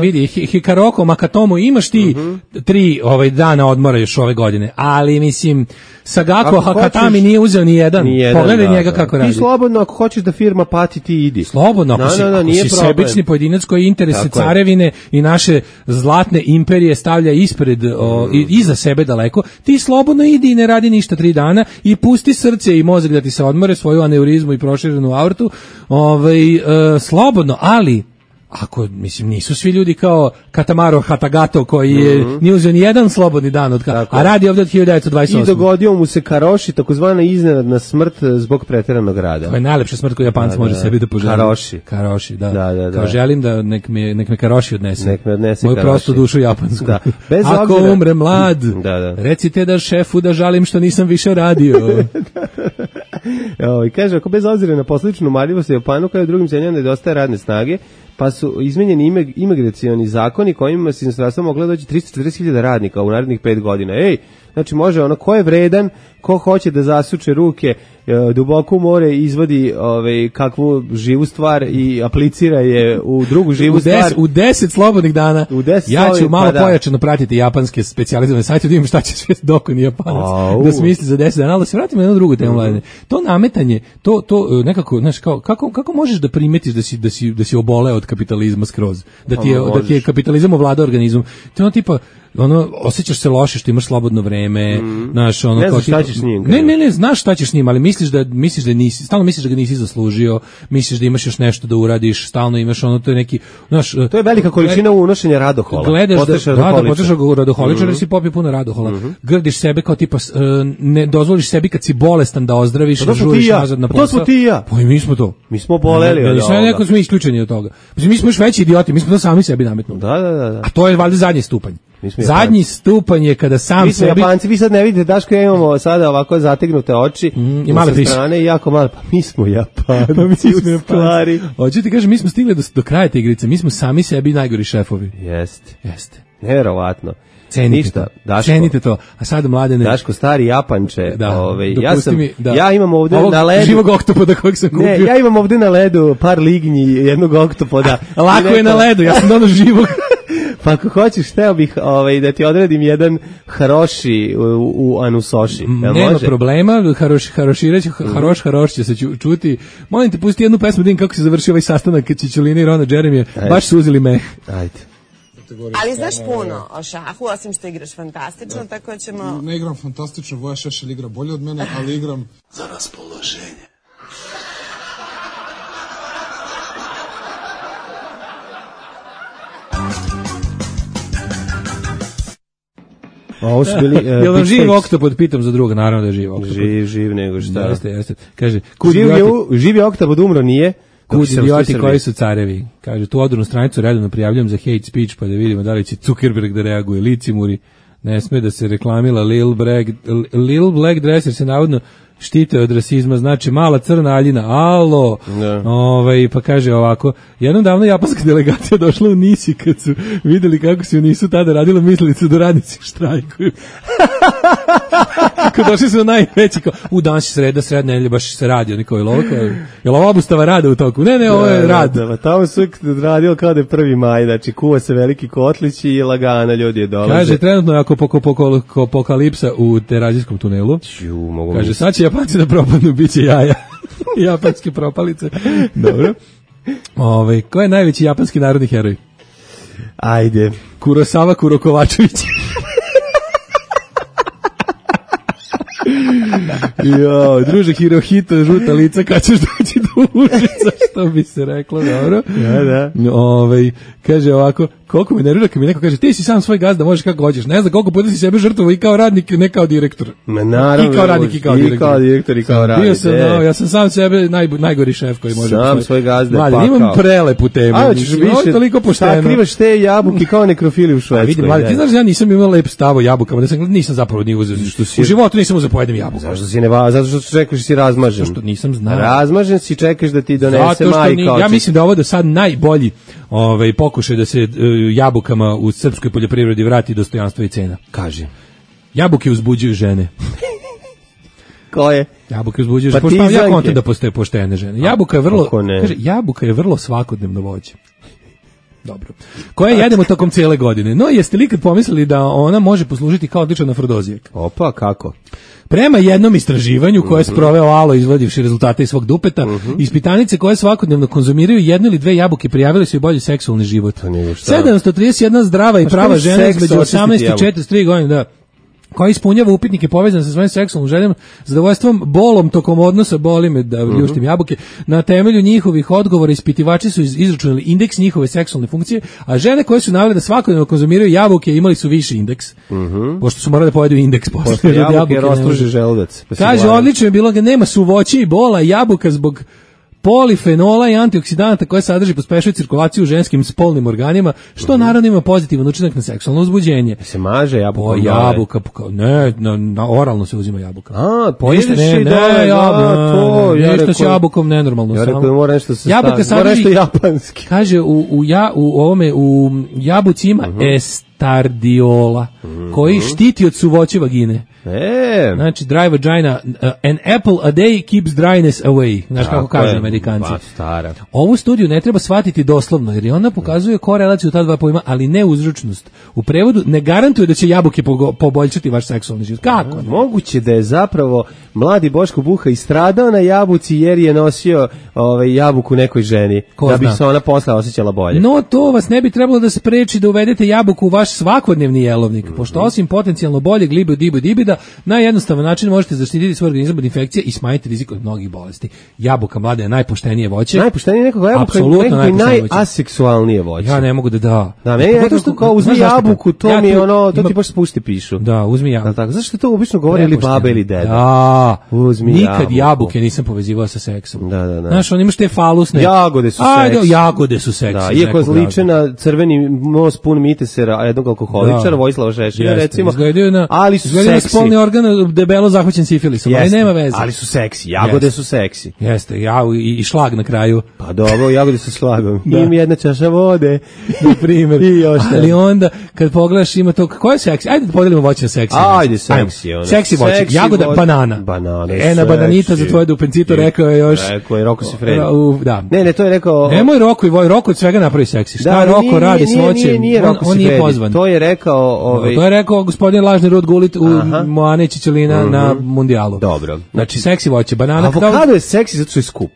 vidi, Hikaroko, Makatomo, imaš ti 3 dana odmora još ove godine, ali mislim, Sagako, Hakatami nije uzeo ni jedan. Pogledaj njega kako radi. Ti slobodno, ako hoćeš da firma pati, ti idi. Slobodno, ako si sebični pojedinac koji interese carevine i naše zlatne imperije stavlja ispred, iza sebe daleko, ti slobodno idi i ne radi ništa 3 dana i pusti srce i mozak da ti se odmore, svoju aneurizmu i proširenu aortu, slobodno, ali ako, mislim, nisu svi ljudi kao Katamaro Hatagato koji je nije uzeo ni jedan slobodni dan a radi ovdje od 1928. I dogodio mu se Karoši, takozvana iznenadna smrt zbog preteranog rada. To je najlepša smrt koju Japanci može sebi da poželi. Karoši, da. Kao želim da nek me Karoši odnese. Nek me odnese moju prostu dušu japansku. Da. Ako umre mlad, recite da šefu da žalim što nisam više radio. I kaže, ako bez obzira na posličnu marljivost u Japanu kao i u drugim zemljama nedostaje radne snage, pa su izmenjeni imigracioni zakoni kojima se inostranstvo moglo doći 340.000 radnika u narednih 5 godina. Znači može ko je vredan, ko hoće da zasuče ruke duboko u more, izvadi kakvu živu stvar i aplicira je u drugu živu stvar. U 10 slobodnih dana ja ću malo pojačano pratiti japanske specijalizovane sajte, da vidim šta će sve dokoni Japanac da smisli za 10 dana, ali da se vratimo na jednu drugu temu, Mladene. To nametanje, to nekako, znaš, kako možeš da primetiš da si oboleo od kapitalizma skroz, da ti je kapitalizam ovladao organizmom, to je tipa, osjećaš se loše što imaš slobodno vreme, znaš, ne znaš šta ćeš s njim. Ne, znaš šta ćeš s njim, ali misliš da nisi, stalno misliš da ga nisi zaslužio, misliš da imaš još nešto da uradiš, stalno imaš to je neki, znaš, to je velika količina unošenja radohola. Gledaš da radoholičar, jer si popio puno radohola. Grdiš sebe kao tipa, ne dozvoliš sebi kad si bolestan da ozdraviš, da žuriš nazad na posao. To smo ti ja. Pa i mi smo to. Mi smo boleli od ovoga. Neko smo isključeni od toga. Mi smo još veći idioti, mi smo to sami sebi nametnuli. Da. A to je valjda zadnji stupanj. Zadnji stupanj je kada sam sebi... Mi smo Japanci, vi sad ne vidite, Daško, ja imamo sada ovako zategnute oči i male piše. Strane i jako male, pa mi smo Japanci u stvari. Hoću ti kažem, mi smo stigli do kraja te igrice, mi smo sami sebi najgori šefovi. Jeste. Neverovatno. Cenite to. A sad, Mladene... Daško, stari Japanče, ja imam ovde na ledu... živog oktopoda kojeg sam kupio. Ne, ja imam ovde na ledu par lignji jednog oktopoda. Lako je na ledu, ja sam dono živog. Pa ako hoćeš, hteo bih da ti odredim jedan haroši u anusoši. Nema problema, haroš će se čuti. Molim te, pusti jednu pesmu, vidim kako se završi ovaj sastanak Čičulina i Rona Jeremija. Baš su uzeli meh. Ajde. Ali znaš puno o šahu, osim što igraš fantastično, tako ćemo... Ne igram fantastično, Voja Šešelj igra bolje od mene, ali igram za raspoloženje. Ovo su bili... Jel vam živ oktopod, pitam za druga, naravno da je živ oktopod. Živ nego šta. Jeste. Kaže, živ je oktopod, umro nije. Kud idioti koji su carevi. Kaže, tu odurnu stranicu redovno prijavljam za hate speech, pa da vidimo da li će Zuckerberg da reaguje. Licimuri, ne sme da se reklamila Lil Black Dress, jer se navodno štite od rasizma, znači mala crna Aljina, alo, pa kaže ovako, jednom davno japanska delegacija došla u Nisi kad su vidjeli kako se u Nisu tada radilo, mislili su da radnici štrajkuju. Kad došli su najveći, u danas je sreda nedelje, baš se radi, oni kao je li ovo obustava rada u toku? Ne, ovo je rad. Da, tamo su radilo kao da je 1. maj, znači kuva se veliki kotlić i lagana ljudi je dolaze. Kaže, trenutno je apokalipsa u Terazijskom tunelu. Kaže, sad će Japanci da propadnu, bit će jaja. Japanske propalice. Dobro. Ko je najveći japanski narodni heroj? Ajde. Kurosawa Kurokovačević. Druže Hirohito, žuta lica, kad ćeš doći do Užica, što bi se reklo, dobro. Da. Kaže ovako, koliko mi nervira kad mi neko kaže, ti si sam svoj gazda, možeš kako hoćeš. Ne znam koliko puta si sebe žrtvovo i kao radnik, ne kao direktor. Naravno. I kao radnik i kao direktor. I kao direktor i kao radnik. Bio sam, ja sam sam sebe najgori šef koji može. Sam svoj gazda pakao. Imam prelepu temu. A, ćeš više, toliko pošteno. Sakrivaš te jabuke kao nekrofili u Švedskoj. Vidi, mladi, ti znaš da ja nisam imao lep stav o jabukama, nisam zapravo ni uzeo. U životu nisam uzeo pojedem jabuku. Zašto si zato što čekaš si razmažen. Što nisam znao. Razmažen si, čekaš da ti donese majka. Ja mislim da ovo do sad najbolji pokušaj da se jabukama u srpskoj poljoprivredi vrati dostojanstvo i cena. Kaže. Jabuke uzbuđuju žene. Koje? Jabuke uzbuđuju žene. Ja kontam da postoje poštene žene. Jabuka je vrlo svakodnevno voće. Dobro. Koje jedemo tokom cijele godine. No, jeste li ikad pomislili da ona može poslužiti kao odličan afrodizijak? Opa, kako? Prema jednom istraživanju koje je sproveo Alo izvodivši rezultate iz svog dupeta, ispitanice koje svakodnevno konzumiraju 1 ili 2 jabuke prijavili su i bolji seksualni život. 731 zdrava i prava žena između 18 i 43 godine, da, koja ispunjava upitnike povezane sa svojim seksualnim željama, zadovoljstvom, bolom tokom odnosa, boli me da ljuštim jabuke. Na temelju njihovih odgovora ispitivači su izračunali indeks njihove seksualne funkcije, a žene koje su navele da svakodnevno konzumiraju jabuke imali su viši indeks. Pošto su morali da pojedu indeks posle jabuke rastruži želudac. Kaže, odlično je bilo ga nema suvoće i bola, jabuka zbog polifenola i antioksidanata koje sadrži pospešuje cirkulaciju u ženskim spolnim organima, što naravno ima pozitivan učinak na seksualno uzbuđenje. Se maže jabuka? Jabuka, ne, na oralno se uzima jabuka. A, pojedeš i dole, to. Ništa s jabukom nenormalno. Ja rekao da mora nešto se jabuka sadrži, nešto japanski. Kaže, u jabuci ima estardiola, koji štiti od suvoće vagine. Znači, dry vagina, an apple a day keeps dryness away. Znaš kako kažu Amerikanci. Ovu studiju ne treba shvatiti doslovno, jer ona pokazuje korelaciju ta dva pojma, ali ne uzročnost. U prevodu ne garantuje da će jabuke poboljšati vaš seksualni život. Kako? Moguće da je zapravo mladi Boško Buha istradao na jabuci jer je nosio jabuku nekoj ženi. Da bi se ona posle osjećala bolje. No, to vas ne bi trebalo da spreči da uvedete jabuku u vaš svakodnevni jelovnik, pošto osim potencijalno boljeg dibida, na jednostavan način možete zaštititi svoj organizam od infekcije i smanjiti rizik od mnogih bolesti. Jabuka, mlada, je najpoštenije voće. Najpoštenije nekako jabuka, nekako najaseksualnije voće. Ja ne mogu da. Da, meni je nekako kao uzmi jabuku, to mi je ono, to ti baš spušti pišu. Da, uzmi jabuku. Tako, zašto to obično govori ili baba ili deda? Da, uzmi nikad jabuke nisam povezivao sa seksom. Da. Znaš, on ima te falusne. Jagode su seksi. Jagode su seksi. Da, iako zliče na crveni most pun mitesera, jednog alkoholičara, Vojislava Šešelja, recimo, ali su seksi. Debelo zahvaćen sifilisom, ali nema veze. Ali su seksi, jagode su seksi. Jeste, i šlag na kraju. Pa dobro, jagode su šlagom. Im jedna čaša vode, na primjer. Ali onda, kad pogledaš, ima to, ko je seksi? Ajde da podelimo voće na seksi. Ajde, seksi. Seksi voće, jagoda, banana. Na bananita za tvoje dupencito rekao je još. Rekao je Roko Sifredi. Da. Ne, to je rekao. Nemoj Roko od svega napravi seksi. Šta Roko radi s voćem? On nije pozvan. To je rekao gospodin Lažni Rud Gulit u Moane Čičelina na mundijalu. Dobro. Znači seksi voće, banana. Avokado je seksi zato što je skup.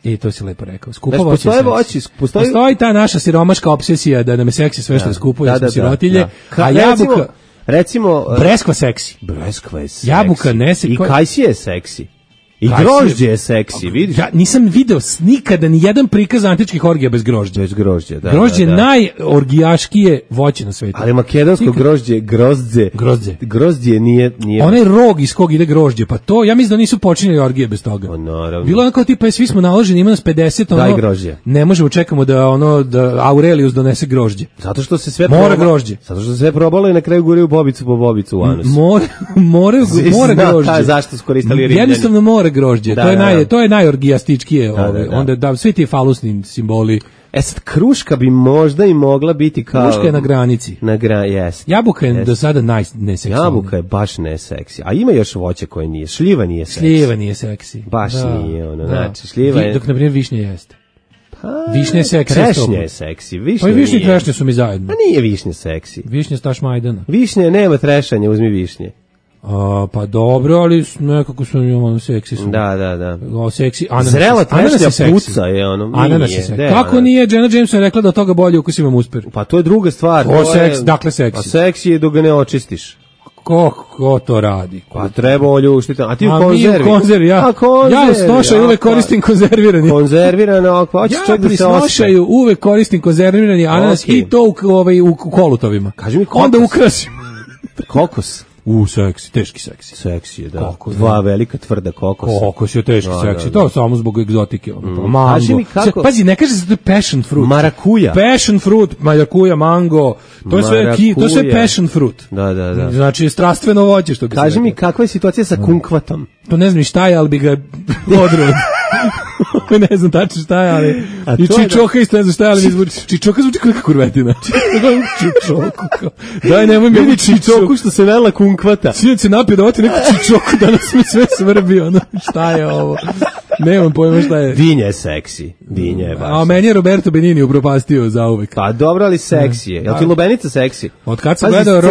I to si lepo rekao. Skupo voće je seksi. Postoji ta naša siromaška obsesija da nam je seksi sve što je skupo, jer smo sirotilje. A jabuka, recimo, breskva seksi. Breskva je seksi. Jabuka ne seksi. I kajsi je seksi. I grožđe je seksi, vidiš? Ja nisam video nikada ni jedan prikaz antičkih orgija bez grožđa. Bez grožđa, da. Grožđe je najorgijaškije voće na svetu. Ali makedonsko grožđe, grožđe nije. Onaj rog iz kog ide grožđe, pa to, ja mislim da nisu počinjeli orgije bez toga. Pa naravno. Bilo je kao tipa, svi smo naloženi, ima nas 50, daj grožđe. Ne možemo, čekamo da Aurelius donese grožđe. Zato što se sve mora grožđe. Zato što se sve probalo i na kraju guraju bobicu po bobicu u anus. Mora grožđe. Zašto su koristili rimljani? Jednostavno mora grožđe. To je najorgijastičkije. Onda da svi ti falusni simboli. Sad kruška bi možda i mogla biti kao. Kruška je na granici. Jest. Jabuka je do sada neseksivna. Jabuka je baš neseksi. A ima još voće koje nije. Šljiva nije seksi. Šljiva nije seksi. Baš nije ono. Znači šljiva je. Dok na primjer višnje jeste. Višnje je seksi. Trešnje je seksi. Pa i višnje i trešnje su mi zajedno. A nije višnje seksi. Višnje staš Majdana. Višnje nema trešanja, uzmi višnje. Pa dobro, ali nekako su ono seksi su. Da. O seksi, zrela trešnja puca je ono. Ananas je seksi. Kako nije Jenna Jameson rekla da od toga bolje ukus imam uspir? Pa to je druga stvar. Dakle seksi. A seksi je dok ga ne očistiš. Ko to radi? Pa treba oljuštiti. A ti u konzervi? Ja u snošaju uvek koristim konzervirani. Konzervirano, pa hoćeš čak da se osjeća. Ja pri snošaju uvek koristim konzervirani ananas i to u kolutovima. Kaži mi kokos. Onda ukrasim. Kokos. Seksi, teški seksi. Seksi je, da. Dva velika tvrda kokosa. Kokos je teški seksi. To je samo zbog egzotike. Kaži mi kako. Pazi, ne kaže se to je passion fruit. Marakuja. Passion fruit, marakuja, mango. To je sve passion fruit. Da. Znači, strastveno voće, što bi se Kaži mi kakva je situacija sa kunkvatom. To ne znam ni šta je, ali bi ga odruo. Ne znam tačno šta je, ali i čičoka isto ne znam šta je, ali mi zvuči. Čičoka zvuči kao neka kurvetina. Čičoku. Daj, nemoj mi ovu čičoku što se vela kunkvata. Sinac se napio da ovati neku čičoku, danas mi sve svrbi, ono, šta je ovo. Nemam pojma šta je. Dinja je seksi. Dinja je baš. A meni je Roberto Benigni upropastio zauvek. Pa dobro, ali seksi je. Jel ti lubenica seksi? Od kad sam gledao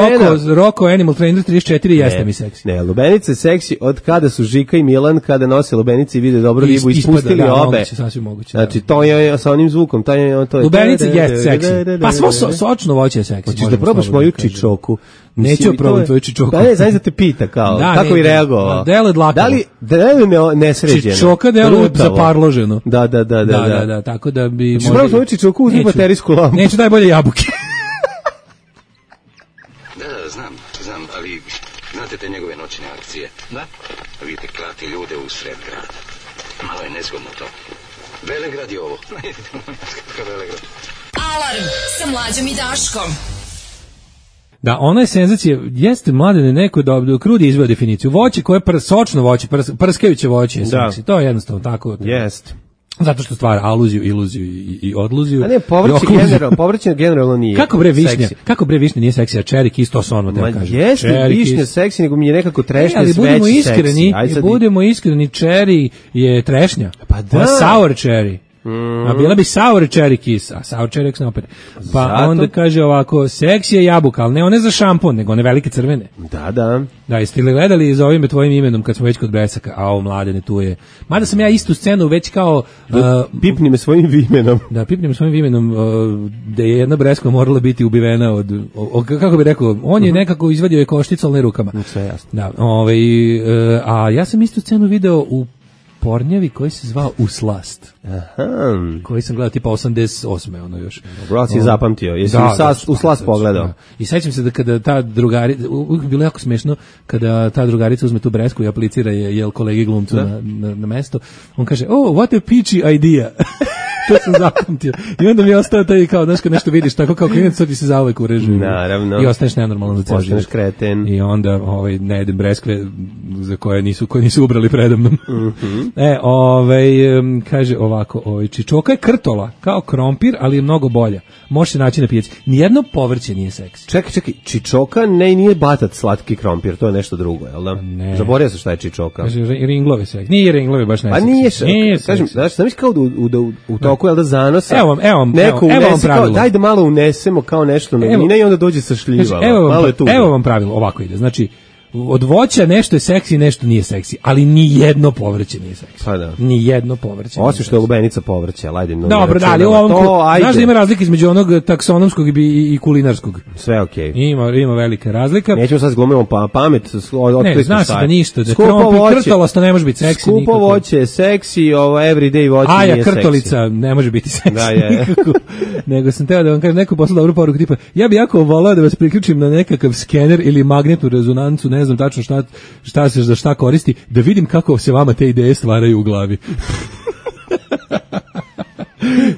Rocco Animal Trainer 34 jeste mi seksi. Ne, lubenica je seksi od kada su Žika i Milan, kada nose lubenice i vide dobro ribu, ispustili obe. Moguće, znači, to je sa onim zvukom. To je lubenica je seksi. Pa svo sočno voće je seksi. Hoćeš da probaš moju čičoku? Neću probati tvoju čičoku. Pa ne, znaš da te pita kao, kako bi reagovao? Delo je dlakavo. Da li nesređeno? Čičoka delo je zaparloženo. Da, tako da bi... Hoćeš probati moju čičoku, uzmi baterijsku lampu. Neću daj bolje jabuke. Da, znam, ali znate te njegove noćne akcije? Da. Vidite, klati ljude u sred grada. Malo je nezgodno to. Velegrad je ovo. Velegrad. Alarm sa Mlađom i Daškom. Da, ona je senzacija, jeste Mladene neko da Krudi izveo definiciju. Voće koje je sočno voće, prskajuće voće je seksi. To je jednostavno tako. Jeste. Zato što stvara aluziju, iluziju i odluziju. A ne, povrće generalno nije. Kako bre višnja nije seksi, a čeri kis to su ono da kažem. Jeste višnja seksi, nego mi je nekako trešnja sve seksi. Budemo iskreni, čeri je trešnja. Pa da. Sour cherry. A bila bi sour cherry kiss, a sour cherry eks opere. Pa onda kaže ovako, seksi je jabuka, ali ne one za šampon, nego one velike crvene. Da. Da, jeste li gledali za ovim tvojim imenom kad smo već kod Besaka, a ovo Mladene tu je. Mada sam ja istu scenu već kao... Pipni me svojim imenom. Da, pipni me svojim imenom, da je jedna Breska morala biti ubivena od kako bi rekao, on je nekako izvadio je košticu, ali ne rukama. Sve jasno. Da, a ja sam istu scenu video u pornjavi koji se zvao Uslast. Aha. Koji sam gledao tipa 88. ono još. Bro, si zapamtio. Jesi Uslast pogledao? I sećam se da kada ta drugarica, bilo jako smešno, kada ta drugarica uzme tu Bresku i aplicira je kolegi glumcu na mesto, on kaže, what a peachy idea. To sam zapamtio. I onda mi je ostao taj kao, znaš, kad nešto vidiš, tako kao klinac, sad ti se zauvek urežu. Naravno. I ostaneš nenormalno za cijel život. Ostaneš kreten. I onda ne jedem breskve za koje nisu ubrali predamnom. Kaže ovako, čičoka je krtola, kao krompir, ali je mnogo bolja. Može se naći na pijaci. Nijedno povrće nije seksi. Čekaj, čičoka nije batat slatki krompir, to je nešto drugo, jel da? Ne. Zaboravio se šta je čičoka. Kaže, ringlove seksi. Nije ringlove baš ne seksi. Pa nije, kažem, znaš kao u toku, jel da zanosa? Evo vam pravilo. Daj da malo unesemo kao nešto novine i onda dođe sa šljivama. Evo vam pravilo, ovako ide. Znači, od voća nešto je seksi, nešto nije seksi, ali ni jedno povrće nije seksi. Pa da. Ni jedno povrće. Osim što je lubenica povrće, ajde. Dobro, da, ali znaš da ima razlika između onog taksonomskog i kulinarskog. Sve okej. Ima velika razlika. Nećemo sad glumimo pamet, ne, znaš da ništa, da krompir krtolosto ne može biti seksi nikako. Skupo voće, seksi, everyday voće nije seksi. Krtolica ne može biti seksi nikako. Nego sam teo da vam kažem neku poslu dobru poruku tipa, ja bi jako volao da vas priključim na nekakav skener ili magnetnu rezonancu, ne znam tačno šta se za šta koristi, da vidim kako se vama te ideje stvaraju u glavi.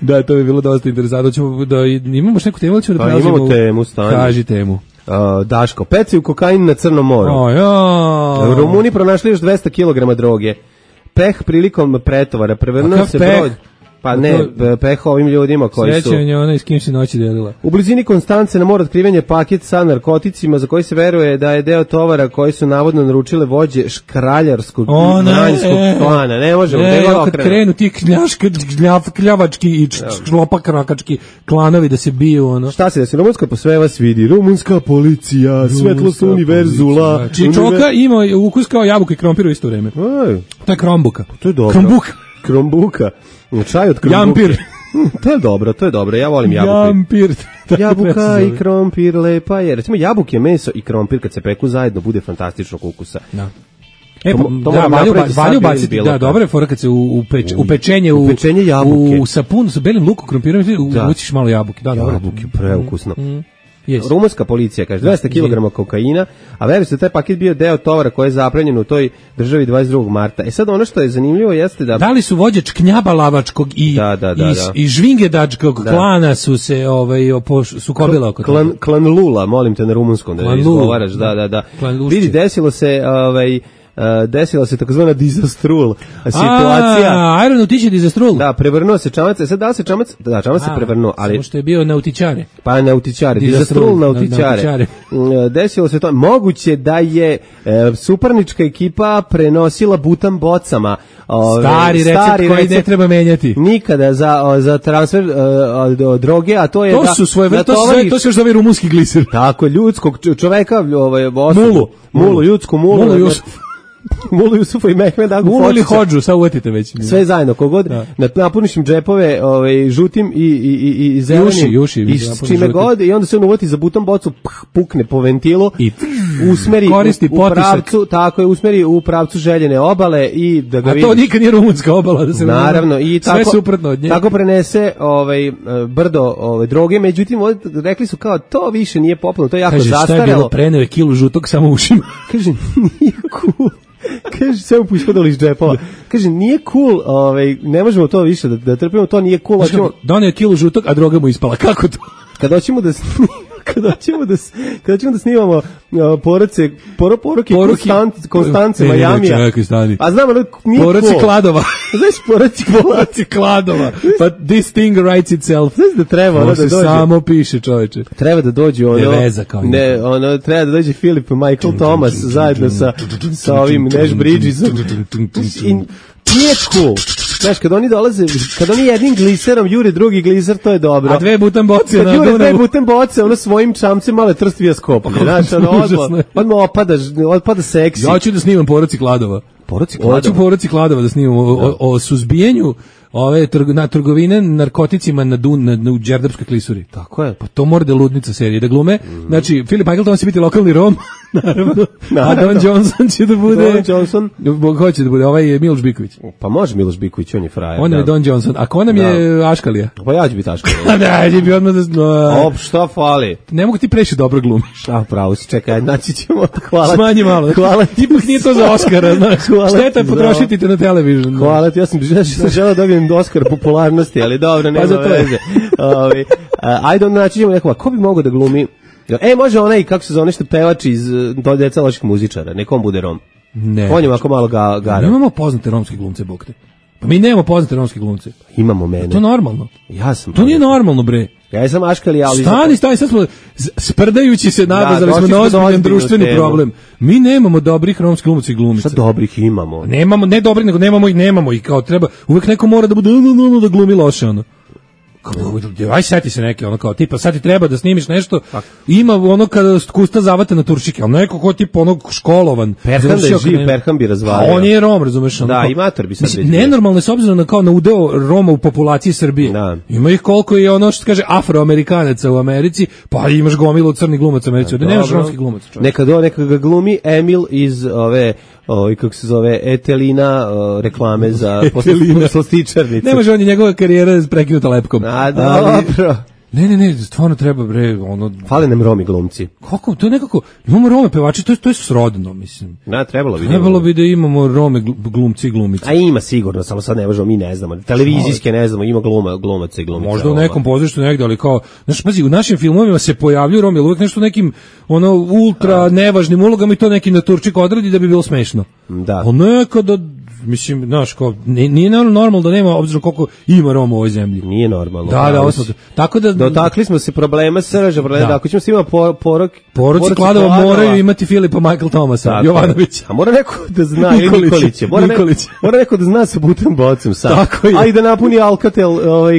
Da, to bi bilo dosta interesantno. Imamo neku temu, ćemo da prelazimo. Imamo temu, stanje. Kaži temu. Daško, pecaju kokain na Crnom moru. Rumuni pronašli još 200 kg droge. Peh prilikom pretovara. Prevrnuo se broj. Pa ne, peh ovim ljudima koji su... Srećanje ona i s kim se noći delila. U blizini Konstance na moru otkriven je paket sa narkoticima za koji se veruje da je deo tovara koji su navodno naručile vođe škraljarskog i manjskog klana. Ne možemo, kad krenu ti kljavački i šlopakrakački klanovi da se biju, ono. Šta se desi? Rumunska po sve vas vidi. Rumunska policija, svetlost univerzula. Čičoka ima ukus kao jabuka i krompir u isto vreme. To je krombuka. To je dobro. Krombuka. Čaj od krombuke. Jampir. To je dobro, ja volim jabuku. Jampir. Jabuka i krompir, lepa je. Recimo jabuke, meso i krompir kad se peku zajedno bude fantastičnog ukusa. Da. Valju baciti, da, dobra je fora kad se u pečenje jabuke. U sapun sa belim lukom, krompirom, uvučiš malo jabuke. Da, jabuke, preukusno. Rumunska policija kaže 200 kg kokaina, a veruje se da taj paket bio deo tovara koji je zaplenjen u toj državi 22. marta. Sad ono što je zanimljivo jeste da li su vođe Čknjabalavačkog i Žvingedačkog klana su se sukobila oko toga. Klan Lula, molim te na rumunskom da ne izgovaraš. Da. Vidi, desilo se desila se takozvana disastrul situacija. Aeronautički disastrul. Da, prevrnuo se čamac, sad da se čamac se prevrnuo, ali samo što je bio nautičare. Pa nautičare, disastrul nautičare. Desilo se to, moguće da je suparnička ekipa prenosila butan bocama. Stari recept koji ne treba menjati. Nikada za transfer droge, a to je to su svoje to se još zove rumunski gliser. Tako, ljudskog čoveka, mulu, ljudsku mulu. Mulu Jusufa i Mehmed Agu Mulu ili Hodžu, sad uvetite već. Sve zajedno, kogod, napuniš im džepove žutim i zelenim. Juši, i s čime god, i onda se on uvati za buton bocu, pukne po ventilu, i usmeri u pravcu, tako je, usmeri u pravcu željene obale i da ga vidi. A to nikad nije rumunska obala, da se naravno, i sve suprotno od nje. Tako prenese brdo droge, međutim, rekli su kao, to više nije popularno, to je jako zastarelo. Kaže, šta je bilo, preneo je kilu žutog samo ušima. Kaže, nije cool. Kaže, sve mu ispadalo iz džepova. Kaže, nije cool, ne možemo to više da trpimo, to nije cool. Donio kilu žutog, a droga mu ispala. Kako to? Kad hoćemo da snimamo poruke Konstance Majamija. A znamo da nije cool. Poruci Kladova. Znaš, poruci Kladova. But this thing writes itself. Znaš da treba da dođe. Samo piše, čovječe. Treba da dođe treba da dođe Philip Michael Thomas zajedno sa ovim Nash Bridgesom. Nije cool. Znaš, kad oni dolaze, kad oni jednim gliserom jure drugi gliser, to je dobro. A dve butan boce na Dunavu. Dve butan boce, ono svojim čamcem male trstvija skoplje. Znaš, odmah otpada seksi. Ja ću da snimam Poruci Kladova. Hoću Poruci Kladova da snimam o suzbijenju na trgovine narkoticima u Đerdapskoj klisuri. Tako je. Pa to mora da ludnica serije da glume. Znači, Philip Michael Thomas će biti lokalni Rom, naravno. A Don Johnson će da bude... Don Johnson? Ko će da bude? Ovaj je Miloš Biković. Pa može Miloš Biković, on je frajer. On je Don Johnson. A ko nam je Aškalija? Pa ja ću biti Aškalija. Da, će bi odmah da... Šta fali? Ne mogu ti preći dobro glumiš. Pravo si, čekaj, naći ćemo. Hvala. Smanji malo. Hvala ti. Ipak nije to za Oskara, znaš. Šteta je potrošiti te na televizion. Hvala ti, ja sam želeo da dobijem Oskar popularnosti, ali dobro, nema veze. Ajde, naći ćemo nekoga. Ko bi mogao da glumi? Može onaj, kako se zove, nešto pevač iz Deca loših muzičara. Nekom bude Rom. Ne. On je ovako malo gara. Nemamo poznate romske glumce, bog te. Pa mi nemamo poznate romske glumce. Imamo mene. To je normalno. Ja sam. To nije normalno, bre. Ja sam Aškalija, ali... Stani, sad smo sprdajući se nabazali smo na ozbiljan društveni problem. Mi nemamo dobrih romskih glumaca i glumica. Šta dobrih imamo? Nemamo, ne dobrih, nego nemamo i kao treba, uvek neko mora da bude da glumi loše, ono. Aj seti se neke, ono kao tipa sad ti treba da snimiš nešto, ima ono kada kusta zavata na turšike, ali neko ko tipa onog školovan. Perhan da je živ, Perhan bi razvalio. On je Rom, razumeš? Da, imator bi sad već. Nenormalno je s obzirom na udeo Roma u populaciji Srbije. Da. Ima ih koliko je ono što kaže Afroamerikanaca u Americi, pa imaš gomilu crnih glumaca u Americi, da nemaš romskih glumaca. Neka ga glumi Emil iz kako se zove, Etelina, reklame za poslastičarnice. Ne može on i njegova karijera prekinuta lepkom. A, dobro. Ne, stvarno treba, bre, ono... Fale nam Romi glumci. Kako? To je nekako... Imamo Rome pevači, to je srodno, mislim. Trebalo bi da imamo Rome glumci i glumice. A ima sigurno, samo sad ne možemo, mi ne znamo. Televizijske ne znamo, ima glumaca i glumica. Možda u nekom pozorištu negde, ali kao... Znaš, pazi, u našim filmovima se pojavljuju Romi, ali uvijek nešto nekim, ultra nevažnim ulogama i to neki naturčik odradi da bi bilo smešno. Da. Pa nekada... Mislim, znaš, kao, nije normalno da nema, obzirom koliko ima Roma u ovoj zemlji. Nije normalno. Da, tako da... Dotakli smo se problema srža, da ako ćemo s ima Poruci Kladova moraju imati Filipa Michael Thomasa, Jovanovića. A mora neko da zna, Nikolića. Mora neko da zna sa butom bocom sad. Tako je. A i da napuni Alcatel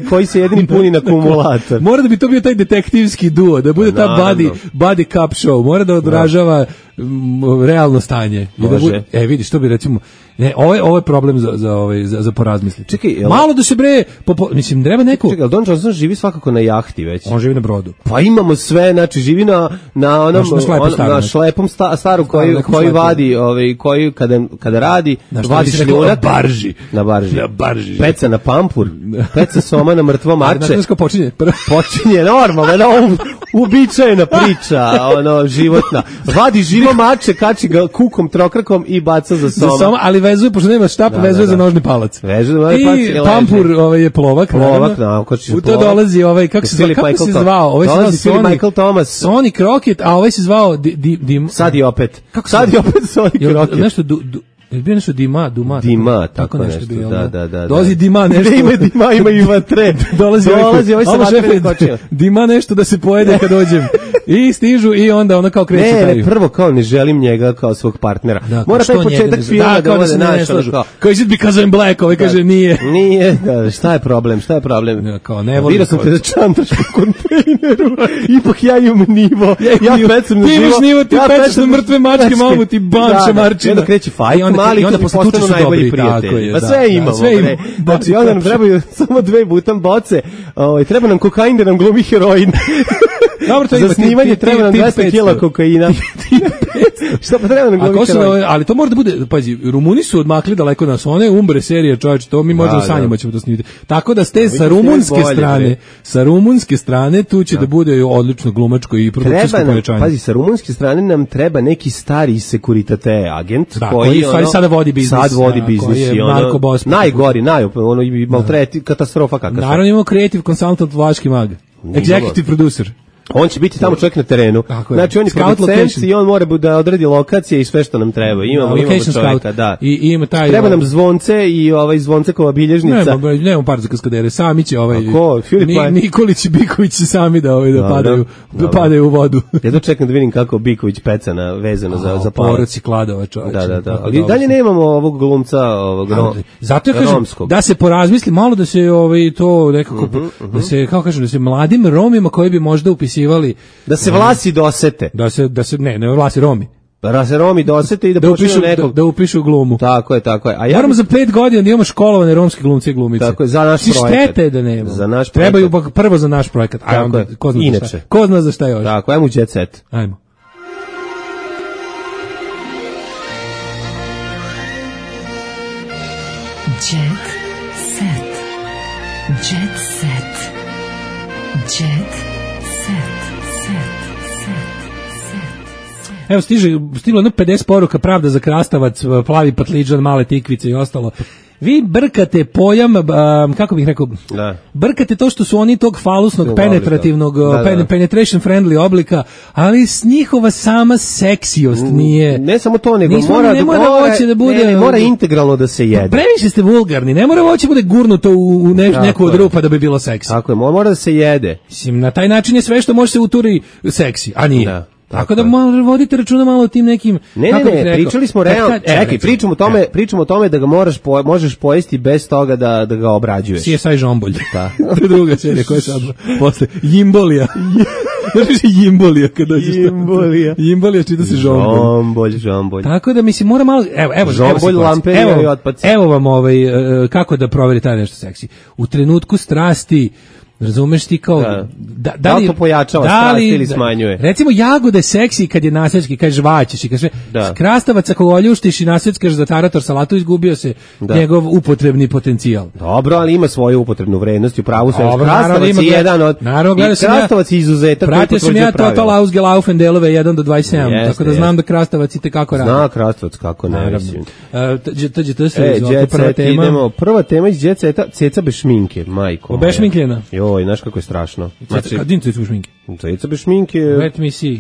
koji se jedini puni na akumulator. Mora da bi to bio taj detektivski duo, da bude ta buddy cup show, mora da odražava realno stanje. Može. Vidiš, to bi recimo... Ne, ovo je problem za porazmisliti. Čekaj, malo da se bre, mislim, treba neko... Čekaj, Don Johnson živi svakako na jahti već. On živi na brodu. Pa imamo sve, znači živi na šlepom staru koji vadi, koji kada radi, vadi šljunak. Na barži. Peca na pampur, peca soma na mrtvo mače. Počinje normalno, uobičajena priča, životna. Vadi živi uzima mače, kači ga kukom, trokrakom i baca za soma. Ali vezuje, pošto nema štapa, vezuje za nožni palac. I pampur je plovak. Plovak, u to dolazi kako se zvao? Ovaj se zvao Michael Thomas. Sonic Rocket, a ovaj se zvao Sad i opet Sonic Rocket. Nešto bio nešto Dima, tako nešto. Da. Dolazi Dima nešto. Ima i vatre. Dolazi ovaj sa vatrenim kočima. Dima nešto da se pojede kad dođem. I stižu i onda ono kao kreće taj. Ne, prvo kao ne želim njega kao svog partnera. Mora taj početak filma da ode naš. Kao is it because I'm black? Ovaj kaže nije. Nije, šta je problem? Kao ne volim. Vidio sam te da čantaš po kontejneru. Ipak ja imam nivo. Ja pecam na živo. Ti imaš nivo, ti pečeš na mrtve mačke, mamu ti banče marčina. Onda kreće fajt. Mali onda postanu najbolji prijatelji. Pa sve imamo. Znači, onda nam trebaju samo 2 butan boce, treba nam kokain da nam glumi heroin. Dobro, to za snimanje treba nam 200 kila kokaina. Šta pa treba nam glumi heroin? Ali to mora da bude, pazi, Rumuni su odmakli daleko nas, one umbre serije, čovječe, to mi možemo sanjima ćemo to snimiti. Tako da ste sa rumunske strane, tu će da bude odlično glumačko i produkcijsko povećanje. Pazi, sa rumunske strane nam treba neki stari sekuritate agent, koji sada vodi biznis. Sad vodi biznis i ono najgori, ono i maltreti, katastrofa kakva. Naravno imamo creative consultant Vlaški mag, executive producer. On će biti tamo čovjek na terenu. Znači on je producent i on mora da odredi lokacije i sve što nam treba. Imamo čovjeka, da. I ima taj treba nam zvonce i Zvoncekova bilježnica. Nemamo par za kaskadere, sami će Nikolić i Biković će sami da padaju u vodu. Ja čekam da vidim kako Biković peca vezano za poroci Kladova, čovječe. Da. Ali dalje nemamo ovog glumca, zato ja kažem da se porazmisli malo da se to nekako da se kako kažem da se mladim Romima koji bi možda upisivali da se vlasi dosete. Da se ne vlasi Romi. Da se Romi dosete i da počnu nekog da upišu glumu. Tako je. A moramo za 5 godina da imamo školovane romske glumce i glumice. Tako je, za naš projekat. Štete da nema. Za naš trebaju prvo za naš projekat. A onda ko zna za šta još. Tako, ajmo u Jet Set. Ajmo. Jet Set. Jet Set. Jet. Evo stiglo 50 poruka, pravda za krastavac, plavi patliđan, male tikvice i ostalo. Vi brkate pojam, kako bih rekao, brkate to što su oni tog falusnog, penetrativnog, penetration friendly oblika, ali s njihova sama seksijost nije... Ne samo to, nego mora integralno da se jede. Previše ste vulgarni, ne mora voće bude gurnuto u neku od rupa da bi bilo seksi. Tako je, mora da se jede. Mislim, na taj način je sve što može se uturi seksi, a nije. Tako da malo vodite računa malo o tim nekim... Ne, pričali smo realno... Čekaj, pričamo o tome da ga možeš pojesti bez toga da ga obrađuješ. CSI Žombolj. To je druga serija koja je sad posle. Jimbolija. Znaš Jimbolija kad dođeš tamo. Jimbolija čita se Žombolj. Tako da mislim mora malo... Žombolj, lamperija i otpaci. Evo vam kako da proveri taj nešto seksi. U trenutku strasti... Razumeš ti kao da li to pojačava strast ili smanjuje? Recimo jagode seksi kad je nasvetski, kad žvaćeš i kaže krastavac ako oljuštiš i nasvetskaš za tarator salatu, izgubio se njegov upotrebni potencijal. Dobro, ali ima svoju upotrebnu vrednost, u pravu se krastavac je jedan od krastavac je izuzetak koji potvrđuje pravila. Pratio sam ja Total Ausgelaufen delove 1 do 27, tako da znam da krastavac i tekako radi. Zna krastavac kako ne, mislim. Prva tema iz Jet Seta, ceca bez šminke, majko. Bez šminkljena. Joj, znaš kako je strašno. Kadin ceca bez šminke? Ceca bez šminke... Let me see.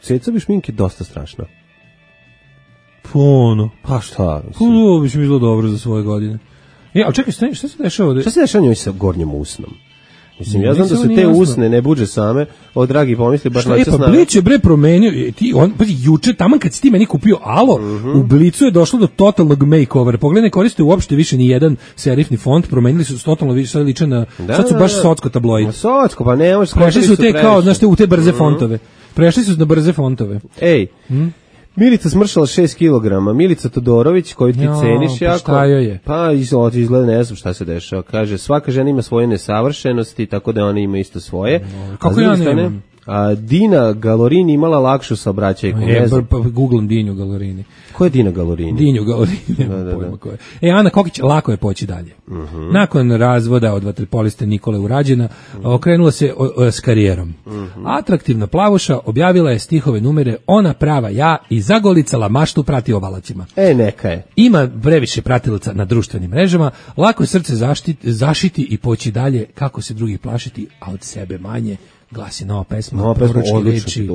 Ceca bez šminke je dosta strašno. Pa šta? Ovo bi bilo dobro za svoje godine. Ali čekaj, šta se dešava ovdje? Šta se dešava njoj sa gornjom usnom? Mislim, ja znam da se te usne ne buđe same, od dragi pomisli, baš noća snave. Pa Blic je promenio, juče, taman kad si ti meni kupio Alo, u Blicu je došlo do totalnog makeovera. Pogledaj, ne koriste uopšte više ni jedan serifni font, promenili su totalno više, sad liče na, sad su baš socko tabloid. Socko, pa ne možeš... Prešli su te kao, znaš te, u te brze fontove. Prešli su na brze fontove. Ej, Milica smršala 6 kg, Milica Todorović, koju ti ceniš jako. Šta joj je? Pa izgleda, ne znam šta se dešava. Kaže, svaka žena ima svoje nesavršenosti, tako da ona ima isto svoje. Kako ja nemam? Dina Galorini imala lakšu saobraćajku. Googlam Dinju Galorini. Ko je Dina Galorini? Dinju Galorini, pojma ko je. Ana Kokić, lako je poći dalje. Nakon razvoda od vaterpoliste Nikole Urađena, okrenula se s karijerom. Atraktivna plavuša objavila je stihove numere Ona prava ja i zagolicala maštu prati obalacima. Neka je. Ima previše pratilaca na društvenim mrežama, lako je srce zašiti i poći dalje, kako se drugih plašiti, a od sebe manje. Glasi nova pesma,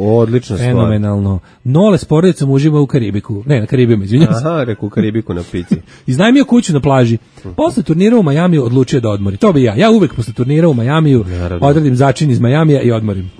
odlična stvar. Fenomenalno. Nole s porodicom uživa u Karibiku. Ne, na Karibima, izvinjam se. Aha, reku u Karibiku na pici. Iznajmio kuću na plaži. Posle turnira u Majamiju odlučio da odmori. To bi ja. Ja uvek posle turnira u Majamiju odradim začin iz Majamija i odmorim.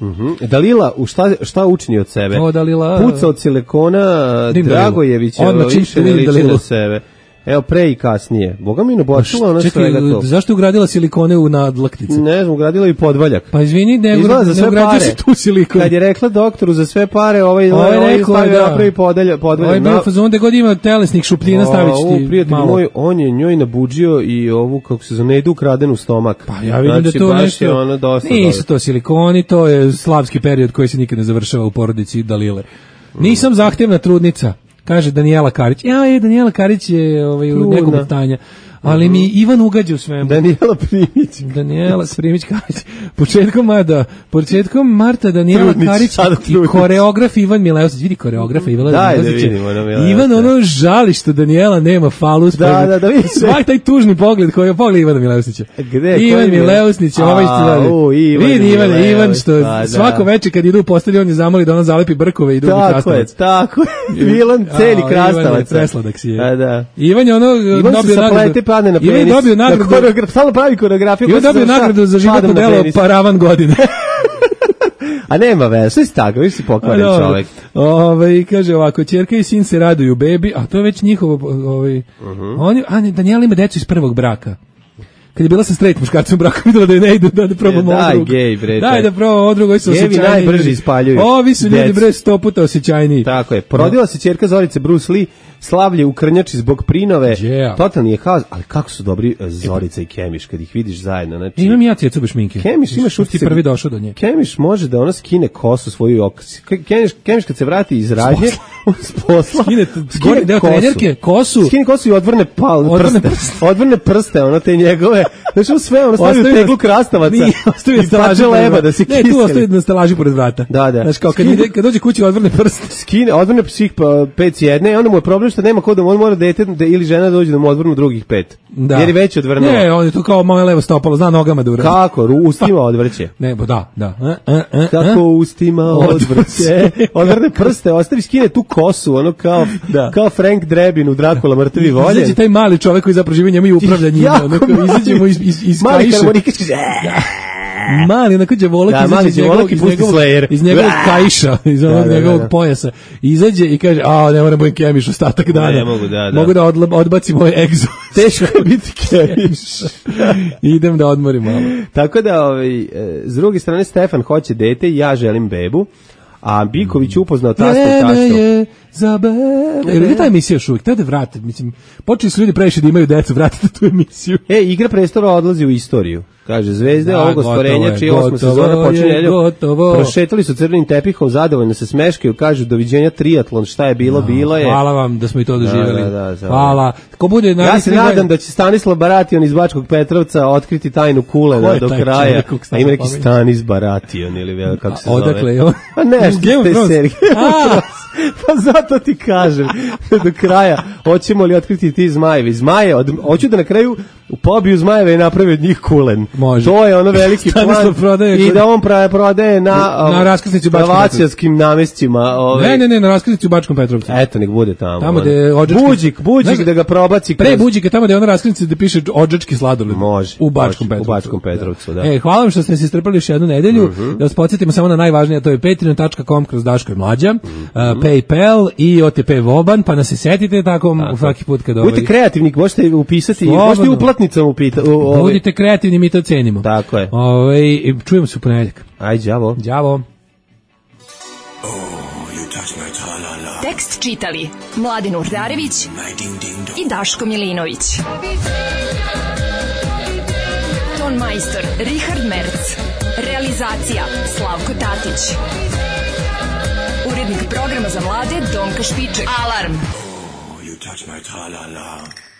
Dalila, šta učini od sebe? Dalila... Puca od silikona, Dragojevića, više ne liči na sebe. Evo, pre i kasnije. Boga mi nabočila ona svega to. Zašto je ugradila silikone u nadlaktice? Ne znam, ugradila i podvaljak. Pa izvini, ne ugradio si tu silikon. Kad je rekla doktoru za sve pare, ovaj stavio napravi podvaljak. Ovaj bio fazon da god ima telesnih šupljina, stavit ću ti prijatelj malo. Moj, on je njoj nabuđio i ovu, kako se zove, ne idu ukraden u stomak. Pa ja vidim da to nešto... Nisu to silikoni, to je slavski period koji se nikad ne završava u porodici Dalile. Nisam zahtevna trudnica. Kaže Danijela Karić. Danijela Karić je u nekom stanja. Ali mi Ivan ugađa u svemu. Danijela Primić Karić. Početkom marta Danijela Karić i koreograf Ivan Mileusić. Vidi koreografa Ivan Mileusić. Ivan žali što Danijela nema falu. Da vidi. Svaki taj tužni pogled koji je pogled Ivana Mileusića. Ivan Mileusić je ovaj što vidi Ivan što svako večer kad idu u postelji on je zamoli da ona zalepi brkove i drugi krastavac. Tako je. Milan celi krastavac. Presladak si je. Da. Ivan je dobio nagradu. Padne na penis. Ivan dobio nagradu. Stalno pravi koreografiju. Ivan dobio nagradu za životno delo Paravan godine. A nema veze, sve si tako, viš si pokvaren čovek. Kaže ovako, ćerka i sin se raduju bebi, a to je već njihovo... Danijela ima decu iz prvog braka. Kad je bila sa straight muškarcem u braku, videla da je ne idu, da probamo ovo drugo. Daj da probamo ovo drugo, ovi su osjećajniji. Gevi najbrže ispaljuju. Ovi su ljudi bre 100 puta osjećajniji. Tako je. Porodila se ćerka Zorice Bruce Lee, slavlje u Krnjači zbog Prinove. Totalni je haos, ali kako su dobri Zorica i Kemiš kad ih vidiš zajedno. Znači, imam ja cijecu bez šminke. Kemiš imaš utisak. Ti prvi došao do nje. Kemiš može da ona skine kosu svoju okas. Kemiš kad se vrati iz radnje, s posla, skine deo trenerke, kosu. Skine kosu i odvrne prste, ono te njegove. Znači sve ono stavi u teglu krastavaca. Ostavi na stelaži leba da se kiseli. Ne, tu ostavi na stelaži pored vrata. Da. Znači kao kad dođe kući odvrne prste. Odvrne svih 5 jedne, onda mu je problem što nema ko da on mora dete ili žena dođe da mu odvrnu drugih 5. Da. Jer je već odvrnuo. Ne, on je tu kao moje levo stopalo, zna nogama da uradi. Kako? Ustima odvrće. Ne, da. Kako ustima odvrće? Odvrne prste, ostavi, skine tu kosu, ono kao Frank Drebin u Drakula mrtvi voljen. Izađe taj mali čovek koji zapravo živi njemu i upravlja njima. Izađe mu iz mali harmonikački. Mali, onako džavolak iz njegovog kajša, iz onog njegovog pojasa. Izađe i kaže, ne moram budem Kemiš ostatak dana. Ne mogu, mogu da odbacim moj egzo. Teško je biti Kemiš. Idem da odmorim malo. Tako da, s druge strane, Stefan hoće dete i ja želim bebu. A Biković upoznao tastu. Za bebe. Gdje ta emisija još uvijek? Tada vratiti. Mislim, počeli su ljudi previše da imaju decu, vratite tu emisiju. Igra prestola odlazi u istoriju. Kaže, zvezde ovog ostvarenja, čiji 8. sezona počinje prošetali su crvenim tepihom, zadovoljno se smeškaju, kažu, doviđenja triatlon, šta je bilo, bilo je. Hvala vam da smo i to doživjeli. Hvala. Ko bude ja se nadam da će Stanislav Baration iz Bačkog Petrovca otkriti tajnu kulena do kraja. A ima neki Stanis Baration ili kako se zove. Odakle je on? Pa nešto te serije. Pa zato ti kažem, do kraja, hoćemo li otkriti ti zmajevi? Zmaje, hoću da na kraju pobiju zmajeve i napravi od njih kulen. Može. To je ono veliki plan i da on prodaje na raskrsnici u Bačkom Petrovcu. Namestima. Ne, na raskrsnici u Bačkom Petrovcu. Eto, nek bude tamo. Tamo gde Buđik da ga probaci. Pre Buđika, tamo gde je ona raskrsnica da piše odžački sladoled. Može. U Bačkom Petrovcu, da. Hvala vam što ste se istrpali još jednu nedelju. Da vas podsjetimo samo na najvažnije, to je patreon.com/Daško i Mlađa, PayPal i OTP Voban, pa nas se setite tako svaki put kad budite kreativni, možete upisati, možete uplatnicom upitati. Budite kreativni, mi to cenimo. Tako je. Čujemo se u ponedjeljak. Ajde, đavo. Đavo. Tekst čitali Mladen Urdarević i Daško Milinović. Ton majstor Richard Merc. Realizacija Realizacija Slavko Tatić. Urednik programa za mlade Donka Špiček. Alarm! You touch my tra-la-la.